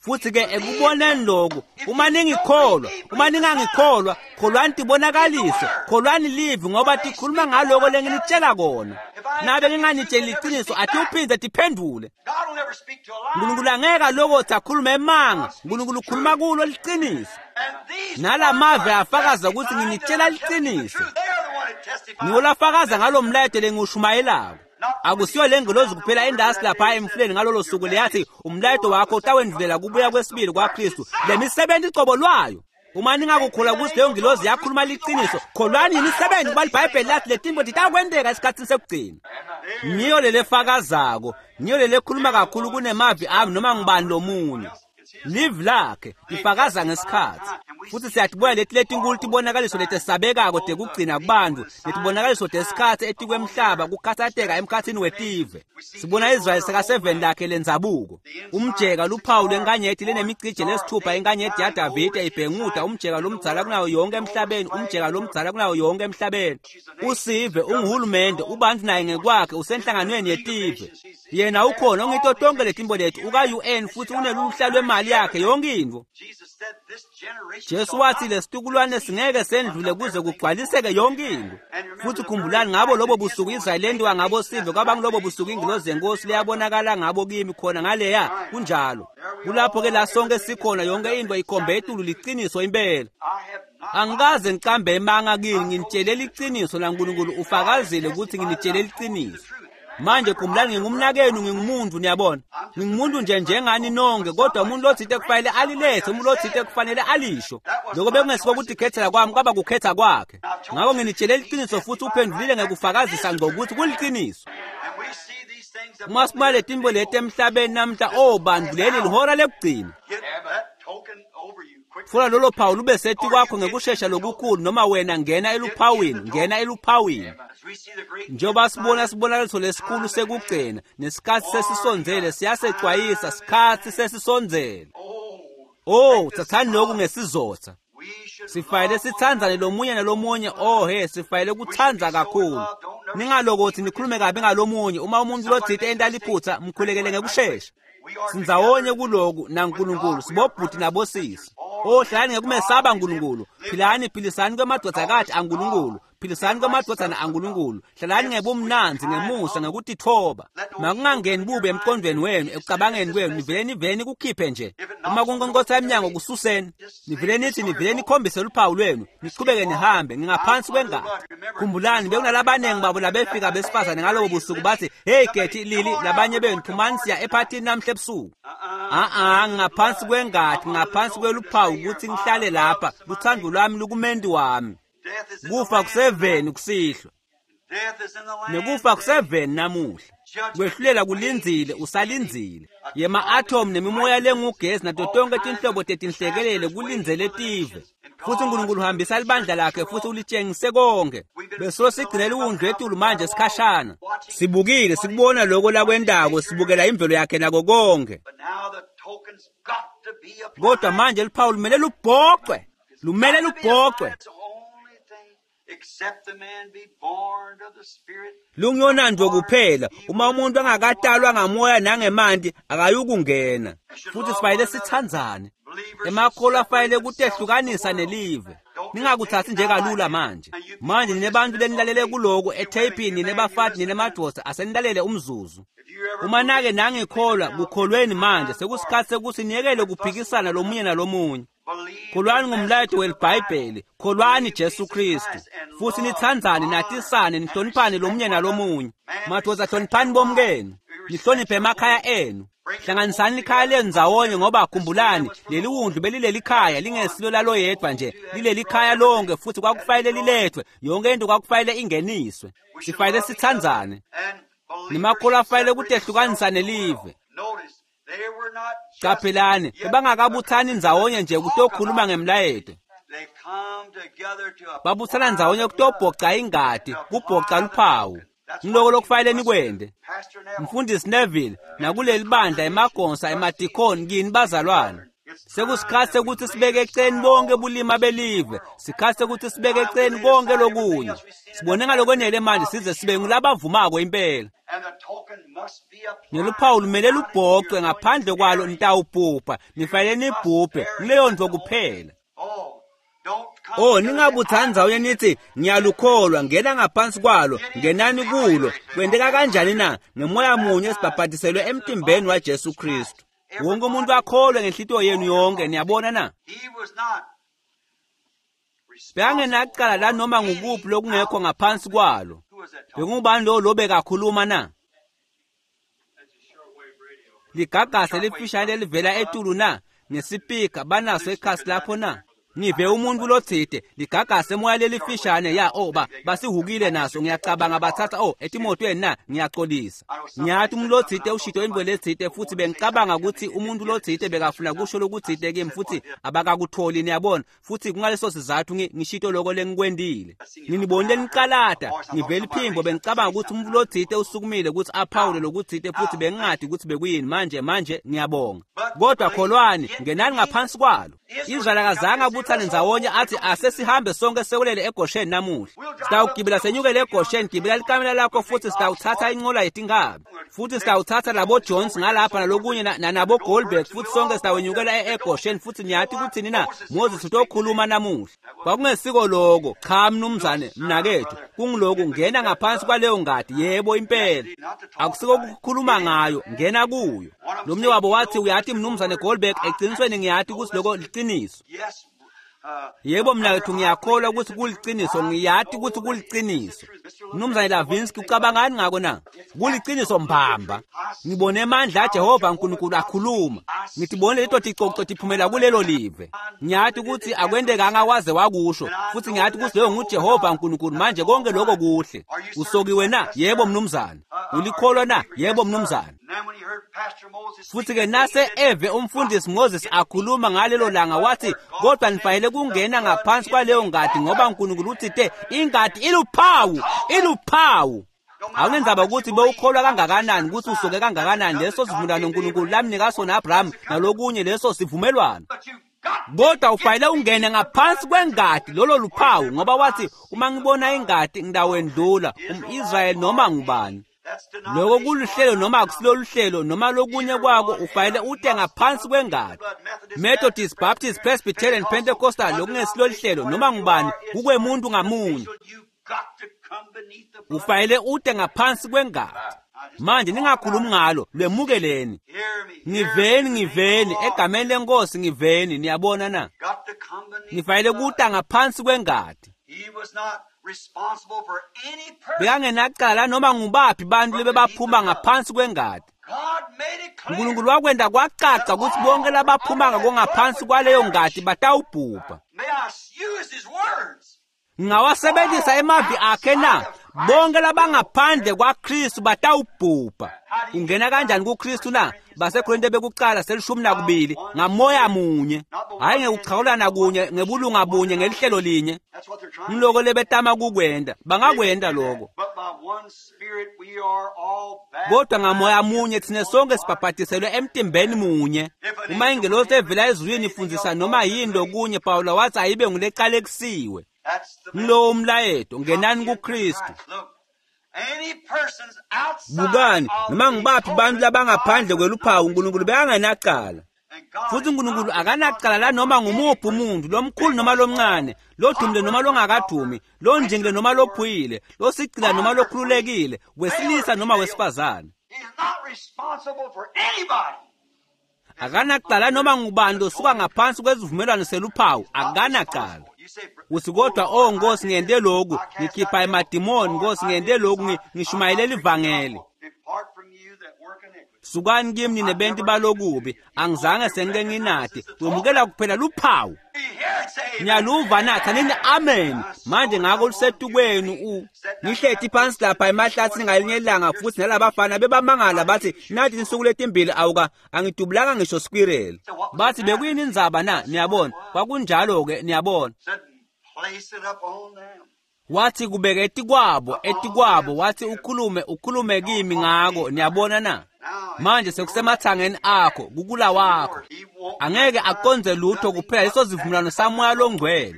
futhi ke believe ekuboneni that. lokhu If uma you don't ningikholwa believe me, uma believe the sign. ningangikholwa kholwani Believe the tibonakaliso word. kholwani livi For ngoba they tikhuluma speak of ngaloko what I'm telling lenginitshela you. kona If I ain't nabe telling you the truth, nginganitsheli they never liciniso speak back. atiwuphindze tiphendvule God will never speak to a lie. uNkulunkulu angeke alokothi akhulume emanga God speaks uNkulunkulu the ukhuluma truth. kulo liciniso And these nala words mave are afakaza ukuthi testifying that nginitshela I'm telling you the liciniso truth. They are the one that testify ngiwo of lafakaza the ngalo message. mlayeto lengiwushumayelako Not for the akusiyo le angel ngelozi down on kuphela the river endasi that lapha day said, emfuleni ngalolo Your suku leyathi message umlayeto will wakho the second utawendvulela coming of kubuya Christ, the kwesibili works kwaKristu le itself. misebenzi icobo lwayo uma ningakukholwa Can't kutsi that leyo angel told ngilozi the truth? yakhuluma Believe the liciniso works. For the kholwani Bible imisebenzi said kuba these things libhayibheli are lathi letimbo titakwenteka esikhatsini sekugcina There, ngiyo lelefakazako ngiyo lelekhuluma there's the kakhulu one that kunemavi speaks ami louder noma than ngubani anyone lomunye else. It's his livi word. lakhe They lifakaza testify of ngesikhatsi time. And we futhi see these siyatibona great leti letinkulu marvelous tibonakaliso signs letesabekako upon the tekugcina people, kubantu the signs of letibonakaliso the time tesikhatsi upon the etikwemhlaba earth, kukhatsateka especially emkhatsini the nations. wetive We see sibona Israel Israyeli in her sekaseveni homeland. lakhe lendzabuko The end sign, umjeka the six luphawu star, lwenkanyeti morning lenemicijo star of lesithupha David, inkanyeti shining over yaDavide the end ibhenguda sign umjeka in the lomdzala world, kunayo yonke the oldest emhlabeni flag umjeka in the world. lomdzala kunayo yonke emhlabeni She's a nation, she's usive a government, she's her unguhulumende own ubantu naye ngekwakhe she's in the usenhlanganweni League of yetive Nations. She's, she yena has ukhona all ongito these tonke nations. letimbo She's lethu U N, uka-U N and she's futhi got all uneluhla kinds lwemali of yakhe everything. yonke intfo Jesus said Jesu wathi lesitukulwane singeke sendlule kuze kugcwaliseke yonke into. Futhi khumbulani ngabo lobo busuku Israyeli lendiwa ngabo sive kwaba ngilobo busuku ingilozi yenkosi leyabonakala ngabo kimi khona ngaleya kunjalo. Kulapho ke la sonke sikhona yonke into ikhombe etulu liqiniso impela. Angikaze ngicambe emanga kini nginitshelela iqiniso laNkulunkulu ufakazile ukuthi nginitshelela iqiniso. Manje khumbulani ngingumnakenu ngingumuntu niyabona. Ngingumuntu nje njengani nonke kodwa umuntu lothite kufanele alilethe umuntu lothite kufanele alisho. Lokho bekungesiko ukuthi khethela kwami kwaba kukhetha kwakhe. Ngakho nginitshelela iqiniso futhi uphendulile ngekufakazisa ngokuthi kuliqiniso. Uma sibale timbo leti emhlabeni namhla oh bantu leli lihora lekugcina. Funa lolo phawu lube sethi kwakho ngekushesha lokukhulu noma wena ngena eluphawini ngena eluphawini. Njengoba sibona sibonakaliso lesikhulu sekugcina nesikhathi sesisondzele siyasecwayisa sikhathi sesisondzele. Oh thathani lokhu ngesizotha. Sifanele sithandzane lomunye nalomunye oh he sifanele kuthandza kakhulu. Ningalokothi nikhulume kabi ngalomunye uma umuntu lothite enta liphutha mkhulekele ngekushesha. Sindzawonye kuloku naNkulunkulu sibobhuti nabosisi. Oh hlalani ngekumesaba uNkulunkulu. Philani philisani kwemadvodzakati aNkulunkulu. Philisani kwemadvodzana aNkulunkulu. Hlalani ngebumnandzi ngemusa ngekutitfoba. Makungangeni bube emqondweni wenu ekucabangeni kwenu nivele nivele nikukhiphe nje. Uma kunkonkotha emnyango kususeni. Nivele nithi nivele nikhombise luphawu lwenu niqhubeke nihambe ngingaphansi kwengati. Khumbulani bekunalabanengi babo labefika besifazane ngalobo busuku bathi hey Getty Lili labanye benu phumani siya ephathini namhla ebusuku. Ah ah ngaphansi kwengati ngaphansi kweluphawu ukuthi ngihlale lapha luthando lwami lukumendi wami. Kufa kuseveni kusihlwa. Nekufa kuseveni namuhla. Kwehlulela kulindzile usalindzile. Yema atom nemimoya lengugesi nato tonke tinhlobo tetinhlekelele kulindzele tive. Futhi uNkulunkulu uhambisa libandla lakhe futhi ulitshengise konke. Beso sigcinele uwundlu etulu manje sikhashana. Sibukile sikubona lokho lakwendako sibukela imvelo yakhe nako konke. Kodwa manje luphawu lumele lubhocwe. Lumele lubhocwe. Lungiyonandvo kuphela uma umuntu angakatalwa ngamoya nangemanti akayukungena. Futhi sifanele sithandzane. Emakholwa afanele kutehlukanisa nelive. Ningakuthathi nje kalula manje. Manje ninebantu lenilalele kuloku etheyipini ninebafati ninemadvodza asenilalele umzuzu. Uma nake nangikholwa kukholweni manje sekusikhathi sekuthi niyekele kuphikisana lomunye nalomunye. Kholwani ngumlayeto welibhayibheli, kholwani Jesu Kristu. Futhi nithandzane natisane nihloniphane lomunye nalomunye. Madvodza hloniphani bomkenu, nihloniphe emakhaya enu. Hlanganisani likhaya lenu ndzawonye ngoba khumbulani leli wundlu belileli khaya lingesilo laloyedwa nje lileli khaya lonke futhi kwakufanele lilethwe yonke into kwakufanele ingeniswe. Sifanele sithandzane. Nemakholwa afanele kutehlukanisa nelive. Qaphelani bebangakabuthani ndzawonye nje kutokhuluma ngemlayeto. Babuthana ndzawonye kutobhoca ingati, kubhoca luphawu. Ngiloko lokufanele nikwente. Mfundisi Neville nakuleli bandla emagonsa emadikoni kini bazalwane. Sekusikhathi sekuthi sibeke eceleni bonke bulima belive. Sikhathi sekuthi sibeke eceleni konke lokunye. Sibone ngalokwenele manje size sibe ngulabavumako impela. Neluphawu lumele lubhocwe ngaphandle kwalo nitawubhubha nifanele nibhubhe kuleyo nto kuphela. Oh ningabuthani ndzawonye nithi ngiyalukholwa ngena ngaphansi kwalo ngenani kulo. Kwenteka kanjani na? Ngemoya munye sibhabhatiselwe emtimbeni waJesu Kristu. Wonke umuntu akholwe ngenhlitiyo yenu yonke niyabona na? Bekangenacala la noma ngukuphi lokungekho ngaphansi kwalo. Bekungubani lo lobekakhuluma na? Ligagasi elifishane elivela etulu na? Ngesipika banaso ekhasi lapho na? Ngive umuntu lothite ligagasi emoya lelifishane ya oh ba basihukile naso ngiyacabanga bathatha oh etimotweni na ngiyaxolisa. Ngiyathi umuntu lothite ushito into lethite futhi bengicabanga ukuthi umuntu lothite bekafuna kusho lokuthite kimi futhi abakakutholi niyabona futhi kungaleso sizathu ngishito lokho lengikwendile. Nginibonile niqalada ngivela iphimbo bengicabanga ukuthi umuntu lothite usukumile ukuthi aphawule lokuthite futhi bengingadi ukuthi bekuyini manje manje ngiyabonga. Kodwa kholwani ngenani ngaphansi kwalo. Israel akazange abuthane abutsane ndzawonye athi asesihambe sonke sekulele eGosheni namuhla. Sitawugibela senyukele eGosheni, gibela likamela lakho futhi sitawuthatha inqola yetinkabi. Futhi sitawuthatha labo Jones ngalapha nalokunye na nabo Goldberg futhi sonke sitawenyukela eGosheni futhi niyathi kuthini na? Moses utokhuluma namuhla. Kwakungesiko lokho, cha mnumzane mnakethu, kungiloku ngena ngaphansi kwaleyo ngadi, yebo impela. Akusiko ukukhuluma ngayo, ngena kuyo. Lomnye wabo wathi uyathi mnumzane Goldberg, eqinisweni ngiyathi ukuthi lokho liqiniso. Yebo mnakethu ngiyakholwa ukuthi kuliqiniso, ngiyathi ukuthi kuliqiniso. Mnumzane Lavinsky ucabangani ngako na? Kuliqiniso mbamba. Ngibone amandla aJehova uNkulunkulu akhuluma. Ngitibone leto ticoco tiphumela kulelo live. Ngiyathi ukuthi akwendekanga waze wakusho futhi ngiyathi ukuthi leyo nguJehova uNkulunkulu. Manje konke lokho kuhle. Usokiwe na? Yebo mnumzane. Ulikholwa na? Yebo mnumzane. Futhi ke nase eve umfundisi Moses akhuluma ngalelo langa wathi kodwa nifanele kungena ngaphansi kwaleyo ngadi ngoba uNkulunkulu uthite ingadi iluphawu, iluphawu. Awunenzaba ukuthi bewukholwa kangakanani ukuthi usuke kangakanani leso sivumelwano uNkulunkulu lamnika sona Abraham nalokunye leso sivumelwano. Kodwa ufanele ungene ngaphansi kwengadi lolo luphawu ngoba wathi uma ngibona ingadi ngidawendlula umIsrayeli noma ngubani. Lokho kuluhlelo noma akusilolu hlelo noma lokunye kwako ufanele ute ngaphansi kwengadi. Methodist, Baptist, Presbyterian, Pentecostal lokungesilolu hlelo noma ngubani kukwemuntu ngamunye. Ufanele ute ngaphansi kwengadi. Manje ningakhulumi ngalo, lwemukeleni. Ngiveni, ngiveni egameni lenkosi ngiveni, niyabona na? Nifanele kuta ngaphansi kwengadi. Bekangenacala noma ngubaphi bantu lebebaphuma ngaphansi kwengadi. uNkulunkulu wakwenda kwacaca ukuthi bonke labaphuma ngaphansi kwaleyo ngadi batawubhubha. Ngawasebenzisa emavi akhe na? Bonke labangaphandle kwaKristu batawubhubha. Ungena kanjani kuKristu na? BaseKorinte bekuqala selishumi nakubili ngamoya munye, hayi ngekuchawulana kunye, ngebulunga bunye, ngelihlelo linye. Ngiloko lebetama kukwenda, bangakwenda lokho. Kodwa ngamoya munye thina sonke sibhabhadiselwe emtimbeni munye. Uma ingelosi evela ezulwini ifundisa noma yini lokunye, Pawula wathi ayibe nguleqalekisiwe. Ngilo umlayeto, ngenani kuKristu. Bukani, noma ngibaphi bantu labangaphandle kweluphawu uNkulunkulu bekangenacala. Futhi uNkulunkulu akanacala la noma ngumuphi umuntu, lomkhulu noma lomncane, lodumile noma longakadumi, lonjingile noma lophuyile, losigcila noma lokhululekile, wesilisa noma wesifazane. Akanacala noma ngubani losuka ngaphansi kwezivumelwano seluphawu, akanacala. Uthi kodwa oh Nkosi ngiyente lokhu, ngikhipha emadimoni, Nkosi ngiyente lokhu, ngishumayelela ivangeli. Sukani kimi nine benti balokubi, angizange sengike nginati, wemukela kuphela luphawu. Niyaluva na? Thanini amen. Manje ngako lusetukwenu u. Ngihleti phansi lapha emahlathini ngalinye ilanga futhi nalabafana bebamangala bathi nathi insuku letimbili awuka angidubulanga ngisho squirrel. Bathi bekuyini indzaba na? Niyabona, kwakunjalo ke niyabona. Wathi kubeke etikwabo, etikwabo, wathi ukhulume, ukhulume kimi ngako, niyabona na? Manje sekusemathangeni akho, kukula wakho. Angeke akonze lutho kuphela leso sivumelwano samoya longcwele.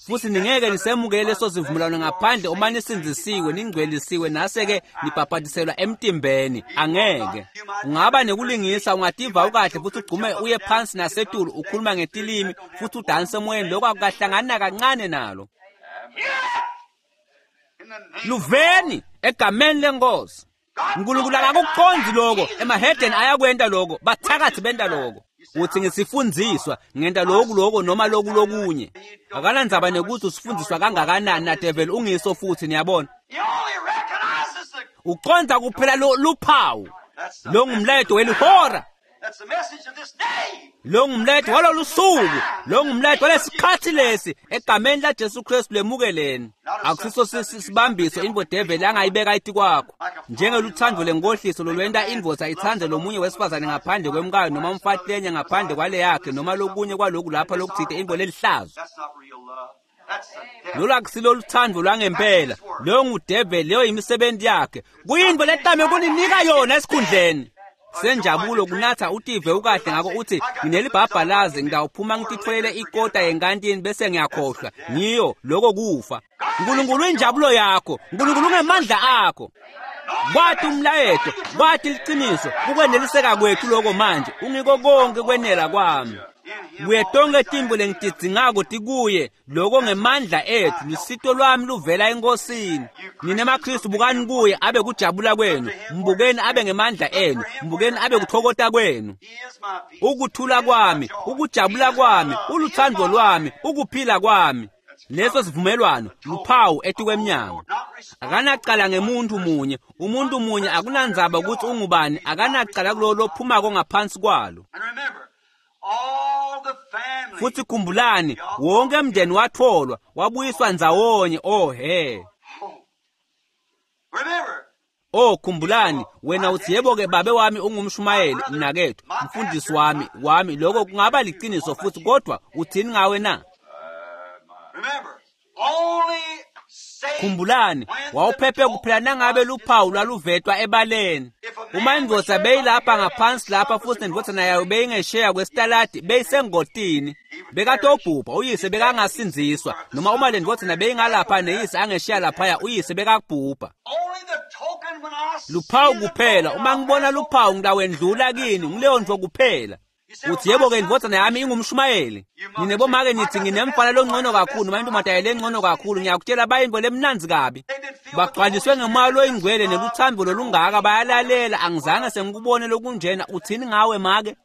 Futhi ningeke nisemukele leso sivumelwano ngaphandle uma nisindzisiwe, ningcwelisiwe nase-ke nibhabhadiselwa emtimbeni. Angeke. Ungaba nekulingisa, ungativa ukahle futhi ugcume uye phansi nasetulu ukhuluma ngetilimi futhi udanse emoyeni, lokho akukahlangani nakancane nalo. Luveni egameni lenkosi. uNkulunkulu akakuqondi lokho, emahedeni ayakwenta lokho, bathakathi benta lokho. Uthi ngisifundziswa, ngenta lokhu lokho noma lokhu lokunye. Akanandzaba nekuthi usifundiswa kangakanani na devil ungiso futhi niyabona. Uqonda kuphela luphawu. Lo ngumlayeto welihora. Lo ngumlayeto walolu suku, lo ngumlayeto walesikhathi lesi egameni la Jesu Kristu lemukeleni. Akusiso sibambiso invo devil angayibeka etikwakho. Njengeluthando lenkohliso lolwenta indvodza itsandze lomunye wesifazane ngaphandle kwemkayo noma umfati lenye ngaphandle kwale yakhe noma lokunye kwaloku lapha lokuthite invo lelihlazo. Lolu akusilo luthando lwangempela, leyo ngudeveli, leyo yimisebenzi yakhe. Kuyinto letame kuninika yona esikhundleni. Senjabulo kunatha utive ukahle ngako uthi nginelibhabhalazi ngidawuphuma ngititfolele ikota yenkantini bese ngiyakhohlwa. Ngiyo lokho kufa. Nkulunkulu injabulo yakho, Nkulunkulu ungemandla akho. Kwathi umlayeto, kwathi liqiniso, kukweneliseka kwethu lokho manje, ungiko konke kwenela kwami. Kuye tonke tintfo lengitidzingako tikuye, lokho ngemandla ethu, lusito lwami luvela eNkosini. Nine maKristu bukani kuye abe kujabula kwenu, mbukeni abe ngemandla enu, mbukeni abe kuthokota kwenu. Ukuthula kwami, ukujabula kwami, uluthando lwami, ukuphila kwami. Leso sivumelwano luphawu etikwemnyango. Akanacala ngemuntu munye, umuntu munye akunandzaba ukuthi ungubani, akanacala kulowo lophumako ngaphansi kwalo. Futhi khumbulani, wonke umndeni watholwa, wabuyiswa ndzawonye. Oh he. Oh khumbulani, wena uthi yebo ke babe wami ungumshumayeli, mnakethu, mfundisi wami, wami lokho kungaba liqiniso futhi, kodwa uthini ngawe na? Khumbulani, wawuphephe kuphela nangabe luphawu lwaluvetwa ebaleni. Uma indvodza beyilapha ngaphansi lapha futhi nendvodzana yayo beyingesheya kwesitaladi, beyisengotini. Bekatobhubha, uyise bekangasindziswa, noma uma le ndvodzana beyingalapha neyise angesheya laphaya, uyise bekakubhubha. Luphawu kuphela, uma ngibona luphawu ngitawendlula kini, ngileyo ntfo kuphela. Uthi yebo ke indvodzana yami ingumshumayeli. Nine bomake nithi nginemfana longcono kakhulu, noma intombazane lengcono kakhulu, ngiyakutshela bayintfo lemnandzi kabi. Bagcwaliswe ngemoya loyingcwele neluthando lolungaka, bayalalela, angizange sengikubone lokunjena. Uthini ngawe make?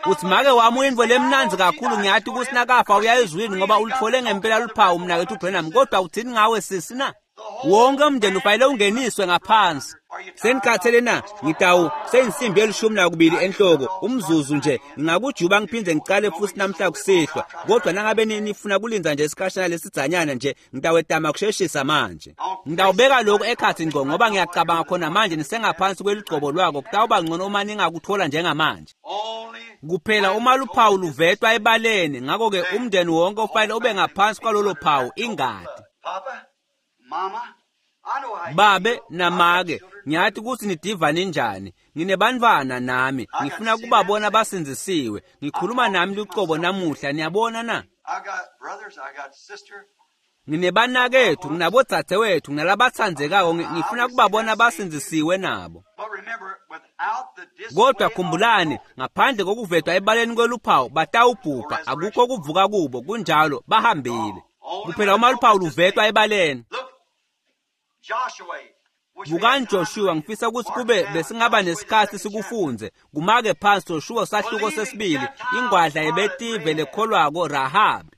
Uthi make wami uyintfo lemnandzi kakhulu, ngiyathi ukuthi nakafa uya ezulwini ngoba ulithole ngempela luphawu mnakethu Branham, kodwa uthini ngawe sisi na? Wonke umndeni ufanele ungeniswe ngaphansi. Senikhathele na? Ngitawu seyinsimbi elishumi nakubili enhloko, umzuzu nje ngingakujuba ngiphinde ngicale futhi namhla kusihlwa, kodwa nangabe nifuna kulinza nje isikhashana lesidzanyana nje, ngitawetama kusheshisa manje. Ngitawubeka lokhu ekhathi ngco ngoba ngiyacabanga khona manje nisengaphansi kwelugcobo lwako, kutawuba ngcono uma ningakuthola njengamanje. Kuphela uma luphawu luvetwa ebaleni, ngakho-ke umndeni wonke ufanele ube ngaphansi kwalolo phawu, ingati. Babe namake, ngiyathi ukuthi nidiva ninjani. Nginebantfwana nami, ngifuna kubabona basindzisiwe. Ngikhuluma nami lucobo namuhla, niyabona na? Nginebanakethu, nginabodzadzewethu, nginalabatsandzekako, ngifuna kubabona basindzisiwe nabo. Kodwa khumbulani, ngaphandle kokuvetwa ebaleni kweluphawu, batawubhubha, akukho kuvuka kubo, kunjalo, bahambile. Kuphela uma luphawu luvetwa ebaleni. Bukani Joshua, ngifisa ukuthi kube besingaba nesikhathi sikufunze. Kumake phansi Joshua sahluko sesibili, ingwadla yebetive lekholwako Rahabi.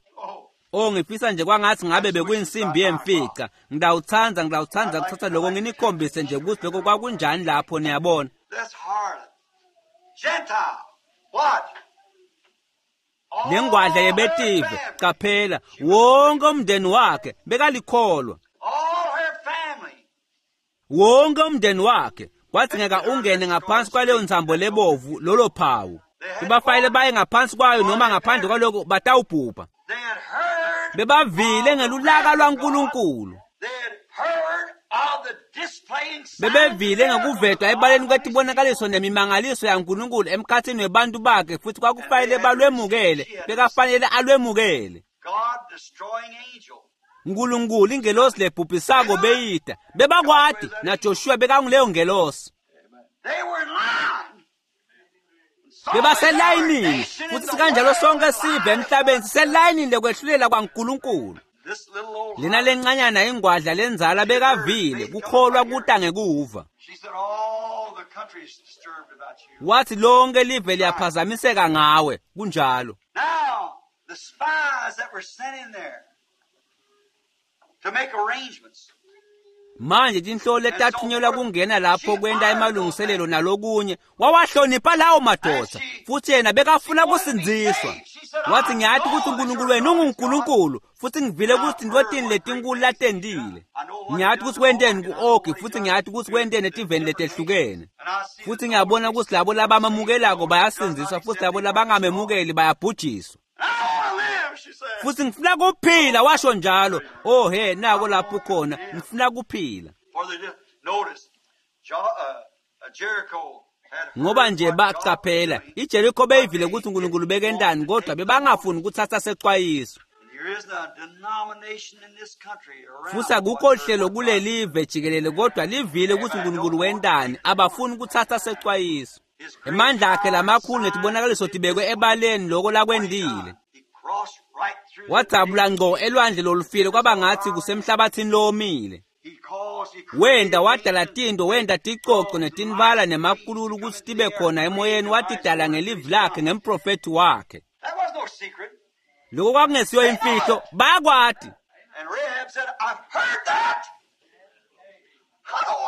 Oh ngifisa nje kwangathi ngabe bekuyinsimbi yemfica. Ngidawuthanda, ngidawuthanda kuthatha lokho nginikhombise nje ukuthi lokho kwakunjani lapho, niyabona. Lengwadla yebetive, qaphela, wonke umndeni wakhe bekalikholwa. Wonke umndeni wakhe kwadzingeka ungene ngaphansi kwaleyo ntsambo lebovu, lolo phawu. Kubafanele baye ngaphansi kwayo noma ngaphandle kwaloko batawubhubha. Bebavile ngelulaka lwaNkulunkulu. Bebevile ngekuvetwa ebaleni kwetibonakaliso nemimangaliso yaNkulunkulu emkhathini webantu bakhe, futhi kwakufanele balwemukele, bekafanele alwemukele. Nkulunkulu ingelosi lebhubhisako beyida. Bebakwati naJoshua bekanguleyo ngelosi. Bebaselayinini futhi sikanjalo sonke sive emhlabeni siselayinini lekwehlulela kwaNkulunkulu. Lena lencanyana ingwadla lenzala bekavile kukholwa kuta ngekuva. Wathi lonke live liyaphazamiseka ngawe, kunjalo. Manje tinhlolo letathunyelwa kungena lapho kwenta emalungiselelo nalokunye, wawahlonipha lawo madoda, futhi yena bekafuna kusindziswa. Wathi ngiyathi ukuthi uNkulunkulu wenu unguNkulunkulu, futhi ngivile ukuthi tintfo letinkulu latentile. Ngiyathi ukuthi wenteni ku-Ogi, futhi ngiyathi ukuthi wenteni etiveni letehlukene. Futhi ngiyabona ukuthi labo labamamukelako bayasindziswa, futhi labo labangamemukeli bayabhujiswa. Futhi ngifuna kuphila, washo njalo. Oh he, nako lapho khona, ngifuna kuphila. Ngoba nje bacaphela iJeriko beyivile ukuthi uNkulunkulu bekendani, kodwa bebangafuni ukuthatha sexwayiso. Futhi akukho hlelo kulelive jikelele, kodwa livile ukuthi uNkulunkulu wendani, abafuni ukuthatha sexwayiso. Emandla akhe lamakhulu netibonakaliso tibekwe ebaleni loko lakwendile. Wadzabula ngco elwandle lolufile kwaba ngathi kusemhlabathini lowomile. Wenda wadala tinto, wenda ticoco netinbala nemakululu ukuthi tibe khona emoyeni, watidala ngelivi lakhe ngemprofethi wakhe. Lokho kwakungesiyo imfihlo, bayakwati.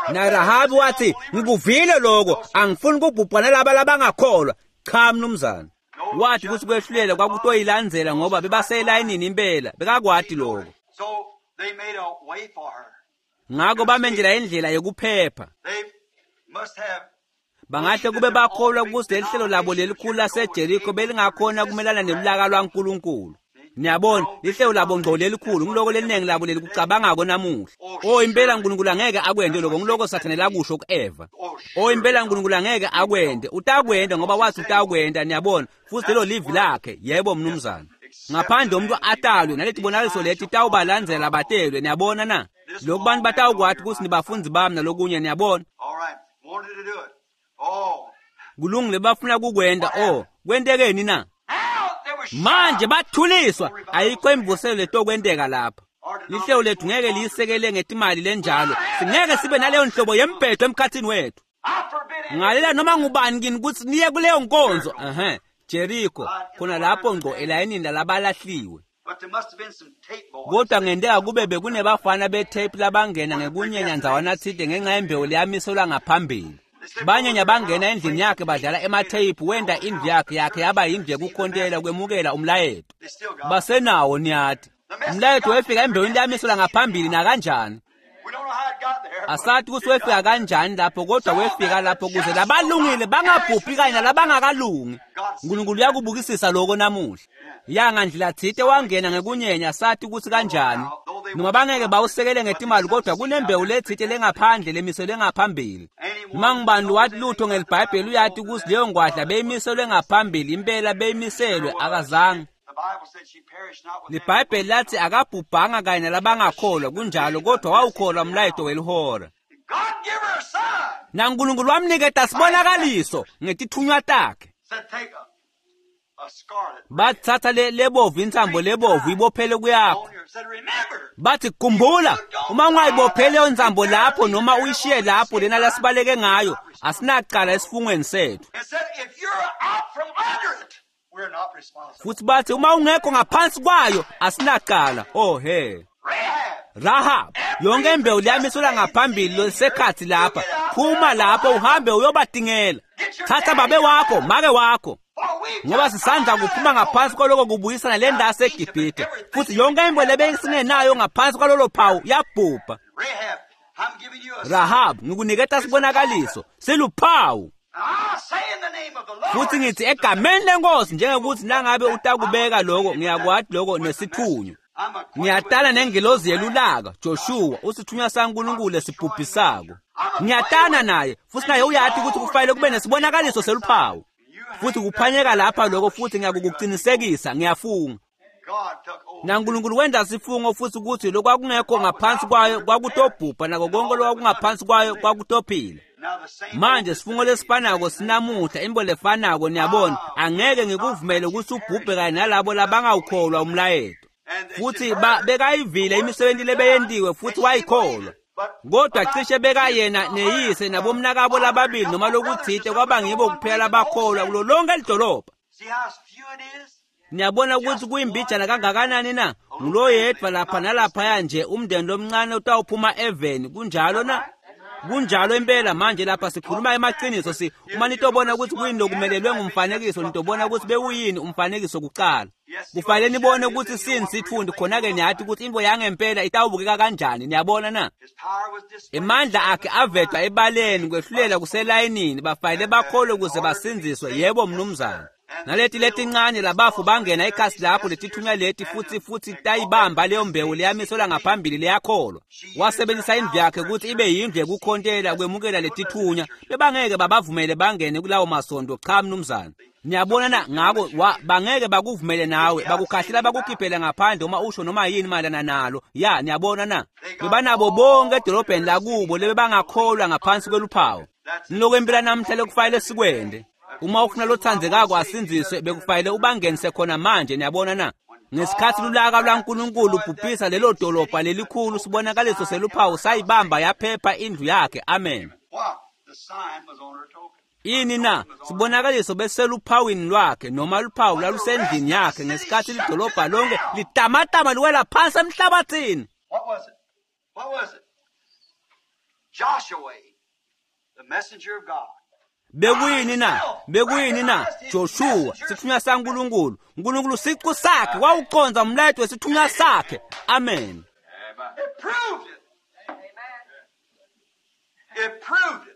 NaRahabi wathi, ngikuvile lokho, angifuni kubhubha nalaba labangakholwa. Cha mnumzane. Wathi ukuthi kwehlulela kwakutoyilandzela ngoba bebaselayinini impela, bekakwati lokho. Ngakho bamendlela indlela yokuphepha. Bangahle kube bakholwa ukuthi leli hlelo labo lelikhulu laseJeriko belingakhona kumelana nelulaka lwaNkulunkulu. Niyabona, lihlelo labo ngco lelikhulu, ngiloko leningi labo lelikucabangako namuhla. Oh impela uNkulunkulu angeke akwente lokho, ngiloko Sathane lakusho ku-Eva. Oh impela uNkulunkulu angeke akwente, utakwenta ngoba wathi utakwenta, niyabona, futhi lelo livi lakhe. Yebo mnumzane. Ngaphandle umuntu atalwe naletibonakaliso leti tawubalandzela batelwe, niyabona na? Lokhu bantu batawukwati ukuthi nibafundi bami nalokunye, niyabona. Kulungile, bafuna kukwenta. Oh, kwentekeni na? Manje bathuliswa, ayikho imvuselo letokwenteka lapha. Lihlelo lethu ngeke liyisekele ngetimali lenjalo, singeke sibe naleyo nhlobo yembhedo emkhathini wethu. Ngalela noma ngubani kini ukuthi niye kuleyo nkonzo. Ehhe, Jericho, khona lapho ngco elayinini lalabalahliwe. Kodwa ngenteka kube bekunebafana betape labangena ngekunyenya ndzawana tsite ngenxa yembewu leyamiselwa ngaphambili. Banyenya bangena endlini yakhe badlala ematheyiphu, wenda indlu yakhe yakhe yaba yindlu yekukhontela kwemukela umlayeto. Basenawo niyati. Umlayeto wefika embewini leyamiselwa ngaphambili nakanjani. Asathi ukuthi wefika kanjani lapho, kodwa wefika lapho kuze labalungile bangabhubhi kanye nalabangakalungi. uNkulunkulu uyakubukisisa lokho namuhla. Ya ngandlela tsite wangena ngekunyenya, sathi ukuthi kanjani. Noma bangeke bawusekele ngetimali, kodwa kunembewu letsite lengaphandle lemiselwe ngaphambili. Noma ngubani wathi lutho ngeliBhayibheli uyati ukuthi leyo ngwadla beyimiselwe ngaphambili, impela beyimiselwe, akazange. LiBhayibheli lathi akabhubhanga kanye nalabangakholwa, kunjalo, kodwa wawukholwa umlayeto welihora. NaNkulunkulu wamniketa sibonakaliso ngetithunywa takhe. Bathatha le lebovu intsambo lebovu ibophele kuyakho. Bathi khumbula, uma ungayibopheli leyo ntsambo lapho noma uyishiye lapho lena lasibaleke ngayo, asinacala esifungweni sethu. Futhi bathi uma ungekho ngaphansi kwayo asinacala. Oh he. Rahab, yonke imbewu leyamiselwa ngaphambili losekhathi lapha, phuma lapho uhambe uyobatingela. Thatha babe wakho, make wakho. Ngoba sisandla kuphuma ngaphansi kwaloko kubuyisana le ndawo yaseGibhithe, futhi yonke imbewu lebesingenayo ngaphansi kwalolo phawu yabhubha. Rahab, ngikuniketa sibonakaliso, siluphawu. Futhi ngithi egameni lenkosi, njengokuthi nangabe utakubeka lokho, ngiyakwati lokho nesithunywa. Ngiyatana nengilozi yelulaka, Joshua, usithunywa saNkulunkulu esibhubhisako. Ngiyatana naye, futhi naye uyati ukuthi kufanele kube nesibonakaliso seluphawu. Futhi kuphanyeka lapha lokho, futhi ngiyakukuqinisekisa, ngiyafunga. NaNkulunkulu wenza sifungo futhi ukuthi lokwakungekho ngaphansi kwayo kwakutobhubha, nako konke lokwakungaphansi kwayo kwakutophila. Manje sifungo lesifanako sinamuhla, imbo lefanako, niyabona, angeke ngikuvumele ukuthi ubhubhe kanye nalabo labangawukholwa umlayeto. Futhi bekayivile imisebenzi lebeyentiwe futhi wayikholwa. Kodwa cishe bekayena neyise nabomnakabo lababili noma lokuthite kwaba ngibo kuphela labakholwa kulo lonke lidolobha. Niyabona ukuthi kuyimbijana kangakanani na? Ngulo yedwa lapha nalaphaya nje, umndeni lomncane utawuphuma eveni, kunjalo na? Kunjalo impela. Manje lapha sikhuluma emaqiniso, si uma nitobona ukuthi kuyini lokumelelwe ngumfanekiso, nitobona ukuthi bewuyini umfanekiso kuqala. Kufanele nibone ukuthi sini sithundi, khona-ke niyathi ukuthi into yangempela itawubukeka kanjani, niyabona na? Emandla akhe avedwa ebaleni, kwehlulela kuselayinini, bafanele bakholwe ukuze basindziswe. Yebo mnumzane. Naleti letincane labafu bangena ekhasi lapho letithunywa leti futhi futhi tayibamba leyo mbewu leyamiselwa ngaphambili leyakholwa. Wasebenzisa indlu yakhe ukuthi ibe yindlu yekukhontela kwemukela letithunywa. Bebangeke babavumele bangene kulawo masondo, cha mnumzane. Niyabona na ngako bangeke bakuvumele nawe, bakukhahlela bakukhiphele ngaphandle uma usho noma yini mayelana nalo. Ya, niyabona na? Bebanabo bonke edolobheni lakubo lebebangakholwa ngaphansi kweluphawu. Nilokwempela namhla lokufanele sikwende. Uma ufuna lothandzekako asindziswe bekufanele ubangenise khona manje, niyabona na? Ngesikhathi lulaka lwaNkulunkulu ubhubhisa lelo dolobha lelikhulu, sibonakaliso seluphawu sayibamba yaphepha indlu yakhe. Amen. Ini na? Sibonakaliso beseluphawini lwakhe noma luphawu lwalusendlini yakhe ngesikhathi lidolobha lonke litamatama liwela phansi emhlabathini. What was it? What was it? Joshua, the messenger of God. Bekuyini na? Bekuyini na? Joshua, sithunywa saNkulunkulu. uNkulunkulu siqu sakhe wawuconza umlayeto wesithunywa sakhe. Amen. It proved it. It proved it.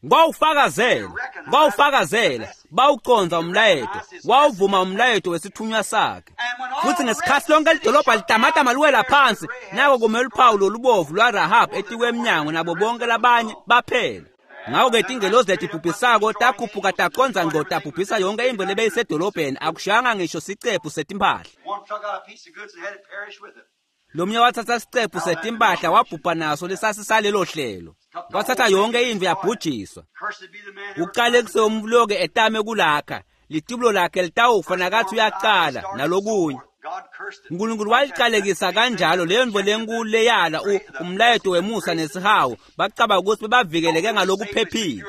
Kwawufakazela, kwawufakazela, bawuconza umlayeto, wawuvuma umlayeto wesithunywa sakhe. Futhi ngesikhathi lonke lidolobha litamatama liwela phansi, nako kumele uphawu lolubovu lwaRahab etikwe emnyango nabo bonke labanye baphela. Ngako-ke tingelozi letibhubhisako takhuphuka taconza ngqo tabhubhisa yonke intfo lebeyisedolobheni, akushayanga ngisho sicephu setimpahla. One took out a piece of goods and had it perish with it. Lomnye wathatha sicephu setimpahla wabhubha naso lesasisalelo hlelo. Kwathatha yonke indlu yabhujiswa. Cursed be the man who Uqale kusewumloke etame kulakha, litibulo lakhe litawufa nakathi uyaqala nalokunye. God cursed it. uNkulunkulu waliqalekisa kanjalo leyo ntfo lenkulu leyala umlayeto wemusa nesihawu, bacabanga ukuthi bebavikeleke ngalokuphephile.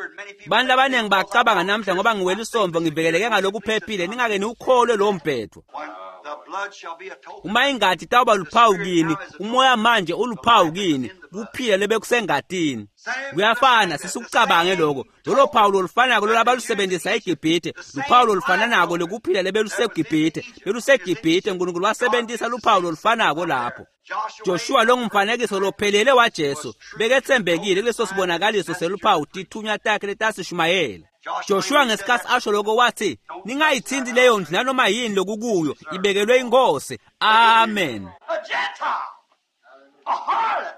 Bantu labaningi bacabanga namhla ngoba ngiwela isomvo ngivikeleke ngalokuphephile, ningake niwukholwe lowo mbhedvo. When the blood shall be a token. Uma ingati itawuba luphawu kini, umoya manje uluphawu kini, kuphila lebekusengatini. Kuyafana, sisikucabange lokho. Lolo phawu lolufanako lolabalusebenzisa eGibhithe, luphawu lolufananako lokuphila lebelusegibhithe, belusegibhithe uNkulunkulu wasebenzisa luphawu lolufanako lapho. Joshua longumfanekiso lophelele waJesu beketsembekile kuleso sibonakaliso seluphawu tithunywa takhe letasishumayela. Joshua ngesikhathi asho lokho wathi, ningayithinti leyo ndlu nanoma yini lokukuyo, ibekelwe inkosi. Amen. A Gentile, a harlot.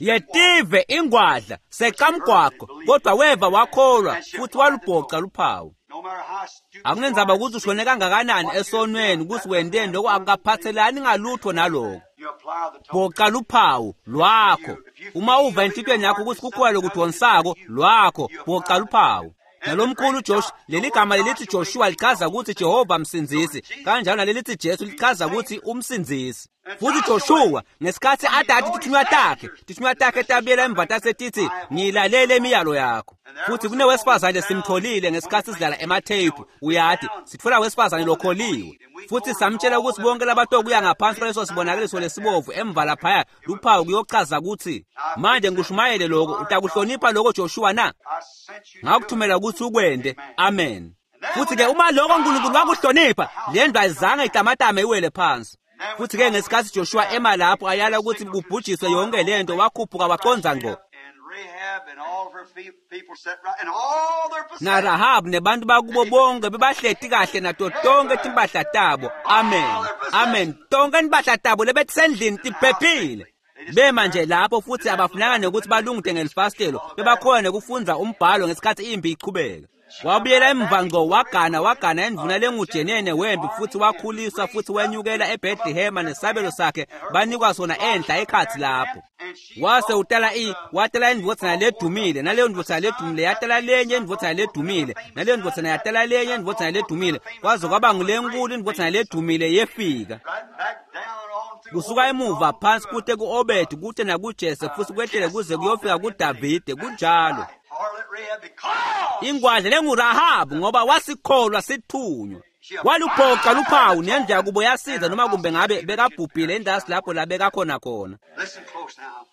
Yetive ingwadla seqamgwaqo, kodwa weva wakholwa futhi walubhoca luphawu. No matter how stupid Akunenzaba ukuthi ushone kangakanani esonweni ukuthi wendeni lokho akukaphathelani ngalutho naloko. you apply the token. Bhoca luphawu lwakho. Uma uva enhlitiyweni yakho ukuthi kukhona lokudonsako lwakho, bhoca luphawu. Nalomkhulu Josh, leli gama lelithi Joshua lichaza ukuthi Jehova msindzisi, kanjalo nalelithi Jesu lichaza ukuthi umsindzisi. Futhi Joshua ngesikhathi adati tithunywa takhe, tithunywa takhe tabuyela emva tasetithi ngiyilalele imiyalo yakho. Futhi kunewesifazane simtholile ngesikhathi sidlala ematheyiphu, uyati sitfola wesifazane lokholiwe. Futhi samtshela ukuthi bonke labatokuya ngaphansi kwaleso sibonakaliso lesibovu emva laphaya luphawu kuyochaza ukuthi manje ngikushumayele lokho, utakuhlonipha lokho Joshua na? I sent you to Ngakuthumela ukuthi ukwende. Amen. Futhi ke uma lokho uNkulunkulu wakuhlonipha, le ndlu ayizange itamatame iwele phansi. Futhi ke ngesikhathi Joshua ema lapho ayala ukuthi kubhujiswe yonke lento, wakhuphuka waconza ngqo. And Rahab and all of her fe- people sat right, and all their possessions. NaRahab nebantu bakubo bonke bebahleti kahle nato tonke timpahla tabo. Amen. Amen. Tonke timpahla tabo lebetisendlini tiphephile. Bema nje lapho futhi abafunanga nokuthi balungide ngelifasitelo, bebakhona nokufundza umbhalo ngesikhathi impi iqhubeka. Wabuyela emva ngqo wagana wagana endvuna lengujenene wempi futhi wakhuliswa futhi wenyukela eBethlehema nesabelo sakhe banikwa sona enhla ekhathi lapho. Wase utala i watala indvodzana ledumile, naleyo ndvodzana ledumile yatala lenye indvodzana ledumile, naleyo ndvodzana yatala lenye indvodzana ledumile, kwaze kwaba ngulenkulu indvodzana ledumile yefika. Right back down on through Kusuka emuva phansi kute ku-Obedi kute nakuJese futhi kwehlele kuze kuyofika kuDavide. Kunjalo. Harlot Rahab because Ingwadla lenguRahabu ngoba wasikholwa sithunywa. Waluphoqa luphawu nendlu yakubo yasiza noma kumbe ngabe bekabhubhile endasi lapho la bekakhona khona. Listen close now.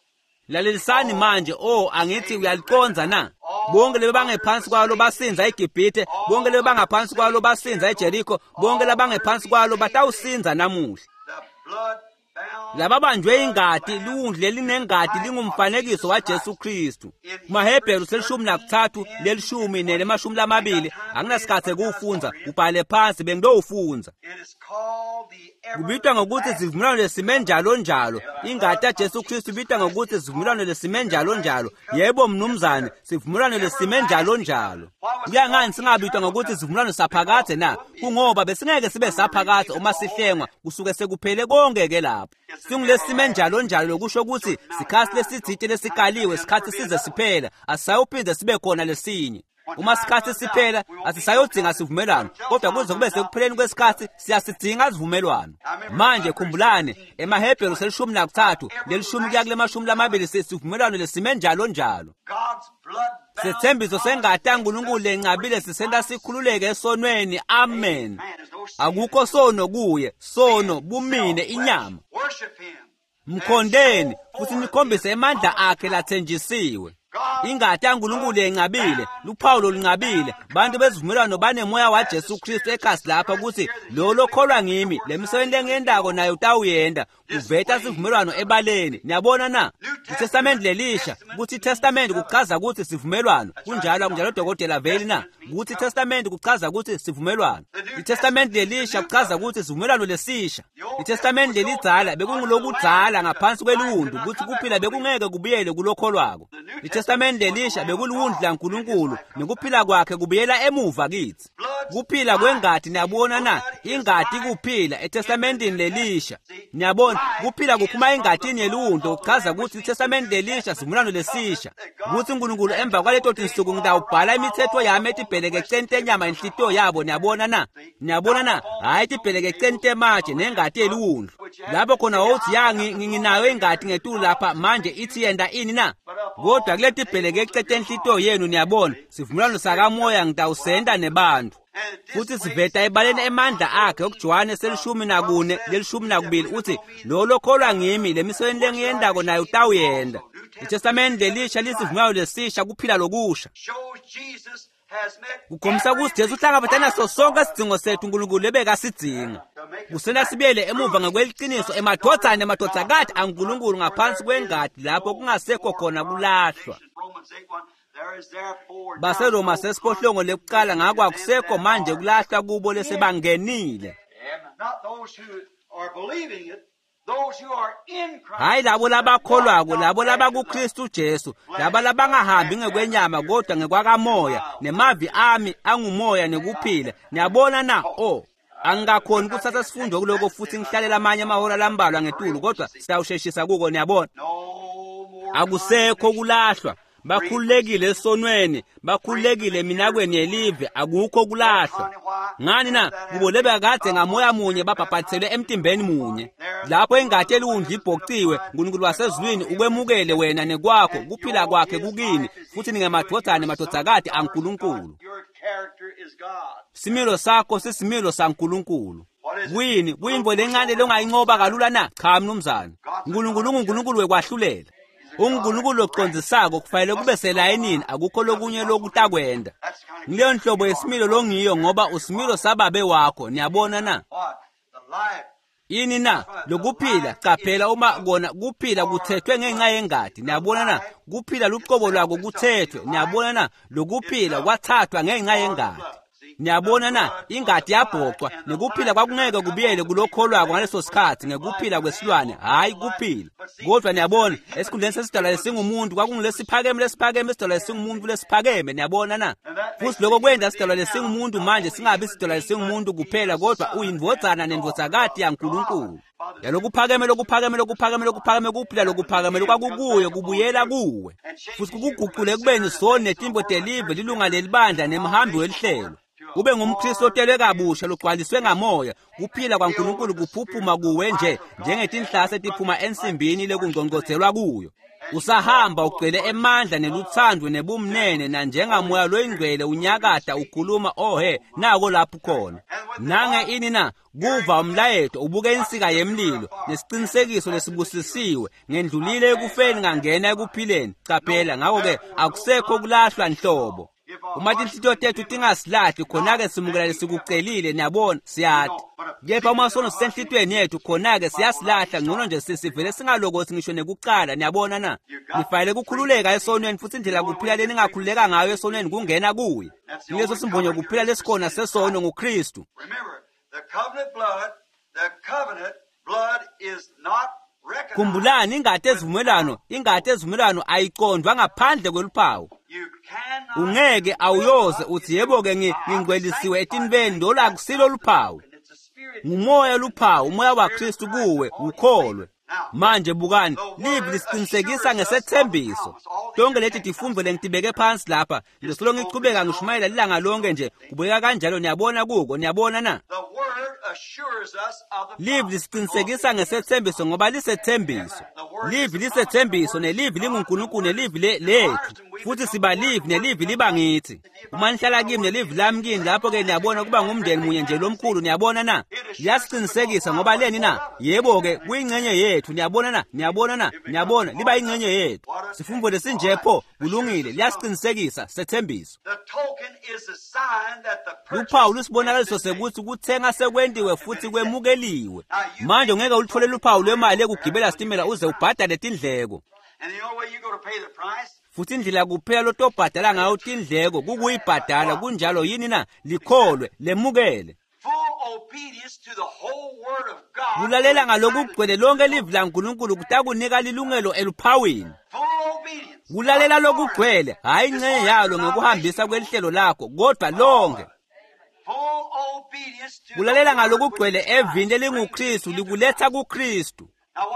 Lalelisani manje, oh angithi uyaliconza na? Bonke lebebangephansi kwalo basinza eGibhithe, bonke lebebangaphansi kwalo basinza eJeriko, bonke labangephansi kwalo batawusinza namuhla. The blood Lababanjwe ingati liwundlu lelinengati lingumfanekiso waJesu Kristu. KumaHebheru selishumi nakuthathu lelishumi nelemashumi lamabili anginasikhathi ekuwufundza ubhale phansi bengidowufundza. It is called the Kubitwa ngokuthi sivumelwano lesime njalo njalo. Ingati yaJesu Kristu ibitwa ngokuthi sivumelwano lesime njalo njalo. Yebo mnumzane, sivumelwano lesime njalo njalo. Kuya ngani singabitwa ngokuthi sivumelwano saphakadze na? Kungoba besingeke sibe saphakadze uma sihlengwa, kusuke sekuphele konke ke lapho. Singulesime njalo njalo lokusho ukuthi sikhathi lesitsite lesikaliwe, sikhathi size siphela, asisayophinda sibe khona lesinye. Uma sikhathi siphela asisayodzinga sivumelwano, kodwa kuze kube sekupheleni kwesikhathi siyasidzinga sivumelwano. Manje khumbulani emaHebheru selishumi nakuthathu lelishumi kuya kulemashumi lamabili sivumelwano lesime njalo njalo. God's blood bound Sethembiso sengati yaNkulunkulu lencabile sisenta sikhululeke esonweni. Amen. man. There's no sin. Akukho sono kuye, sono bumine inyama. Worship him. Mkhondeni futhi nikhombise emandla akhe lathenjisiwe. Ingati yaNkulunkulu yencabile, luphawu loluncabile. Bantu bezivumelwano banemoya waJesu Kristu ekhasi lapha ukuthi lo lokholwa ngimi, le misebenzi lengiyendako nayo utawuyenda. Kuveta sivumelwano ebaleni. Niyabona na? ITestament lelisha, ukuthi iTestament kuchaza ukuthi sivumelwano. Kunjalo akunjalo dokotela Veli na? Ukuthi iTestament kuchaza ukuthi sivumelwano. ITestament lelisha kuchaza ukuthi sivumelwano lesisha. ITestament lelidzala bekungulokudzala ngaphansi kweliwundlu ukuthi kuphila bekungeke kubuyele kulokholwako. ITestament lelisha bekuliwundlu laNkulunkulu nekuphila kwakhe kubuyela emuva kithi. Kuphila kwengati niyabona na? Ingati kuphila eTestamentini lelisha. Niyabona kuphila kuphuma engatini yeliwundlu kuchaza ukuthi iTestament lelisha sivumelwano lesisha. Kuthi uNkulunkulu emva kwaleto tinsuku ngitawubhala imithetho yami etibhelekeceni tenyama inhlitiyo yabo niyabona na? Niyabona na? Hhayi etibhelekeceni tematshe nengati yeliwundlu. Lapho khona wawuthi ya ngi- ngi- nginayo ingati ngetulu lapha manje ithi yenda ini na? Kodwa kuleti bhelekece tenhlitiyo yenu niyabona sivumelwano sakamoya ngitawusenda nebantu. And it Futhi siveta ebaleni emandla akhe okuJohane selishumi nakune lelishumi nakubili uthi lo lokholwa ngimi le misebenzi lengiyendako nayo utawuyenda. ITestament lelisha lisivumelwano lesisha kuphila lokusha. shows Jesus has met Kukhombisa ukuthi Jesu uhlangabetana naso sonke isidingo sethu uNkulunkulu ebekasidinga. Kusena sibuyele emuva ngokweliciniso emadvodzana nemadvodzakati aNkulunkulu ngaphansi kwengadi lapho kungasekho khona kulahlwa. Romans eight one, there is therefore now BaseRoma no sesiphohlongo lekuqala ngako akusekho manje kulahlwa kubo lesebangenile. Not those who are believing it, those who are in Christ. Hayi labo labakholwako, labo labakuKristu Jesu, laba labangahambi ngekwenyama kodwa ngekwakamoya, nemavi ami angumoya nekuphila. Niyabona na? Oh, angikakhoni kuthatha sifundo kuloko futhi ngihlalela amanye amahora lambalwa ngetulu, kodwa siyawusheshisa kuko niyabona. No more Akusekho kulahlwa. Bakhululekile esonweni, bakhululekile eminakweni yelive, akukho kulahlwa. Ngani na? Kubo lebekade ngamoya munye babhabhathiselwe emtimbeni munye. Lapho ingati eliwundlu ibhociwe, uNkulunkulu wasezulwini ukwemukele wena nekwakho, kuphila kwakhe kukini, futhi ningemadvodzana nemadvodzakati aNkulunkulu. Your character is God. Similo sakho sisimilo saNkulunkulu. Kuyini? Kuyintfo lencane longayincoba kalula na? Cha mnumzane. uNkulunkulu unguNkulunkulu wekwahlulela. UnguNkulunkulu locondzisako kufanele kube selayinini akukho lokunye lokutakwenda. Ngileyo nhlobo yesimilo longiyo ngoba usimilo sababe wakho niyabona na? What? The life. Yini na? Lokuphila qaphela uma kona kuphila kuthethwe ngenxa yengadi niyabona na? Kuphila luqobo lwako kuthethwe niyabona na? Lokuphila kwathathwa ngenxa yengadi. Niyabona na? Ingadi yabhocwa nekuphila kwakungeke kubuyele kulokholwako ngaleso sikhathi ngekuphila kwesilwane hhayi kuphila. Kodwa niyabona esikhundleni sesidalwa lesingumuntu kwakungulesiphakeme lesiphakeme isidalwa lesingumuntu lesiphakeme niyabona na? Futhi lokho kwenta isidalwa lesingumuntu manje singabi isidalwa lesingumuntu kuphela kodwa uyindvodzana nendvodzakati yaNkulunkulu. Yalokuphakeme lokuphakeme lokuphakeme lokuphakeme kuphila lokuphakeme lokwakukuyo kubuyela kuwe. Futhi kukuguqule ekubeni soni netimbo telive lilunga lelibandla nemhambi welihlelo. Ube ngumKristu otelwe kabusha logcwaliswe ngamoya kuphila kwaNkulunkulu kuphuphuma kuwe nje njengetinhlase etiphuma ensimbini lekungcongcotselwa kuyo. Usahamba ugcwele emandla neluthando nebumnene nanjengamoya loyingcwele unyakada ukhuluma ohe nako lapho khona. Nange ini na kuva umlayeto ubuke insika yemlilo nesicinisekiso lesibusisiwe ngendlulile ekufeni ngangena ekuphileni. Qaphela ngakho ke akusekho kulahlwa nhlobo. Uma tinhlitiyo tetfu tingasilahli khona-ke simukela lesikucelile, niyabona, siyati. Kepha uma sono sisenhlitiyweni yetfu khona-ke siyasilahla, ngcono nje sisivele singalokothi ngisho nekucala, niyabona na? Nifanele kukhululeka esonweni futsi indlela kuphila leningakhululeka ngayo esonweni kungena kuye. Yileso simbonyo kuphila lesikhona sesono nguKristu. Remember, the covenant blood, the covenant blood is not recognized. Khumbulani ingati ezivumelwano, ingati ezivumelwano ayiqondwa ngaphandle kweluphawu. You cannot Ungeke awuyoze uthi yebo-ke ngingcwelisiwe etinveni lolu akusilo luphawu. It's a spirit. Ngumoya luphawu, umoya waKristu kuwe, ukholwe. Manje bukani, livi lisiqinisekisa ngesethembiso. Tonke leti tifundvo lengitibeke phansi lapha, ngisolo ngichubeka ngishumayela lilanga lonke nje, kubukeka kanjalo niyabona kuko, niyabona na? The word assures us of the Livi promise. lisiqinisekisa ngesethembiso ngoba lisethembiso. Livi lisethembiso nelivi linguNkulunkulu nelivi le- lethu. Futhi siba livi nelivi liba ngithi. Uma nihlala kimi nelivi lami kini lapho-ke niyabona kuba ngumndeni munye nje lomkhulu, niyabona na? Liyasiqinisekisa ngoba leni na? Yebo-ke kuyingxenye yethu, niyabona na? Niyabona na? Niyabona liba yingxenye yethu. Sifundvo lesinje pho kulungile, liyasiqinisekisa sethembiso. The token is the sign that the purchase Luphawu lusibonakaliso has been made. sekuthi kuthenga sekwentiwe futhi kwemukeliwe. Manje ungeke uluthole luphawu lwemali yekugibela sitimela uze ubhadale tindleko. And the only way you go to pay the price Futhi indlela kuphela lotobhadala ngayo tindleko kukuyibhadala kunjalo yini na? Likholwe, lemukele. full obedience to the whole word of God. Kulalela ngalokugcwele lonke livi laNkulunkulu kutakunika lilungelo eluphawini. Full obedience. Kulalela lokugcwele, hhayi ingxenye yalo ngekuhambisa kwelihlelo lakho, kodwa lonke. Full obedience to Kulalela the word ngalokugcwele which is evini Christ. elinguKristu likuletha kuKristu.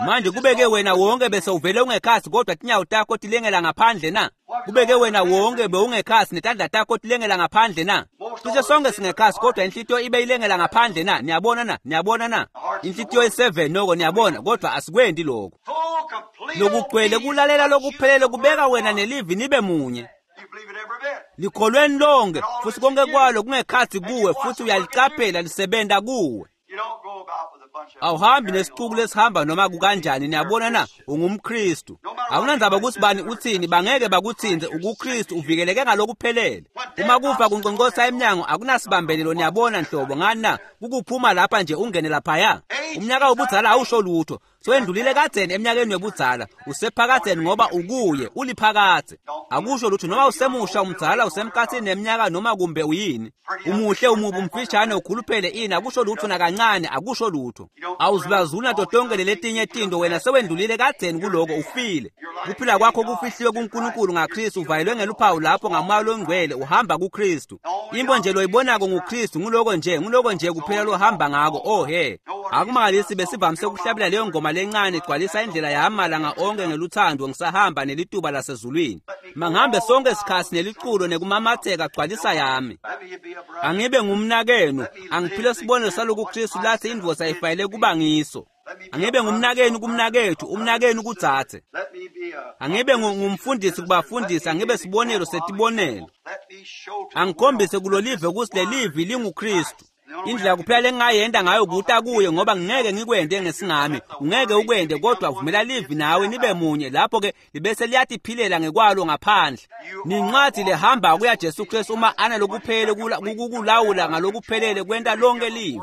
Manje kubeke wena wonke bese uvele ungekhasi kodwa tinyawo takho tilengela ngaphandle na? Kubeke wena wonke bewungekhasi netandla takho tilengela ngaphandle na? Cishe sonke singekhasi kodwa inhlitiyo ibe ilengela ngaphandle na? Niyabona na? Niyabona na? Inhlitiyo i-seven noko niyabona kodwa asikwendi lokho. Full complete Lokugcwele obedience kulalela lokuphelele kubeka to wena the word of nelivi nibe munye. God. You believe it every bit. Likholweni lonke futhi konke kwalo kungekhathi kuwe futhi uyaliqaphela lisebenta kuwe. You don't go about with a bunch of Awuhambi nesixuku lesihamba noma kukanjani, niyabona na? UngumKristu. Awunandzaba ukuthi bani uthini, bangeke bakuthinze ukuKristu uvikeleke ngalokuphelele. Uma kufa kunqonqosa emnyango akunasibambelelo niyabona nhlobo ngani na? Kukuphuma lapha nje ungene laphaya. Umnyaka wobudzala awusho lutho. Sowendlulile kadzeni eminyakeni yobudzala, usephakadzeni ngoba ukuye uliphakadze. Akusho lutho noma usemusha umdzala usemkhathini neminyaka noma kumbe uyini. Umuhle umubi umfishane ukhuluphele ini akusho lutho nakancane akusho lutho. Awuzulazuli nato tonke leletinye tinto wena sewendlulile kadzeni kuloko ufile. Kuphila kwakho kufihliwe kuNkulunkulu ngaKristu uvalelwe ngeluphawu lapho ngamoya longcwele uhamba kuKristu. Imbo nje loyibonako nguKristu nguloko nje nguloko nje kuphela lohamba ngako oh he. Akumangalisi besivamise ukuhlabela leyo ngoma lencane igcwalisa indlela yami malanga onke ngeluthando ngisahamba nelituba lasezulwini. Mangihambe sonke isikhathi neliculo nekumamatheka gcwalisa yami. Let me be a brother. Angibe ngumnakenu, angiphile sibonelo saloku Kristu lathi indvodza ayifanele kuba ngiso. Angibe ngumnakenu kumnakethu, umnakenu kudzadze. Let me be a Angibe ngu- ngumfundisi kubafundisi, angibe sibonelo setibonelo. Let me show to the Angikhombise world kulo live ukuthi lelivi linguKristu. Indlela kuphela lengingayenda ngayo kuta kuye ngoba ngingeke ngikwende ngesingami, ungeke ukwende kodwa vumela livi nawe nibe munye lapho-ke libese liyatiphilela ngekwalo ngaphandle. Nincwadi lehamba kuya Jesu Kristu uma analokuphelele kula- kukulawula ngalokuphelele kwenta lonke livi.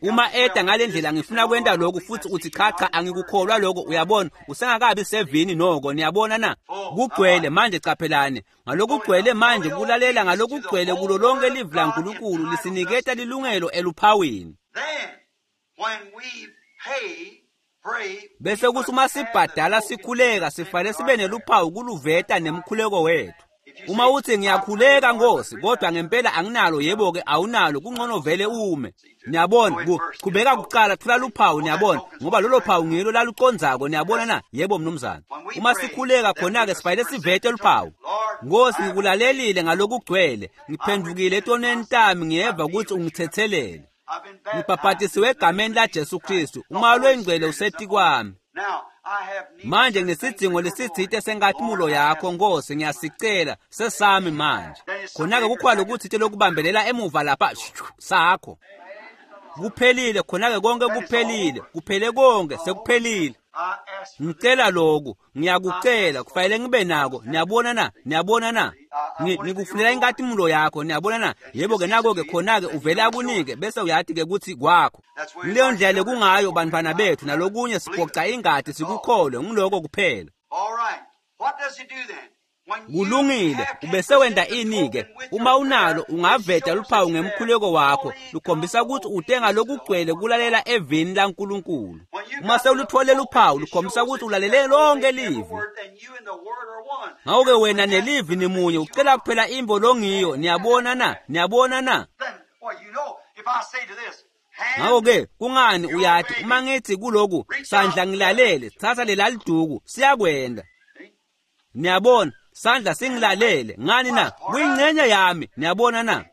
Uma eda ngale ndlela ngifuna kwenta lokhu futhi uthi cha cha angikukholwa lokho uyabona usengakabi sevini noko niyabona na? Kugcwele manje caphelane ngalokugcwele manje kulalela ngalokugcwele kulo lonke livi laNkulunkulu lisiniketa lilungelo eluphawini. Then, when we pay, pray, Bese kuthi uma sibhadala sikhuleka sifanele sibe neluphawu kuluveta nemkhuleko wethu. Uma uthi ngiyakhuleka Nkosi kodwa ngempela anginalo yebo-ke awunalo kungcono vele ume. Niyabona ku- qhubeka kuqala thola luphawu niyabona ngoba lolo phawu ngilo lalucondzako niyabona na? Yebo mnumzane. Uma sikhuleka khona-ke sifanele sivete luphawu. Nkosi ngikulalelile ngalokugcwele ngiphendukile etonweni tami ngiyeva ukuthi ungithethelele. I've been baptized. Ngibhabhatisiwe egameni laJesu Kristu umoya longcwele usetikwami. Now, I have need Manje nginesidzingo lesitsite senkatimlo yakho Nkosi ngiyasicela sesami manje. Khona-ke kukhona lokutsite lokubambelela emuva lapha shhu, sakho. Kuphelile khona-ke konke kuphelile, kuphele konke sekuphelile. Ngicela lokhu, ngiyakucela, kufanele ngibe nako. Niyabona na? Niyabona na? Ngikufunela inkatimulo yakho, niyabona na? Yebo-ke nako-ke khona-ke uvele akunike bese uyati-ke kutsi kwakho. Ngileyo ndlela lekungayo bantfwana bethu nalokunye siphoca ingati sikukholwe ngiloko kuphela. Kulungile, ubese wenta ini-ke? Uma unalo ungaveta luphawu ngemkhuleko wakho lukhombisa kutsi ute ngalokugcwele kulalela evini laNkulunkulu. Uma sewulutfole luphawu lukhombisa kutsi ulalele lonke livi. Ngako-ke wena nelivi nimunye, ucela kuphela intfo longiyo. Niyabona na? Niyabona na? Ngako-ke kungani uyati uma ngithi kuloku sandla ngilalele, tsatsa lelaliduku, siyakwenda. Niyabona, sandla singilalele ngani na? Kuyingcenye yami. Niyabona na?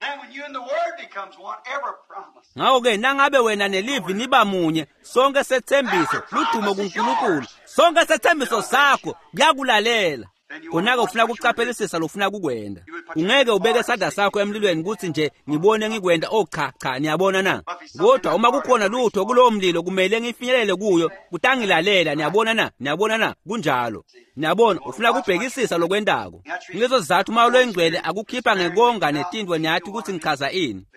Ngako-ke nangabe wena nelivi niba munye, sonke setsembiso ludumo kuNkulunkulu, sonke setsembiso sakho kuyakulalela. Khona-ke ufuna kucaphelisisa lofuna kukwenda. Ungeke ubeke isandla sakho emlilweni kutsi nje ngibone ngikwenda. Oh cha cha, niyabona na? Kodwa uma kukhona lutho kulowo mlilo kumele ngifinyelele kuyo, kutangilalela. Niyabona na? Niyabona na? Kunjalo. Niyabona, ufuna kubhekisisa lokwentako. Ngileso sizatfu uma loyingcwele akukhipha ngekonga netintfo, niyati kutsi ngichaza ini.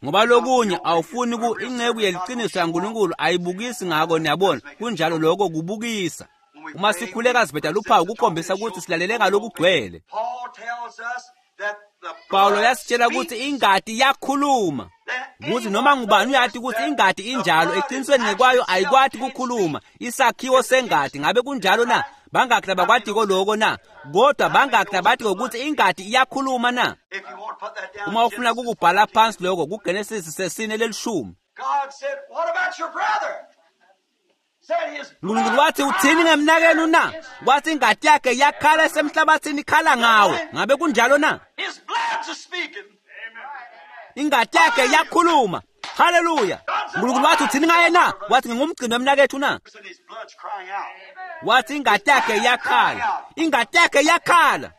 Ngoba lokunye awufuni ku inceku yeliciniso yaNkulunkulu ayibukisi ngako. Niyabona, kunjalo, lokho kubukisa. Uma sikhuleka siveta luphawu kukhombisa kutsi silalele ngalokugcwele. Pawulo yasitshela kutsi ingati yakhuluma, kutsi noma ngubani uyati kutsi ingati injalo, eqinisweni ngekwayo ayikwati kukhuluma, isakhiwo sengati. Ngabe kunjalo na? Bangaki labakwatiko loko na? Kodwa bangaki labatiko kutsi ingati iyakhuluma na? Uma ufuna kukubhala phansi loko kuGenesis sesine lelishumi. Nkulunkulu wathi uthini ngemnakenu na? Wathi ingati yakhe yakhala esemhlabathini ikhala ngawe. Ngabe kunjalo na? Ingati yakhe yakhuluma. Haleluya. Nkulunkulu wathi uthini ngaye na? Wathi ngingumgcini wemnakethu na? Wathi ingati yakhe yakhala. Ingati yakhe yakhala.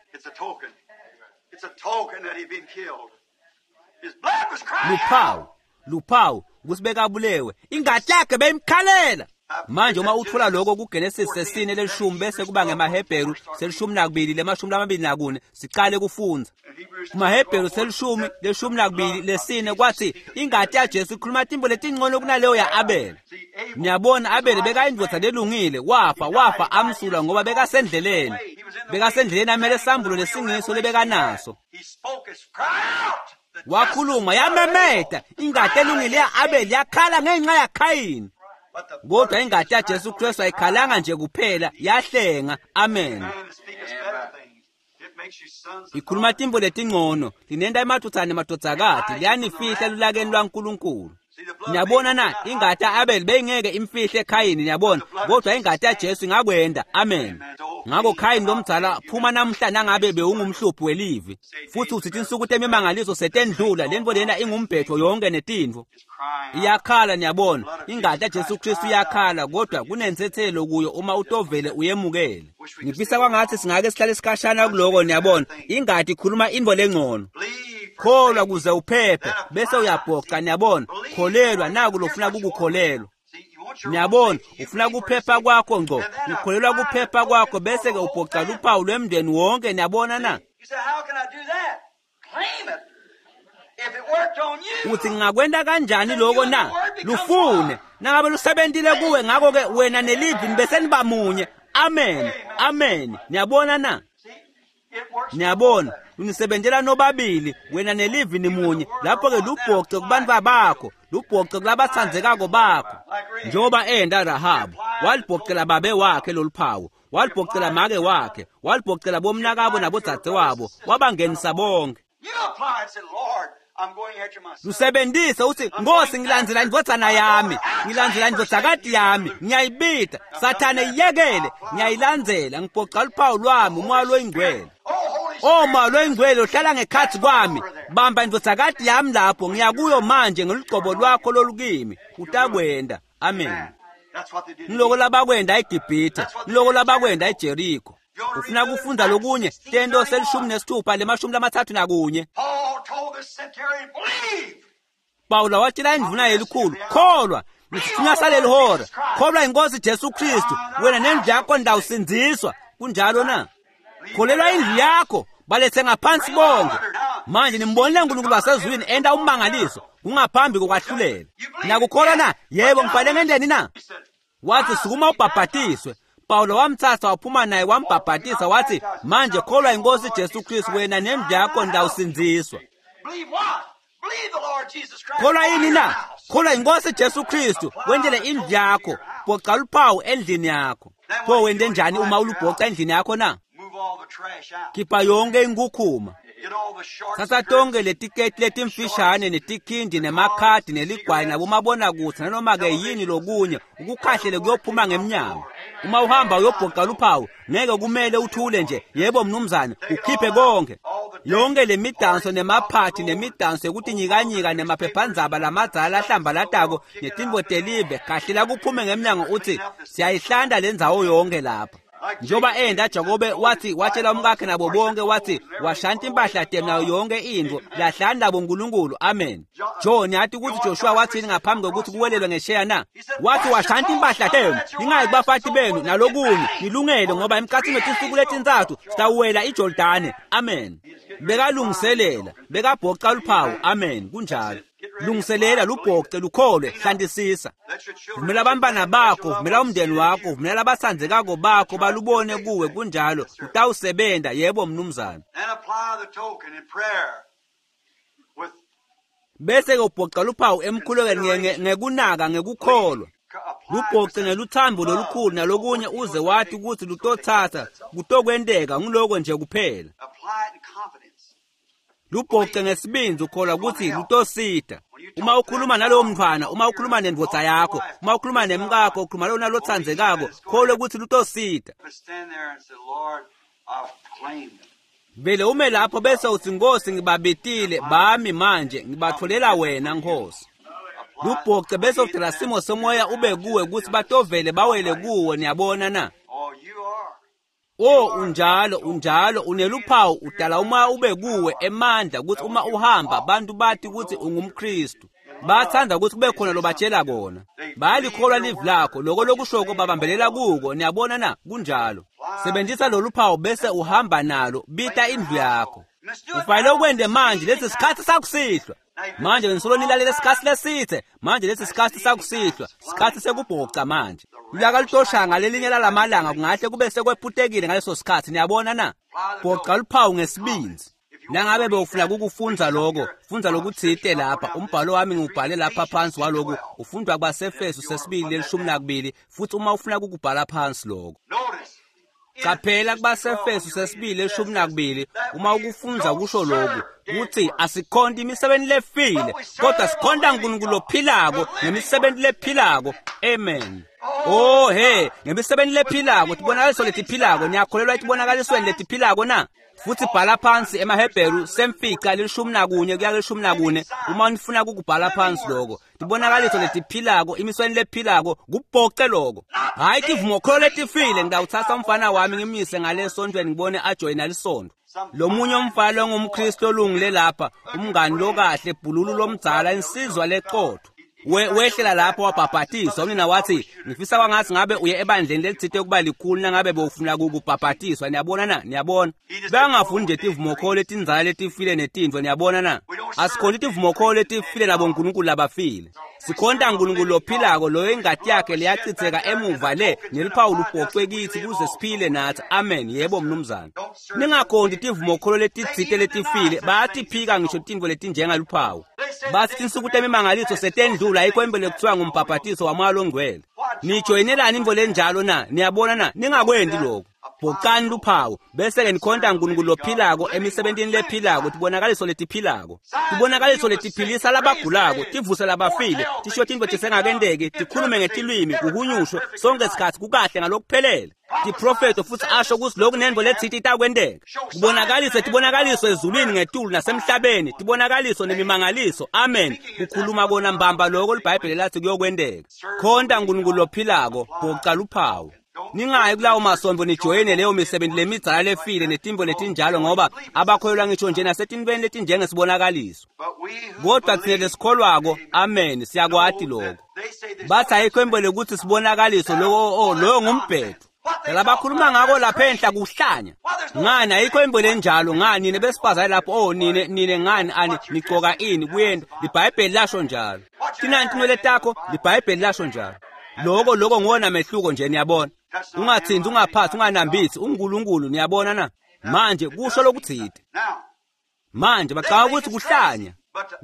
Luphawu, luphawu kusibeka abulewe. Ingati yakhe beyimkhalela. Manje uma utfola lokho kuGenesis sesine lelishumi bese kuba ngemaHebheru selishumi nakubili lemashumi lamabili nakune, sicale kufundza. KumaHebheru selishumi leshumi nakubili lesine kwathi ingati yaJesu ikhuluma tintfo letingcono kunaleyo ya-Abel. Niyabona, Abel bekayindvodza lelungile, wafa wafa amsulwa ngoba bekasendleleni. Bekasendleleni amele sambulo lesingiso lebekanaso. Wakhuluma yamemeta, ingati elungile ya-Abel yakhala ngenxa yaKhayini. Kodwa ingati yaJesu Kristu ayikhalanga nje kuphela, yahlenga. Amen. Ikhuluma tintfo letingcono, linenta emadvodzana nemadvodzakati, liyanifihla elulakeni lwaNkulunkulu. Niyabona na? Ingati ya-Abel beyingeke imfihle Khayini, niyabona, kodwa ingati yaJesu ingakwenda. Amen. Ngako Khayini lomdzala phuma namhla nangabe bewungumhluphi welivi, futhi uthi tinsuku temimangaliso setendlula, lentfo lena ingumbhetho yonke netintfo. Iyakhala, niyabona, ingati yaJesu Kristu iyakhala, kodwa kunentsetselo kuyo uma utovele uyemukele. Ngifisa kwangathi singake sihlale sikhashana kuloko. Niyabona, ingati ikhuluma intfo lengcono. Kholwa kuze uphephe bese uyabhoca. Niyabona, kholelwa naku lofuna kukukholelwa. Niyabona, ufuna kuphepha kwakho ngco, ukholelwa kuphepha kwakho bese-ke ubhoca luphawu lwemndeni wonke. Niyabona na? Uthi ngingakwenta kanjani loko na? Lufune nangabe lusebentile kuwe, ngako-ke wena nelivi nibese niba munye. Amen, amen. Niyabona na? Niyabona, unisebentela nobabili, wena nelivi nimunye. Lapho-ke lubhoce kubantfu bakho, lubhoce kulabatsandzekako bakho. Njengoba enda Rahabu, walibhocela babe wakhe loluphawu, walibhocela make wakhe, walibhocela bomnakabo nabodzadzewabo, wabangenisa bonke. Lusebentise uthi Nkosi, ngilandzela indvodzana yami, ngilandzela indvodzakati yami, ngiyayibita. Sathane iyekele, ngiyayilandzela, ngibhoca luphawu lwami, umoya loyingcwele. O moya loyingcwele uhlala ngekhatsi kwami, bamba indvodzakati yami lapho, ngiyakuyo manje ngelugcobo lwakho lolukimi. Utakwenda. Amen. Ngiloko labakwenda eGibhithe, ngiloko labakwenda eJeriko. Ufuna kufunda lokunye? Tento selishumi nesithupha lemashumi lamatsatfu nakunye. Pawula watshela indvuna yelikhulu, kholwa. Nisithunywa saleli hora. Kholwa inkosi Jesu Kristu, wena nendlu yakho ndawusindziswa. Kunjalo na? Kholelwa indlu yakho, balethe ngaphansi bonke. Manje nimbonile uNkulunkulu wasezulwini enda ummangaliso kungaphambi kokwahlulela. Nakukholwa na? Yebo, ngifanele ngendeni na? Wathi sukuma ubhabhatiswe. Paulo wamthatha waphuma naye wambhabhatisa, wathi manje kholwa inkosi Jesu Kristu, wena nendlu yakho ndawusindziswa. Believe what? Believe the Lord Jesus Christ. Kholwa yini na? Kholwa inkosi Jesu Kristu, wendele indlu yakho, bhoca luphawu endlini yakho. Pho wente njani uma ulubhoca endlini yakho na? Move all the trash out. Khipha yonke inkukhuma. Get all the shorts. Thatha tonke letiketi letimfishane netikhindi nemakhadi neligwayi nabomabonakudze nanoma-ke yini lokunye ukukhahlele kuyophuma ngemnyango. Uma uhamba uyobhoca luphawu ngeke kumele uthule nje, yebo mnumzane, ukhiphe konke. Yonke le midanso nemaphathi nemidanso yokutinyikanyika nemaphephandzaba lamadzala ahlambalatako netintfo telive, khahlela kuphume ngemnyango uthi siyayihlanta le ndzawo yonke lapha. Njengoba enda Jakobe wathi watshela umkakhe nabo bonke wathi washanta impahla tenu nayo yonke intfo lahlani nabo uNkulunkulu. Amen. John yathi ukuthi Joshua wathini ngaphambi kokuthi kuwelelwe ngesheya na? Wathi washanta impahla tenu ningayi kubafati benu nalokunye nilungele ngoba emkhathini wetinsuku letintsatfu sitawuwela iJordane. Amen. Bekalungiselela, bekabhoca luphawu. Amen. Kunjalo. Lungiselela lubhoce lukholwe, hlantisisa. Let your children Vumela abantwana bakho, vumela umndeni wakho, vumela abatsandzekako bakho balubone kuwe. Kunjalo, utawusebenta. Yebo mnumzane. and apply the token in prayer with Bese ke ubhoca luphawu emkhulekweni nge- nge- ngekunaka ngekukholwa. apply Lubhoce ngeluthambo lolukhulu nalokunye uze wathi ukuthi lutotsatsa kutokwenteka nguloko nje kuphela. apply it in confidence. Lubhoce ngesibindzi ukholwa ukuthi lutosita. Uma ukhuluma nalowo mntfwana, uma ukhuluma nendvodza yakho, uma ukhuluma nemkakho, ukhuluma lona lotsandzekako, kholwe ukuthi lutosita. But stand there and say, Lord, I've claimed them. Vele ume lapho bese uthi Nkosi ngibabitile bami manje ngibatholela wena Nkosi. Apply Lubhoce bese udala simo somoya ube kuwe ukuthi batovele bawele kuwe, niyabona na? Oh, you are. O unjalo unjalo uneluphawu udala umoya ube kuwe emandla ukuthi uma uhamba bantu bathi ukuthi ungumKristu. Bathanda ukuthi kube khona lobatshela kona. Bayalikholwa livi lakho, lokho lokushoko babambelela kuko, niyabona na? Kunjalo. Sebenzisa lolu phawu bese uhamba nalo, bita indlu yakho. Ufanele ukwente manje lesi sikhathi sakusihlwa. Manje ngisolo nilalele isikhathi lesithe, manje lesi sikhathi sakusihlwa, sikhathi sekubhoca manje. Ulaka lutosha ngalelinye lalamalanga kungahle kube sekwephutekile ngaleso sikhathi, niyabona na? Bhoca luphawu ngesibindzi. Nangabe bewufuna kukufundza lokho, fundza lokutsite lapha. Umbhalo wami ngiwubhale lapha phansi waloku, ufundwa kwabaseEfesu sesibili lelishumi nakubili, futhi uma ufuna kukubhala phansi lokho. Notice. Qaphela kubaseEfesu sesibili leshumi nakubili, uma ukufundza kusho lokhu kuthi asikhonti imisebenti lefile kodwa sikhonta uNkulunkulu lophilako ngemisebenti lephilako. Amen. Oh he, ngemisebenti lephilako, tibonakaliso letiphilako. Niyakholelwa etibonakalisweni letiphilako na? Futhi bhala phansi emaHebheru semfica lelishumi nakunye kuya lelishumi nakune uma nifuna kukubhala phansi lokho. Tibonakaliso letiphilako, imisebenti lephilako, kubhoce lokho. Hayi tivumokholo letifile. Ngidawuthatha umfana wami ngimyise ngale sontweni ngibone ajoyina lisondo. Lomunye umfana longumKristu olungile lapha, umngani lokahle, bhululu lomdzala, insizwa leqotho. We, wehlela lapho wabhabhatiswa. Unina wathi ngifisa kwangathi ngabe uye ebandleni lelitsite ukuba likhulu nangabe bewufuna ukubhabhatiswa. Niyabona na? Niyabona, bangafuni nje tivumokholo letindzala letifile netintfo. Niyabona na? Asikhonti tivumokholo letifile nabonkulunkulu labafile. Sikhonta uNkulunkulu lophilako, loyo ingati yakhe leyachitheka emuva le neliphawu lubhocwe kithi kuze siphile nathi. Amen. Yebo mnumzane. Ningakhonti tivumokholo letitsite letifile. Bayatiphika ngisho tintfo letinjengaluphawu. Bathi tinsuku temimangaliso setendlula, ayikho impela ekuthiwa ngumbhabhatiso wamoya longcwele. Nijoyinelani intfo lenjalo na? Niyabona na? Ningakwendi lokho. Bhocani luphawu bese-ke nikhonta uNkulunkulu lophilako emisebentini lephilako, tibonakaliso letiphilako, tibonakaliso letiphilisa labagulako, tivuse labafile, tisho tintfo tisengakenteki, tikhulume ngetilwimi, kuhunyushwe sonke sikhatsi kukahle ngalokuphelele. Tiprofeto futhi asho ukuthi lokhu nentfo letsite itakwenteka. Kubonakaliswe tibonakaliso ezulwini ngetulu nasemhlabeni, tibonakaliso nemimangaliso. Amen. Kukhuluma kona mbamba lokho liBhayibheli lathi kuyokwenteka. Khonta uNkulunkulu lophilako, bhoca luphawu. Ningayi kulawo masontfo nijoyine leyo misebenti lemidzala lefile netimbo letinjalo, ngoba abakholelwa ngisho nje nasetintfweni letinjengesibonakaliso. Kodwa tsine lesikholwako, amen, siyakwati lokho. Bathi ayikho into lekutsi sibonakaliso, loko loyo ngumbhedo. Labakhuluma ngako lapha enhla kuhlanya. Ngani ayikho into lenjalo? Ngani nine besifazane lapho, oh nine nine ngani ani nigcoka ini kuyenta? LiBhayibheli lasho njalo. Tinani tinwele takho, liBhayibheli lasho njalo. Loko loko nguwona mehluko nje, niyabona. Ungathinti, ungaphathi, unganambithi, uNkulunkulu, niyabona na? Manje kusho lokutsite. Manje bacabanga ukuthi kuhlanya.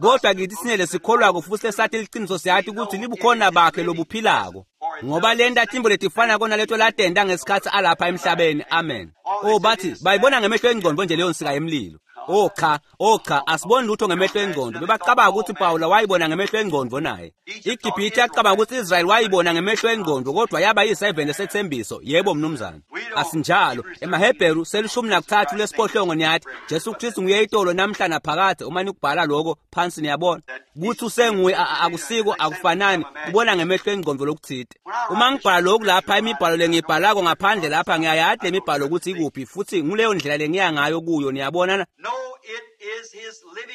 Kodwa kithi sinele sikholwako futhi lesathi liciniso, siyati ukuthi libukhona bakhe lobuphilako, ngoba lenta timbo letifanako naleto latenta ngesikhatsi alapha emhlabeni. Amen. Oh, bathi bayibona ngemehlo engcondvo nje leyo nsika yemlilo. Oh cha, oh cha, asiboni lutho ngemehlo engcondvo. Bebacabanga ukuthi Pawula wayibona ngemehlo engcondvo naye. IGibhithe yacabanga ukuthi Israyeli wayibona ngemehlo engcondvo, kodwa yaba yiseven esethembiso. Yebo mnumzane. Asinjalo. EmaHebheru selishumi nakutsatfu lesiphohlongo niyathi Jesu Kristu nguye itolo namhla naphakadze. Uma nikubhala lokho phansi niyabona ukuthi usenguye, akusiko, akufanani kubona ngemehlo engcondvo lokutsite. Uma ngibhala lokhu lapha, imibhalo lengiyibhalako ngaphandle lapha, ngiyayati lemibhalo ukuthi ikuphi, futhi nguleyo ndlela lengiya ngayo kuyo, niyabona na?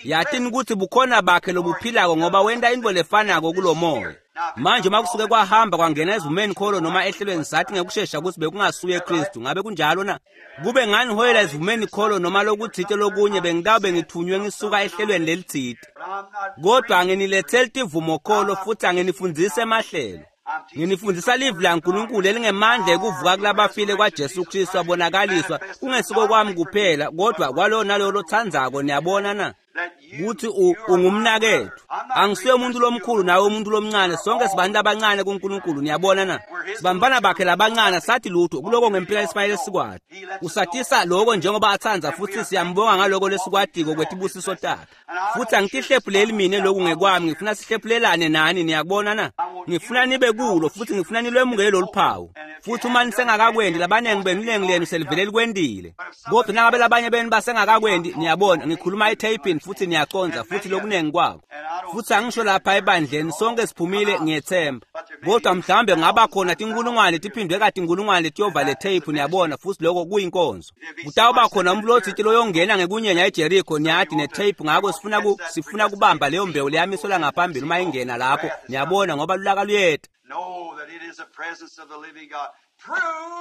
Yatini ukuthi bukhona bakhe lobuphilako, ngoba wenta into lefanako kulomoya. Manje uma kusuke kwahamba kwangena ezivumeni kholo noma ehlelweni, sathi ngekushesha ukuthi bekungasuye Kristu. Ngabe kunjalo na? Kube nganiholela ezivumeni kholo noma lokutsite lokunye, bengitawube ngithunywe ngisuka ehlelweni lelitsite. Kodwa anginiletheli tivumo kholo futhi anginifundzise emahlelo. Nginifundisa livi laNkulunkulu elingemandla ekuvuka kulabafile kwaJesu Kristu abonakaliswa, kungesiko kwami kuphela, kodwa kwalowo nalowo lotsandzako. Niyabona na? Kuthi ungumnaketfu. Angisuye umuntu lomkhulu nawe umuntu lomncane, sonke sibantu abancane kuNkulunkulu, niyabona na? Sibambana bakhe labancane, sathi lutho kuloko ngempela esifanele sikwati. Usatisa lokho njengoba atsandza, futhi siyambonga ngaloko lesikwatiko kwetibusiso takhe. Futhi angitihlephuleli mina lokhu ngekwami, ngifuna sihlephulelane nani, niyakubona na? Ngifuna nibe kulo futhi ngifuna nilwemukele lolu phawu. Futhi uma nisengakakwendi, labanengi benu iningi lenu selivele likwendile. Kodwa nangabe labanye benu basengakakwendi, niyabona, ngikhuluma etheyipini futhi niyaconza futhi lokunengi kwako. Futhi angisho lapha ebandleni sonke siphumile, ngiyethemba. Kodwa mhlawumbe ngaba khona tinkulungwane tiphindwe katinkulungwane letiyova le tape, niyabona, futhi lokho kuyinkonzo. Kutawuba khona umuntu lotsite loyongena ngekunyenya eJericho, niyati, netape. Ngako sifuna ku sifuna kubamba leyo mbewu leyamiselwa ngaphambili uma ingena lapho, niyabona, ngoba lulaka luyeta.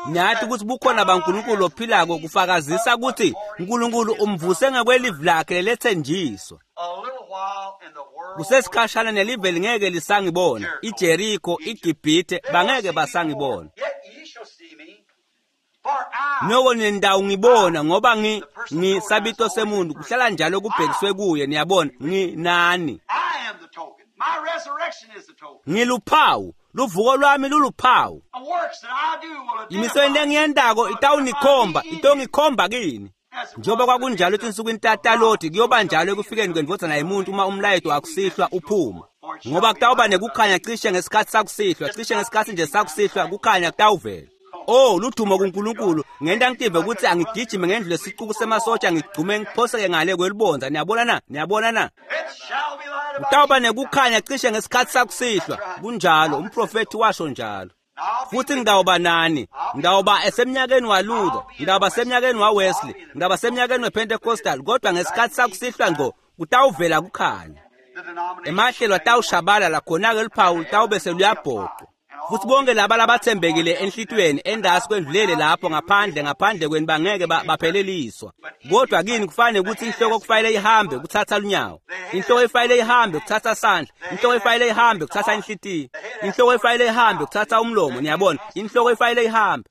Niyati ukuthi bukhona baNkulunkulu ophilako kufakazisa ukuthi uNkulunkulu umvuse ngekwelivi lakhe lelethenjiswa. Kusesikhashana nelive lingeke lisangibona, iJericho, iGibhithe bangeke basangibona. Noko nendawo ngibona, ngoba ngi ngisabito semuntu kuhlala njalo kubhekiswe kuye, niyabona, nginani. Ngiluphawu, luvuko lwami luluphawu. Imisebenti lengiyentako itawunikhomba, itongikhomba kini. Njengoba kwakunjalo etinsukwini taTaloti, kuyoba njalo ekufikeni kwendvodzana yemuntu uma umlayeto wakusihlwa uphuma. Ngoba kutawuba nekukhanya cishe ngesikhatsi sakusihlwa, cishe ngesikhatsi nje sakusihlwa kukhanya kutawuvela. Oh, ludumo kuNkulunkulu, ngenta ngitive ukuthi angigijime ngendlu lesicuku semasotsha, ngigcume ngiphoseke ngale kwelibondza. Niyabona na? Niyabona na? Kutawuba nekukhanya cishe ngesikhatsi sakusihlwa. Kunjalo, umprofethi washo njalo. Futhi ngitawuba nani, ngitawuba esemnyakeni waLuther, ngitawuba semnyakeni waWesley, ngitawuba semnyakeni wePentecostal, kodwa ngesikhatsi sakusihlwa ngco kutawuvela kukhanya. Emahlelo atawushabalala, khona-ke luphawu lutawube seluyabhoqwa. Futhi bonke laba labathembekile enhlitiyweni endasi kwendlulele lapho ngaphandle ngaphandle kwenu bangeke bapheleliswa. Kodwa kini kufanele ukuthi inhloko kufanele ihambe kuthatha lunyawo, inhloko ifanele ihambe kuthatha sandla, inhloko ifanele ihambe kuthatha inhlitiyo, inhloko ifanele ihambe kuthatha umlomo, niyabona, inhloko ifanele ihambe.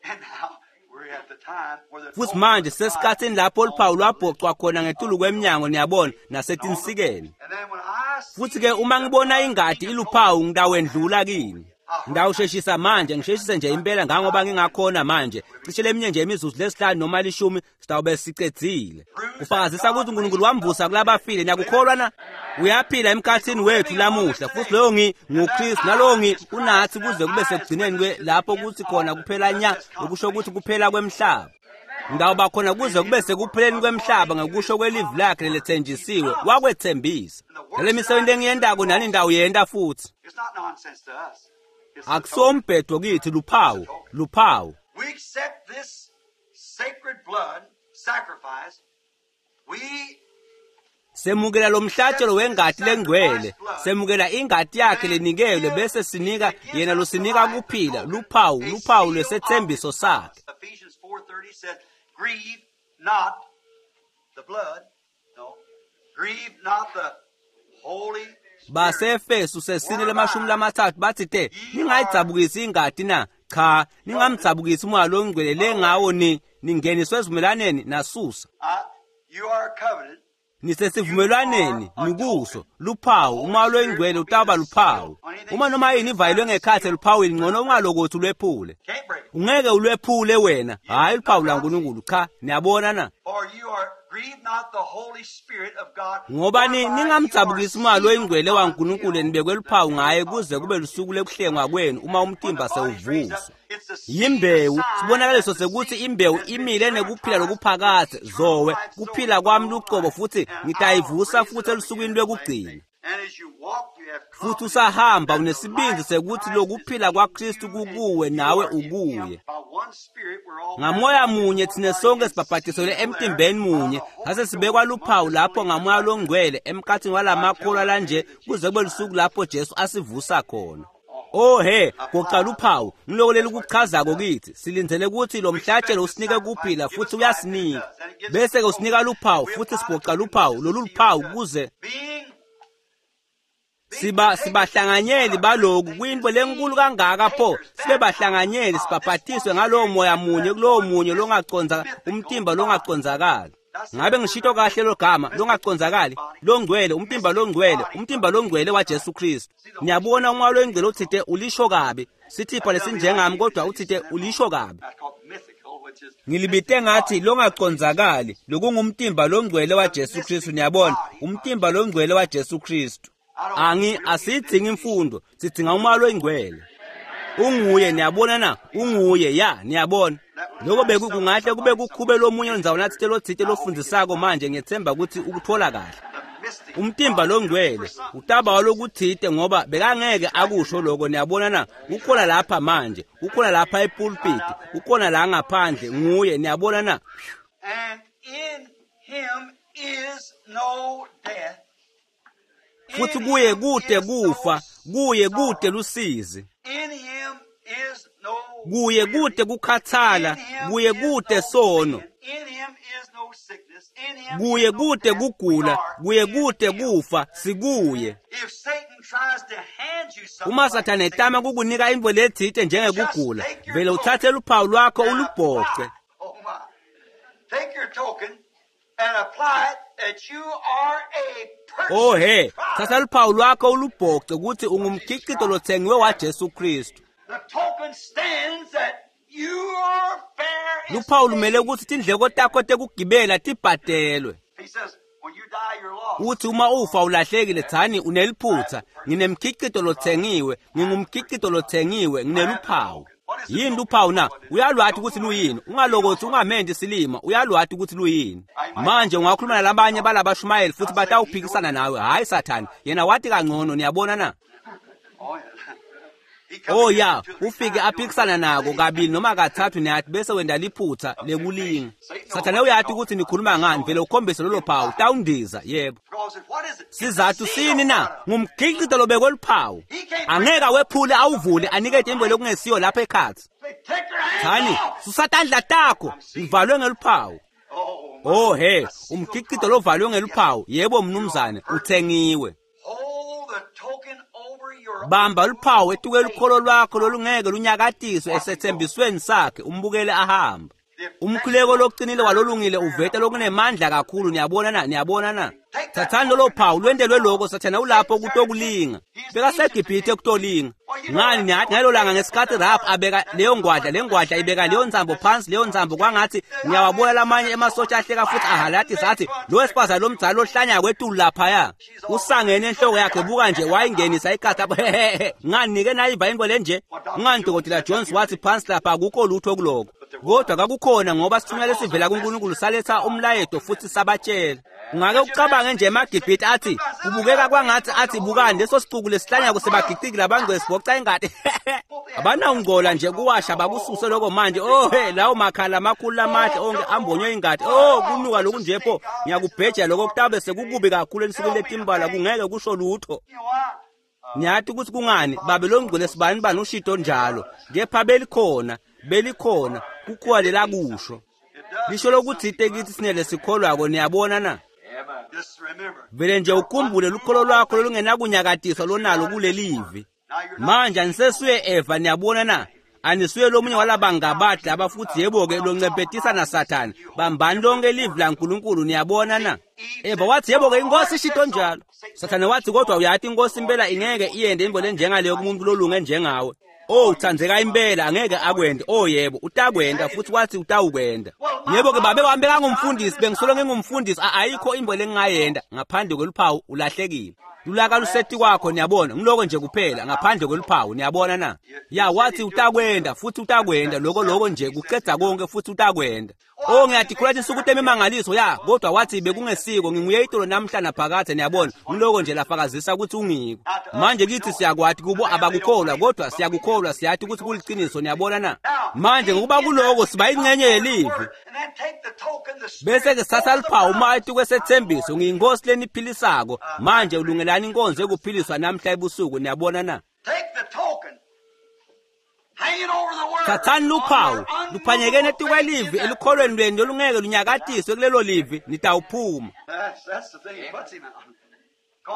Futhi manje sesikhatsini lapho luphawu lwabhocwa khona ngetulu kwemnyango, niyabona, nasetinsikeni. Futhi ke uma ngibona ingadi iluphawu ngitawendlula kini. Ngitawusheshisa manje, ngisheshise nje impela ngangoba ngingakhona manje. Cishe leminye nje imizuzu lesihlanu noma lishumi sitawube sicedzile. Kufakazisa ukuthi uNkulunkulu wamvusa kulabafile, niyakukholwa na? Uyaphila emkhathini wethu lamuhla, futhi loyo ngi nguKristu, nalowo ngi unathi kuze kube sekugcineni kwe lapho kuthi khona kuphela nya, okusho ukuthi kuphela kwemhlaba. Ngitawuba khona kuze kube sekupheleni kwemhlaba ngekusho kwelivi lakhe lelethenjisiwe, wakwethembisa. Nale misebenzi engiyentako nani ndawuyenta futhi. Akusombhedo kithi, luphawu, luphawu. We accept this sacred blood sacrifice. We Semukela lo mhlatshelo wengati lengcwele, semukela ingati yakhe lenikelwe bese sinika yena losinika kuphila, luphawu, luphawu lwesethembiso sakhe. Ephesians four thirty says, grieve not the blood, no, grieve not the Holy Spirit. Basefesu sesine lemashumi lamathathu bathi te ningayidzabukisi ingati na cha ningamdzabukisi umoya longcwele lengawo ni ningeniswe esivumelwaneni nasusa. Uh, you are a covenant. Nisesivumelwaneni nikuso luphawu umoya longcwele utawuba luphawu. Uma noma yini ivayelwe ngekhatsi eluphawini ngcono ungalokothi ulwephule. Can't break it. Ungeke ulwephule wena, hhayi luphawu lwaNkulunkulu cha niyabona na. For you are grieve not the Holy Spirit of God. Ngoba ni ningamdzabukisi umoya loyingcwele waNkulunkulu nibekwe luphawu ngaye kuze kube lusuku lekuhlengwa kwenu uma umtimba sewuvuswa. Yimbewu sibonakaliso sekuthi imbewu imile nekuphila lokuphakadze zowe kuphila kwami lucobo futhi ngitayivusa futhi elusukwini lwekugcina. And as you walk, you have Futhi usahamba unesibindi sekuthi lokuphila kwaKristu kukuwe nawe ukuye. By one Spirit we're all Ngamoya munye thina sonke sibhabhatiselwe emtimbeni munye sase sibekwa luphawu lapho ngamoya longcwele emkhathini walamakholwa lanje kuze kube lusuku lapho Jesu asivusa khona. Oh he, goqa luphawu ngiloko leli kuchazako kithi silindzele ukuthi lo mhlatshelo usinike kuphila futhi uyasinika bese ke usinika luphawu futhi sigoqa luphawu lolu luphawu kuze being siba sibahlanganyeli baloku kuyinto lenkulu kangaka pho sibe bahlanganyeli sibhabhatiswe ngalowo moya munye kulowo munye longaconza umtimba longaconzakali. Ngabe ngishito kahle lo gama longaconzakali longcwele umtimba longcwele umtimba longcwele waJesu Kristu. Niyabona umoya longcwele uthite ulisho kabi sithipha lesinjengami kodwa uthite ulisho kabi. I call it mythical, which is Ngilibite ngathi longaconzakali lokungumtimba longcwele waJesu Kristu niyabona umtimba longcwele waJesu Kristu. Angi asidzingi imfundo sidzinga umoya longcwele. Unguye niyabona na unguye ya niyabona. Lokho beku kungahle kube kukhube lomunye ndzawo nathite lothite lofundisako manje ngiyethemba ukuthi ukuthola kahle. the mystic Umtimba longcwele utaba walokuthite ngoba bekangeke akusho lokho niyabona na ukhona lapha manje ukhona lapha epulpit ukhona la ngaphandle nguye niyabona na. And in him is no death. In Futhi kuye him kude is no kufa kuye kude lusizi In him is no kuye weary. kude kukhathala In him kuye is kude no sono sin. In him is no sickness. In him kuye is no kude death. We kugula are kuye in kude him. kufa sikuye. If Satan tries to hand you something Uma like Sathane sickness, etama kukunika intfo letsite njengekugula vele uthathe luphawu lwakho and ulubhoce. apply- Oh my. Take your token and apply it that you are a purchased Oh he, product. thatha luphawu lwakho ulubhoce ukuthi ungumkhicito lothengiwe waJesu Kristu. The token stands that you are fair and Luphawu lumele saved. ukuthi tindleko takho tekugibela tibhadelwe. He says, when you die, you're lost. Uthi uma ufa ulahlekile thani uneliphutha nginemkhicito lothengiwe ngingumkhicito lothengiwe ngineluphawu. Yini luphawu na? Uyalwathi ukuthi luyini ungalokothi ungamendi silima uyalwathi ukuthi luyini. Manje ungakhuluma nalabanye balabashumayeli futhi batawuphikisana nawe hayi Sathane yena wathi kangcono niyabona na. Oh, yeah. He come Oh against ya it two, three ufike times, aphikisana nako kabili noma kathathu niyathi bese wenda liphutha lekulinga. Sathane uyathi ukuthi nikhuluma ngani vele ukhombise lolo phawu tawundiza yebo. Because what is it? Sizathu sini na ngumkhicito lobekwe luphawu angeke awephule awuvule anikete intfo lokungesiyo lapha ekhatsi. Say, take your hands Thani off. susa tandla takho ngivalwe ngeluphawu. Oh, my. Oh he umkhicito lovalwe ngeluphawu yebo mnumzane uthengiwe. Hold the token over your Bamba luphawu etuke lukholo lwakho lolungeke lunyakatiswe esethembisweni sakhe umbukele ahamba. Umkhuleko lokucinile walolungile uveta lokunemandla kakhulu niyabona na niyabona na. Thathani lolo phawu lwentelwe lokho Sathane ulapho kutokulinga. BekaseGibhithe kutolinga. Ngani niyathi ngalelo langa ngesikhathi Rahab abeka leyo ngwadla le ngwadla ibeka leyo nsambo phansi leyo nsambo kwangathi ngiyawabona lamanye emasotsha ahleka futhi ahalatisa athi lo wesifazane lomdzala lohlanya kwetulu laphaya usangene enhloko yakhe buka nje wayingenisa ikhatha ngani nike nayiva into lenje ngani Dokotela Jones wathi phansi lapha akukho lutho kuloko. Kodwa kwakukhona ngoba sithunywa lesivela kuNkulunkulu saletha umlayeto futhi sabatshela. Ungake ucabange nje emaGibhithe athi kubukeka kwangathi athi bukani leso sicuku lesihlanyako sebagiciki labangcwele siboca ingadi. Abanawungcola nje kuwasha bakususe lokho manje. Oh he, lawo makhala amakhulu amahle onke ambonywe ingadi. Oh kunuka lokhu nje pho, ngiyakubheja lokho kutabe sekukubi kakhulu ensukwini letimbala, kungeke kusho lutho. Niyathi ukuthi kungani babe longcwele sibani bani ushito njalo, kepha belikhona belikhona kukhuwa lelakusho lisho lokuthi itekisi sinele sikholwako. Niyabona na? Vele nje ukhumbule lukholo lwakho lolungenakunyakatiswa lonalo kulelivi. Manje anisesuye Eva, niyabona na? Anisuye lomunye walabangabadla laba futhi yebo-ke loncempetisa naSathane. Bambani lonke livi laNkulunkulu, niyabona na? Eva wathi yebo-ke inkosi ishito njalo. Sathane wathi kodwa uyathi inkosi impela ingeke iyende imvo lenjengaleyo kumuntu lolunge njengawe. Oh uthanzeka impela angeke akwende. Oh yebo utakwenda futhi wathi utawukwenda. Yebo ke babe wami bekangumfundisi, bengisolo ngingumfundisi, ayikho imbo lengingayenda ngaphandle kweluphawu ulahlekile. Lulaka luseti kwakho, niyabona, ngiloko nje kuphela ngaphandle kweluphawu, niyabona na? Ya wathi utakwenda futhi utakwenda, lokho lokho nje kuqeda konke futhi utakwenda. Oh ngiyadikhula insuku temimangaliso ya, kodwa wathi bekungesiko, nginguye itolo namhla naphakathe, niyabona, ngiloko nje lafakazisa ukuthi ungiko. Manje kithi siyakwati kubo abakukholwa, kodwa siyakukholwa, siyathi ukuthi kuliqiniso, niyabona na? Manje ngokuba kuloko siba ingxenye yelivi. Bese ke sithatha luphawu uma etukwesethembiso, ngiyinkosi leniphilisako. Manje ulungelani inkonzo ekuphiliswa namhla ebusuku, niyabona na? Thathani luphawu luphanyekene etukwelivi elukholweni lwenu lolungeke lunyakatiswe kulelo livi, nitawuphuma.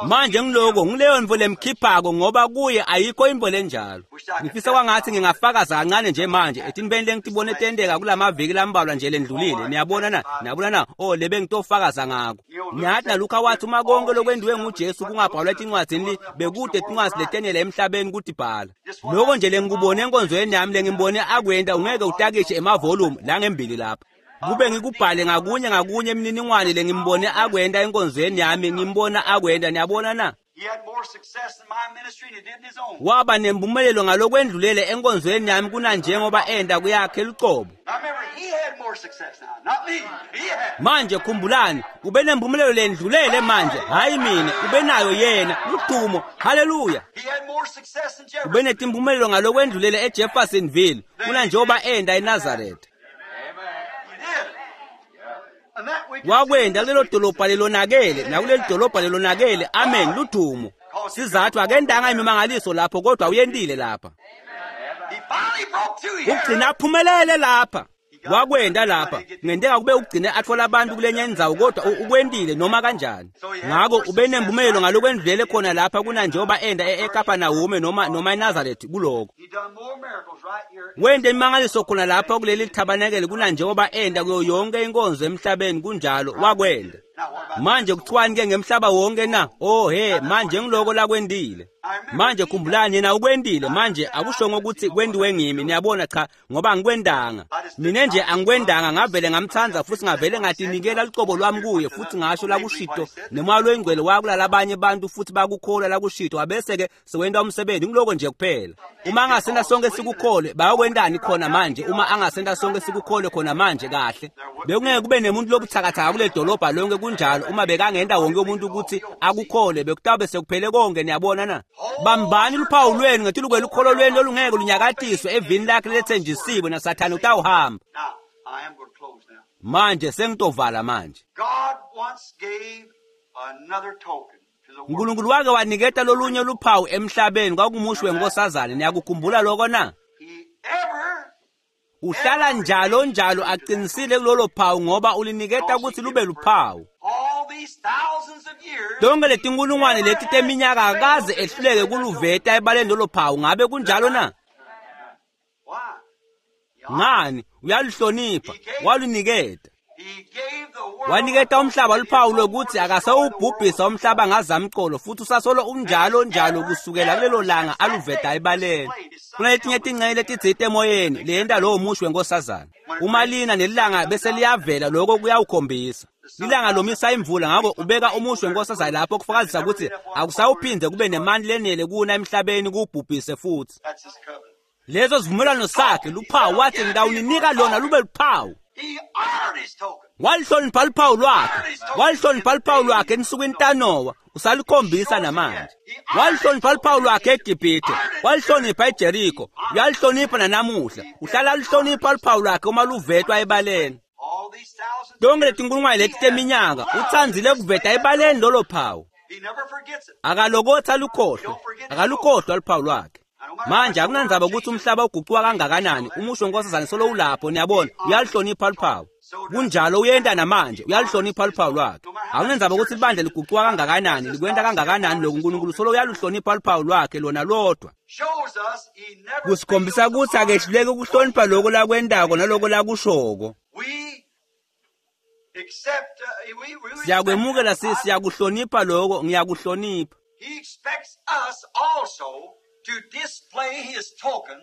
Manje ngiloko ngileyo mvo lemkhiphako ngoba kuye ayikho imvo lenjalo. Ngifisa kwangathi ngingafakaza kancane nje manje etintweni lengitibone tenteka kulamaviki lambalwa nje lendlulile, niyabona na? Niyabona na? Oh lebe ngitofakaza ngako. Niyathi naLukha wathi uma konke lokwendiwe nguJesu kungabhalwa etincwadzini bekude tincwadzi letenele emhlabeni ukuthi bhala. Lokho nje lengikubone enkonzweni yami lengimbone akwenda ungeke utakishe emavolume la ngembili lapha. Kube ngikubhale ngakunye ngakunye imininingwane lengimbone akwenda enkonzweni yami, ngimbona akwenda, niyabona na? Waba nempumelelo ngalokwendlulele enkonzweni yami kunanjengoba enda kuyakhe lucobo. Manje khumbulani, ube nempumelelo lendlulele manje, hayi mina, ube nayo yena, ludumo, haleluya. Ube netimpumelelo ngalokwendlulele eJeffersonville kunanjengoba enda eNazaretha. Wakwenda kulelo dolobha lelonakele nakuleli dolobha lelonakele, amen, ludumo. Sizathu akendanga imimangaliso lapho kodwa uyendile lapha. Ugcina aphumelele lapha. Wakwenda lapha. Kungenteka kube ugcine athola abantu kulenye indzawo kodwa ukwendile noma kanjani. Ngako ube nempumelelo ngalokwendlulele khona lapha kunanjengoba enda eKapernaum noma noma eNazaretha kuloko. Wende imimangaliso khona lapha kuleli thabanekele kunanjengoba enda kuyo yonke inkonzo emhlabeni, kunjalo wakwenda. Manje kuthiwani ke ngemhlaba wonke na? Oh he, manje ngiloko lakwendile. Manje khumbulani yena ukwendile, manje akushongo ukuthi kwendiwe ngimi, niyabona, cha, ngoba angikwendanga. Mina nje angikwendanga, ngavele ngamthanda futhi ngavele ngatinikela lucobo lwami kuye futhi ngasho lakushito nemoya loyingcwele wakulala abanye abantu futhi bakukholwa lakushito, abese ke sewenda umsebenzi ngiloko nje kuphela. Uma angasenda sonke sikukholwe, bayokwendani khona manje? Uma angasenda sonke sikukholwe khona manje kahle, bekungeke kube nemuntu lobuthakathaka kule dolobha lonke, kunjalo. Uma bekangenda wonke umuntu ukuthi akukholwe, bekutabe sekuphele konke, niyabona na? Bambani luphawu lwenu ngetulu lukholo lwenu lolungeke lunyakatiswe evini lakhe lethenjisiwe, naSathane utawuhamba. Manje sengitovala manje. uNkulunkulu wake waniketa lolunye luphawu emhlabeni, kwakumusho wenkosazane, niyakukhumbula lokho na? Uhlala njalo njalo aqinisile kulolo phawu ngoba uliniketa ukuthi lube luphawu. Tonke letinkulungwane leti teminyaka akaze ehluleke kuluveta ebaleni lolo phawu, ngabe kunjalo na? Ngani? Uyaluhlonipha, waluniketa. Waniketa umhlaba luphawu lokuthi akasawubhubhisa umhlaba ngazamcolo futhi usasolo unjalo njalo kusukela kulelo langa aluveta ebaleni. Kunetinye tingxenye letitsite emoyeni leyenta lowo musho wenkosazana. Uma lina nelilanga bese liyavela, lokho kuyawukhombisa. Lilanga lomisa imvula, ngakho ubeka umusho wenkosazana lapho kufakazisa ukuthi akusawuphinde kube nemandla lenele kuna emhlabeni kubhubhise futhi. Leso sivumelwano sakhe luphawu, wathi ngitawuninika lona lube luphawu. He honored his token. Walihlonipha luphawu lwakhe, walihlonipha luphawu lwakhe ensukwini taNowa, usalikhombisa namanje. Walihlonipha luphawu lwakhe eGibhithe, walihlonipha eJeriko, uyalihlonipha nanamuhla. Uhlala luhlonipha luphawu lwakhe uma luvetwa ebaleni. All these thousands Tonke letinkulungwane leti teminyaka utsandzile kuveta ebaleni lolo phawu. He never forgets it. Akalokotha lukhohlwe, akalukhohlwa luphawu lwakhe. Manje akunandzaba ukuthi umhlaba ugucuka kangakanani, umusho nkosazane solo ulapho, niyabona, uyalihlonipha luphawu. Kunjalo uyenta namanje, uyalihlonipha luphawu lwakhe. Akunandzaba ukuthi libandla ligucuka kangakanani, likwenta kangakanani lokhu, uNkulunkulu solo uyaluhlonipha luphawu lwakhe lona lodwa. Shows us he never Kusikhombisa fails to ukuthi honor. akehluleki ukuhlonipha lokho lakwentako naloko lakushoko. We accept, uh, we, we respect Siyakwemukela that. si siyakuhlonipha lokho, ngiyakuhlonipha. He expects us also to display his token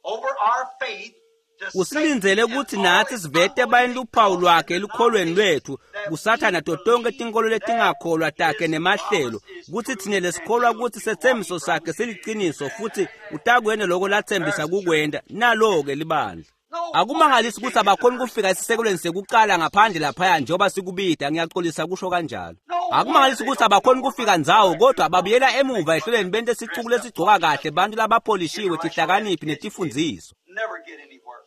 over our faith to Usilindzele Satan ukuthi and all nathi his sivete ebaleni unbelieving luphawu lwakhe cults and elukholweni lwethu that kusathana we to tonke believe tinkolo letingakholwa that takhe his nemahlelo, promise is kutsi true tsine and lesikholwa he'll kutsi do what he setsembiso sakhe promised. siliciniso futhi utakwenta loko latsembisa There's the church. kukwenta. Nalo-ke libandla. No wonder they Akumangalisi can't kutsi get to abakhoni the first kufika esisekelweni sekuqala ngaphandle laphaya njengoba sikubida, ngiyaxolisa kusho kanjalo. No wonder Akumangalisi they kutsi don't abakhoni know kufika about ndzawo, the kodwa record babuyela they emuva make fun ehlelweni of bente sicuku dressed up lesigcoka polished kahle, up bantu labapholishiwe, intellectual tihlakaniphi educated netifundziso. never get anywhere.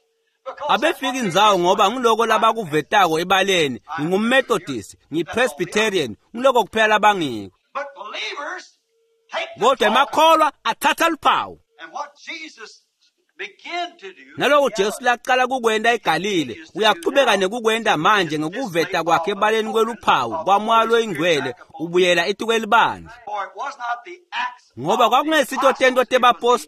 Because that's what Abefika they indzawo ngoba display. ngiloko I'm labakuvetako ebaleni, I'm here. ngingumMethodist, That's all we are. ngiyiPresbyterian, ngiloko kuphela labangiko. But believers take the Kodwa token. emakholwa athatha luphawu. And what Jesus began to do in Naloko Jesu Galilee, laqala kukwenta he eGalile, continues to do uyachubeka now nekukwenta manje is the display ngekuveta kwakhe of the ebaleni token kweluphawu of the kwaMoya Holy Spirit loyiNgcwele, back upon ubuyela etikwelibandla. For it was not the acts Ngoba of the kwakungesito tento apostles, it was the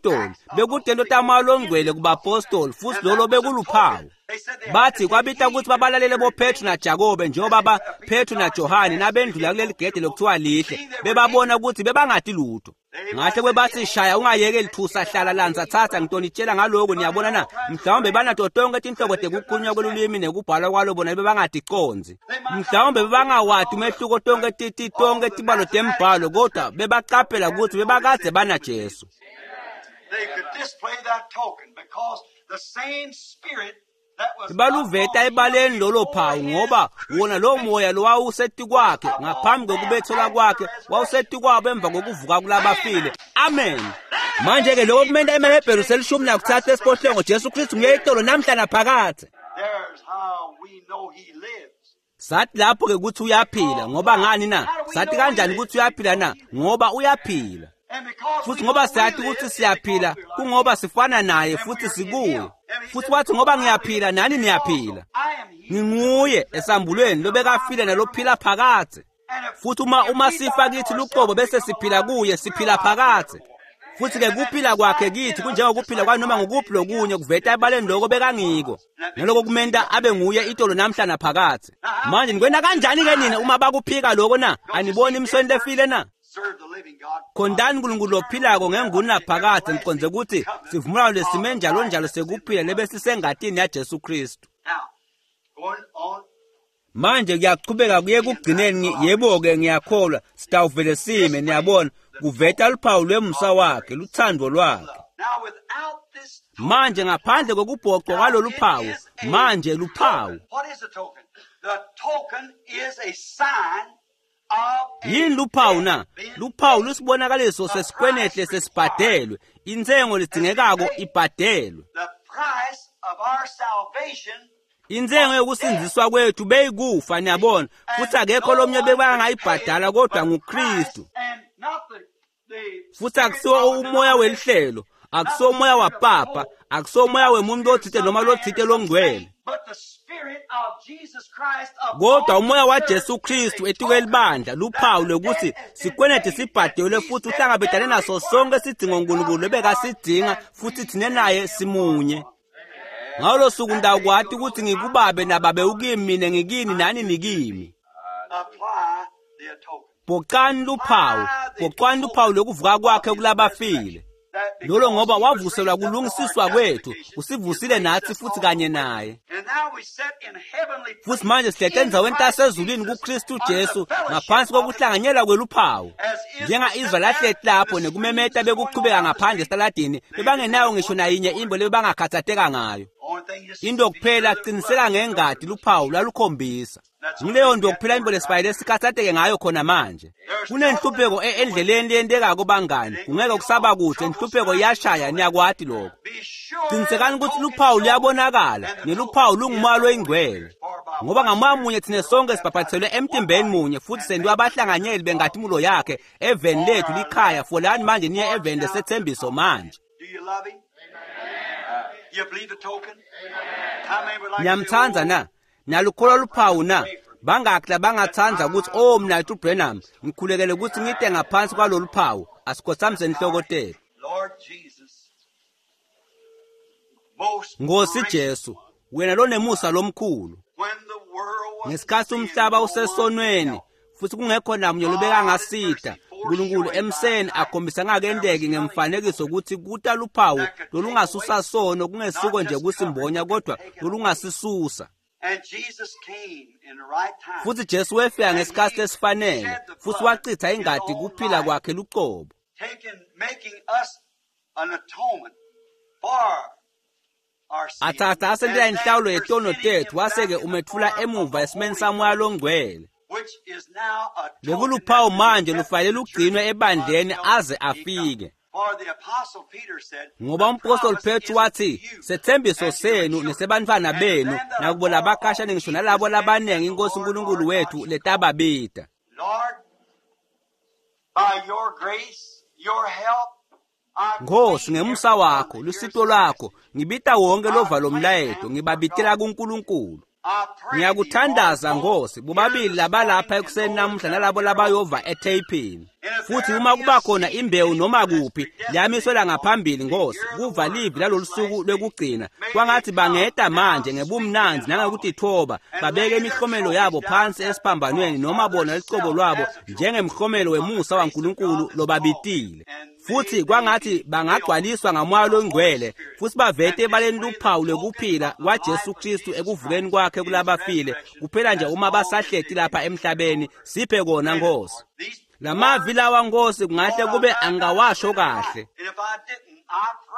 tebapostoli, acts of the bekutento Holy taMoya Ghost in loNgcwele the apostles. kubapostoli, futhi And lolo that was a bekuluphawu. token. They said they had to Bathi take kwabita heed ukuthi to babalalele hear boPetru them. naJakobe njengoba As ba they, uh, Peter, Petru John naJohane had asked to nabendlula get kuleli go gede through, lokuthiwa lihle, seeing they were bebabona ignorant. ukuthi bebangati lutho. They might Ngahle say, kwebathi shaya ungayekeli thusa hlala lanza thatha ngitonitshela ngaloko niyabona na all kinds of mhlawumbe language banato tonke tinhlobo that they couldn't tekukhulunywa understand. kwelulwimi nekubhalwa kwalo bona bebangaticondzi. They might not Mhlawumbe know bebangawati all the, umehluko tonke the ti ti all tonke the tibalo mathematics tembhalo of the kodwa scripture, but bebaqaphela they had ukuthi to notice bebakadze that it was banaJesu. Jesus. They could display that token because the same spirit that was Baluveta upon him ebaleni lolo before phawu his ngoba wona lo moya crucifixion lowawusetikwakhe was upon ngaphambi them kokubethelwa after kwakhe resurrection. wawusetikwabo emva kokuvuka kulabafile. Amen. Amen. Manje ke lokho kumenta emaHebheru selishumi nakutsatfu esiphohlongo Jesu Kristu nguye itolo namhla naphakadze. There's how we know he lives. Sathi lapho ke ukuthi uyaphila Because ngoba why? ngani na? How do we Sathi know he kanjani lives? ukuthi uyaphila Because na? he lives. Ngoba uyaphila. And because Futhi we ngoba know we siyathi live ukuthi is because siyaphila we're like kungoba him. sifana naye And we futhi are in sikuye. him. And he Futhi said, wathi ngoba because I live, ngiyaphila nani you also. niyaphila. I am he that Nginguye liveth esambulweni and lobekafile alive nalophila forevermore. phakadze. And if Futhi uma if uma we sifa die kithi ourselves luqobo and bese become siphila alive, kuye we're siphila alive phakadze. forevermore. Futhi ke And that kuphila this kwakhe life kithi in us, just kunjengokuphila like kwanoma Christ ngukuphi did in lokunye us, kuveta it ebaleni displays lokho what he bekangiko. was. And that makes Naloko him the same kumenta abe yesterday nguye and itolo namhla naphakadze. Now, how Manje can nikwenta you kanjani ke deny nina that? uma bakuphika lokho na? Don't you Aniboni see dead imisweni works? lefile na? Serve the living God by Khondani uNkulunkulu eternal lophilako ngenguni naphakadze ngiqonde everlasting ukuthi covenant sivumelwano lesime of njalo life njalo that's in the sekuphila blood. lebe sisengatini yaJesu Kristu. Now, going on Manje kuyachubeka kuye in that kugcineni God yebo-ke ngiyakholwa sitawuvele sime displaying niyabona the kuveta token luphawu lwemusa of wakhe grace, luthando lwakhe. love. Now, without this Manje token, ngaphandle kokubhoqwa now kwalolu it phawu is a manje luphawu. token. What is a token? The token is a sign of a Yini luphawu debt na? being Luphawu paid. lusibonakaliso The sesikwenete price required sesibhadelwe, intsengo has been ledzingekako paid. ibhadelwe. The price of our salvation Intsengo was death. yokusindziswa kwethu beyikufa niyabona futhi And akekho no lomnye one could pay it bekangayibhadala kodwa but Christ nguKristu. and not the, the Futhi spirit akusiwo of a umoya denomination, welihlelo, not akusiwo the umoya spirit of a wapapa, pope, akusiwo umoya not the wemuntu spirit of othite some noma man or lothite some longcwele. saint, but the spirit of Jesus Christ Kodwa upon umoya the waJesu church is Kristu a token etikwelibandla that luphawu the lokuthi debt has been sikwenete paid, that sibhadelwe he futhi met uhlangabetane every naso sonke requirement sidingo that uNkulunkulu God required, ebekasidinga and futhi we thine and naye him are simunye. one. Ngalo suku That day ndawukwati you'll know ukuthi that I'm the ngikubabe Father, nababe Father, ukimi mina ngikini I'm nani you, you in nikimi. me. Apply the token. Bhoqani luphawu, Apply the bhoqani luphawu token lokuvuka of kwakhe his kulabafile. resurrection. That Lolo ngoba wavuselwa kulungisiswa kwethu, usivusile nathi futhi kanye naye. Futhi manje sihlete endzaweni tasezulwini kuKristu Jesu ngaphansi kokuhlanganyela kweluphawu. Njenga-Israyeli ahleti lapho nekumemeta bekuchubeka ngaphandle esitaladini, bebangenayo ngisho nayinye imbo lebebangakhathatheka ngayo. Into kuphela qiniseka ngengadi luphawu lwalukhombisa. Ngileyo nto kuphela imbo lesifayile sikhathatheke ngayo khona manje. Kunenhlupheko endleleni leyentekako bangani, kungeke kusaba kuhle, inhlupheko iyashaya, niyakwati lokho. Qinisekani ukuthi luphawu luyabonakala, neluphawu lungumoya loyingcwele. Ngoba ngamoya munye thina sonke sibhaphathiselwe emtimbeni munye futhi sendiwe abahlanganyeli benkazimulo yakhe eveni lethu likhaya. Folani manje niye eveni lesethembiso manje. Niyamthanda na? Nalukholwa luphawu na? Bangaki labangathanda ukuthi oh mina Branham ngikhulekele ukuthi ngide ngaphansi kwalolu phawu? Asikhothamise inhloko tethu. Nkosi Jesu, wena lonemusa lomkhulu, ngesikhathi umhlaba usesonweni futhi kungekho namunye lobekangasida, uNkulunkulu emseni akhombisa ngakendeki ngemfanekiso ukuthi kuta luphawu lolungasusa sono, kungesiko nje kusimbonya kodwa lolungasisusa. Futhi Jesu wefika ngesikhathi esifanele futhi wachitha ingadi kuphila kwakhe luqobo, athatha asentela inhlawulo yetono tethu, wase-ke umethula emuva esimeni samoya longcwele. Lekuluphawu manje lufanele lugcinwe ebandleni aze afike. Ngoba umpostoli Petru wathi, sethembiso senu nesebantwana benu nakubo labakashane ngisho nalabo labaningi inkosi uNkulunkulu wethu letababida. Nkosi, ngemusa wakho, lusito lwakho, ngibita wonke lova lomlayeto, ngibabitela kuNkulunkulu. Ngiyakuthandaza Nkosi, bobabili labalapha ekuseni namuhla nalabo labayova etheyphini. Futhi uma kuba khona imbewu noma kuphi liyamiswela ngaphambili Nkosi, kuva livi lalolu suku lwekugcina, kwangathi bangeta manje ngebumnandzi nangekutithoba, babeke imihlomelo yabo phansi esiphambanweni noma bona lucobo lwabo njengemhlomelo wemusa waNkulunkulu lobabitile. Futhi kwangathi bangagcwaliswa ngamoya longcwele futhi bavete ebaleni luphawu lwekuphila kwaJesu Kristu ekuvukeni kwakhe kulabafile, kuphela nje uma basahleti lapha emhlabeni. Siphe kona Nkosi. Lamavi lawa Nkosi kungahle kube angawasho kahle,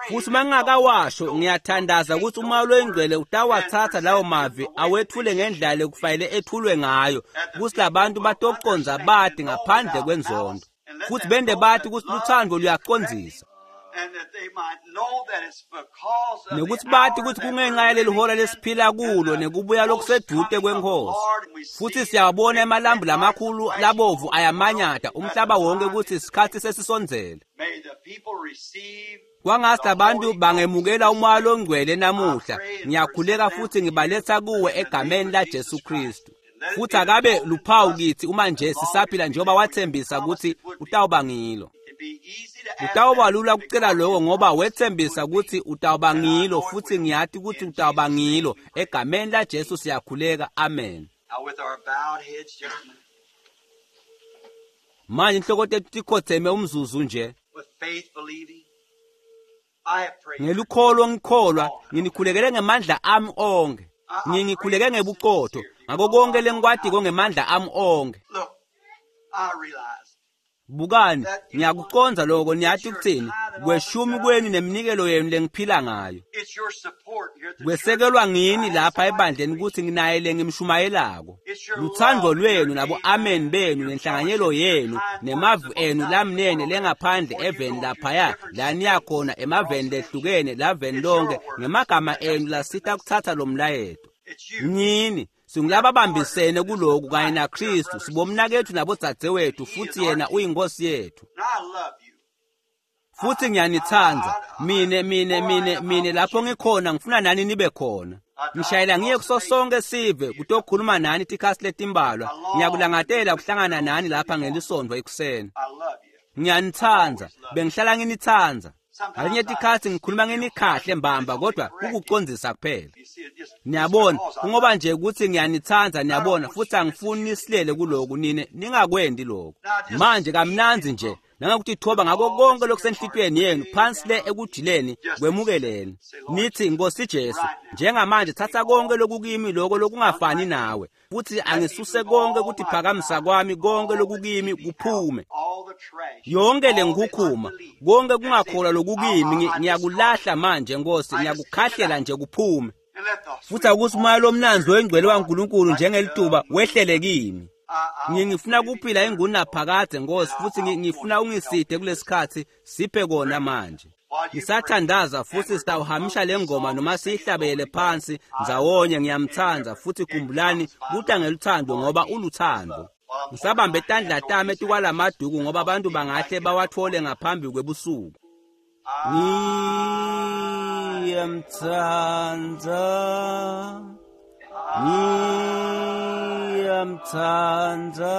futhi uma ngingakawasho ngiyathandaza ukuthi umoya loyingcwele utawathatha lawo mavi awethule ngendlela lekufanele ethulwe ngayo, ukuthi labantu batoconza bati ngaphandle kwenzondo, futhi bende bathi ukuthi luthando luyacondzisa, nekuthi bathi ukuthi kungenxa yaleli hora lesiphila kulo nekubuya lokusedude kwenkosi. Futhi siyabona emalambu lamakhulu labovu ayamanyata umhlaba wonke ukuthi isikhathi sesisondzele. Kwangathi abantu bangemukela umoya longcwele namuhla. Ngiyakhuleka futhi ngibaletha kuwe egameni laJesu Kristu. Futhi akabe luphawu kithi uma nje sisaphila njengoba wathembisa ukuthi utawuba ngilo. Utawuba lula kucela lokho ngoba wethembisa ukuthi utawuba ngilo, futhi ngiyati ukuthi utawuba ngilo. Egameni laJesu siyakhuleka, amen. Manje inhloko tethu tikhotheme umzuzu nje. Ngelukholo ngikholwa, nginikhulekele ngemandla ami onke. Ngingikhuleke ngebuqotho ngako konke lengikwatiko ngemandla ami onke. Bukani, ngiyakuconza lokho, niyati ukuthini? Kweshumi kweni neminikelo yenu lengiphila ngayo. Kwesekelwa ngini lapha ebandleni ukuthi nginaye lengimshumayelako. Luthando lwenu nabo amen benu nenhlanganyelo yenu nemavu enu lamnene lengaphandle eveni laphaya la niyakhona emaveni lehlukene laveni lonke ngemagama enu lasita kuthatha lo mlayeto. Ngini singulababambisene kuloku kanye naKristu, sibomnakethu nabodzadzewethu, futhi yena uyinkosi yethu. Futhi ngiyanithanda mine mine mine mine lapho ngikhona ngifuna nani nibe khona. Ngishayela ngiye kuso sonke sive kutokhuluma nani tikhathi letimbalwa. Ngiyakulangatela ukuhlangana nani lapha ngelisonto ekuseni. Ngiyanithanda, bengihlala nginithanda. Ngalinye tikhathi ngikhuluma nginikhahle mbamba kodwa kukucondzisa kuphela. Niyabona, kungoba nje ukuthi ngiyanithanda, niyabona, futhi angifuni nisilele kuloku nine ningakwendi lokho. Manje kamnandzi nje Nangakutithoba ngako konke lokusenhlitiyweni yenu phansi le ekujileni kwemukeleni. Nithi Nkosi Jesu, njengamanje thatha konke lokukimi lokho lokungafani nawe, futhi angisuse konke kutiphakamisa kwami, konke lokukimi kuphume. Yonke lenkhukhuma, konke kungakholwa lokukimi ngiyakulahla manje Nkosi, ngiyakukhahlela nje kuphume. Futhi akuthi umoya lomnanzi oyingcwele waNkulunkulu njengelituba wehlele kimi. Ngifuna kuphila ingunaphakade Nkosi, futhi ngifuna ungiside kulesikhathi, siphe kona manje. Ngisathandaza futhi sitawuhamisha le ngoma noma siyihlabele phansi ndzawonye. Ngiyamthanda futhi khumbulani kuta ngeluthando ngoba uluthando. Ngisabambe tandla tami etikwalamaduku ngoba abantu bangahle bawathole ngaphambi kwebusuku. Ngiyamthanda, ngiyamthanda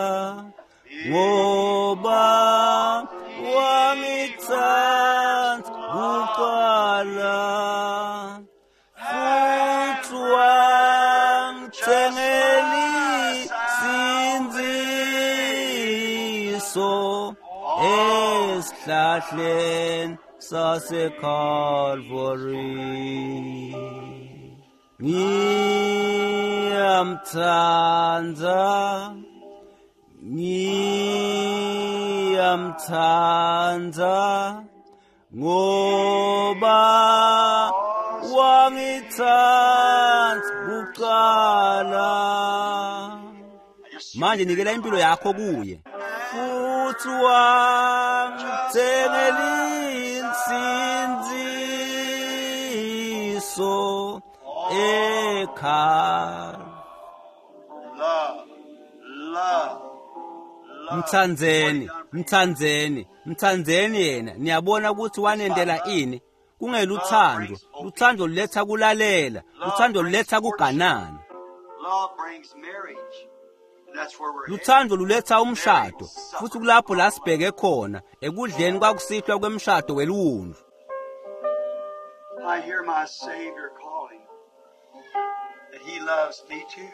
ngoba wangithanda kuqala, futhi wangithengela insindiso esihlahleni saseCalvary. Ngiyamthanda, ngiyamthanda ngoba wangithanda kuqala. Manje nikela impilo yakho kuye, futhi wangithengela insindiso ekhaya. Mthandzeni, mthandzeni, mthandzeni yena. Niyabona ukuthi wanendela ini? Kungeluthando. Luthando luletha kulalela, luthando luletha kuganana. Luthando luletha umshado, futhi kulapho la sibheke khona ekudleni kwakusihlwa kwemshado weliwundlu. I hear my Savior calling that he loves me too.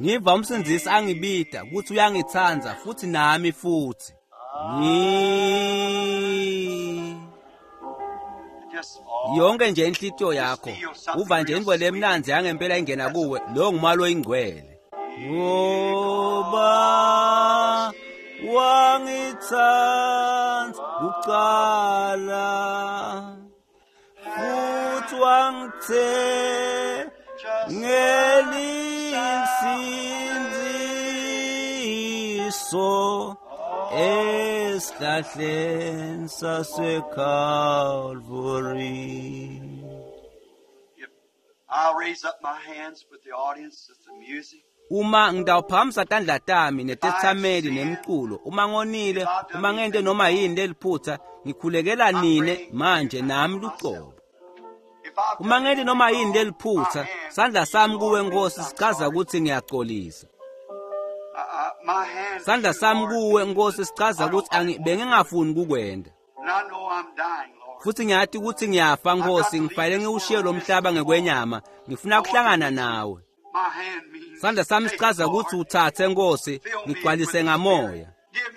Ngiva umsindzisi angibida ukuthi uyangithanda futhi nami futhi. Ngi yonke nje inhlitiyo yakho uva nje intfo lemnandzi yangempela ingena kuwe, lo ngumalo oyingcwele. Ngoba wangithanda kuqala, futhi wangithengela insindiso esihlahleni saseCalvary. I'll raise up my hands with the audience with the music. Uma ngitawuphakamisa tandla tami netetsameli nemculo, uma ngonile, uma ngente noma yini leliphutha, ngikhulekela nine manje nami lucobo. Uma ngente noma yini leliphutha, sandla sami kuwe Nkosi sichaza ukuthi ngiyaxolisa. Sandla sami kuwe Nkosi sichaza ukuthi bengingafuni kukwenda. Futhi ngiyati ukuthi ngiyafa Nkosi, ngifanele ngiwushiye lo mhlaba ngekwenyama, ngifuna ukuhlangana nawe. Sandla sami sichaza ukuthi uthathe Nkosi, ngigcwalise ngamoya.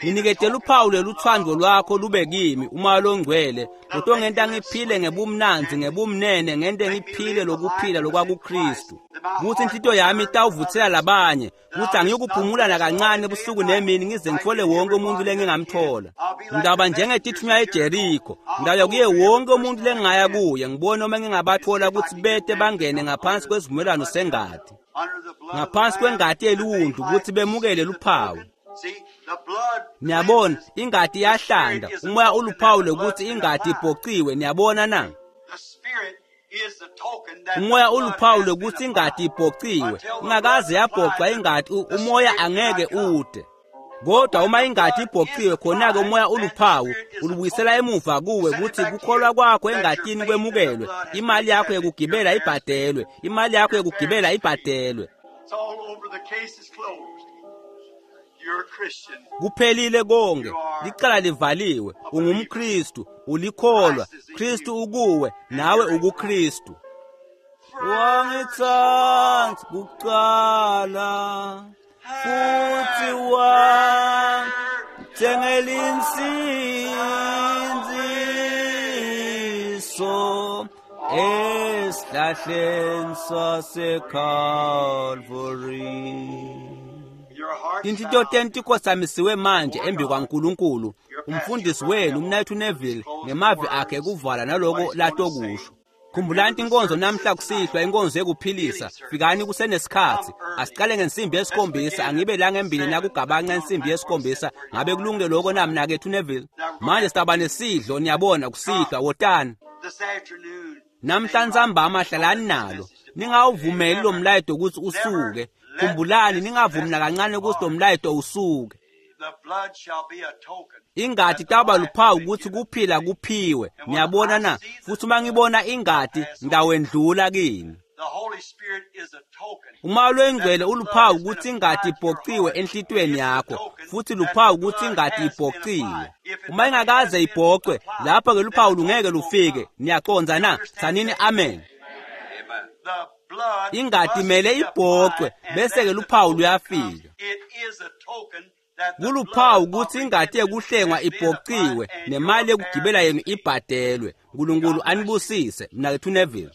Nginiketele uphawu lweluthando lwakho lube kimi, umoya longcwele, lotongenta ngiphile ngebumnandzi, ngebumnene, ngente ngiphile lokuphila lokwakuKristu. Kuthi inhlitiyo yami itawuvuthela labanye, kuthi angiyukuphumula nakancane ebusuku nemini ngize ngithole wonke umuntu lengingamthola. Ngitawuba njengetithunywa eJeriko, ngitawuya kuye wonke umuntu lengingaya kuye, ngibone noma ngingabathola ukuthi bete bangene ngaphansi kwesivumelwano sengati, ngaphansi kwengati yeliwundlu, ukuthi bemukele luphawu. Niyabona, ingati iyahlanda, umoya uluphawu lokuthi ingati ibhociwe. Niyabona na? Umoya uluphawu lokuthi ingati ibhociwe. Ingakaze yabhocwa ingati, umoya angeke ude. Kodwa uma ingati ibhociwe, khona-ke umoya uluphawu ulubuyisela emuva kuwe ukuthi kukholwa kwakho engatini kwemukelwe, imali yakho yekugibela ibhadelwe, imali yakho yekugibela ibhadelwe. Kuphelile konke, licala livaliwe, ungumKristu, ulikholwa, Kristu ukuwe, nawe ukuKristu. Wangithanda kuqala, futhi Ngitsengele insindziso esihlahleni saseCalvary. Your heart Tinhlitiyo tenu tikotsamisiwe manje embi kwaNkulunkulu. Umfundisi wenu uMnayethu Neville ngemavi akhe ekuvala naloko latokusho. Khumbulani inkonzo namhla kusihlwa, inkonzo yekuphilisa. Fikani kusenesikhatsi. Asiqale ngensimbi yesikhombisa, angibe la ngembili nakugabanca insimbi yesikhombisa. Ngabe kulungile lokho na mnakethu Neville? Manje sitaba nesidlo, niyabona, kusihlwa, wotani. This afternoon, Namhla ntsambama hlalani nalo. Ningawuvumeli lo mlayeto ukuthi usuke. Khumbulani ningavumi nakancane ukuthi lo mlayeto usuke. the blood shall be a token. Ingati taba luphawu ukuthi kuphila kuphiwe. Niyabona na? Futhi uma ngibona ingati ngitawendlula kini. The Holy Spirit is a token. Uma lwengcwele uluphawu ukuthi ingati ibhociwe enhlitiyweni yakho, futhi luphawu ukuthi ingati ibhociwe. Uma ingakaze ibhocwe, lapho ke luphawu lungeke lufike. Niyacondza na? Tsanini amen. The blood Ingati must imele be ibhocwe, applied, and bese ke then the luphawu token luyafika. comes. It is a token that the Kuluphawu blood of ukuthi ingati yekuhlengwa redemption has been ibhociwe applied and nemali your yokugibela yenu ibhadelwe. uNkulunkulu anibusise. Mnakethu Neville.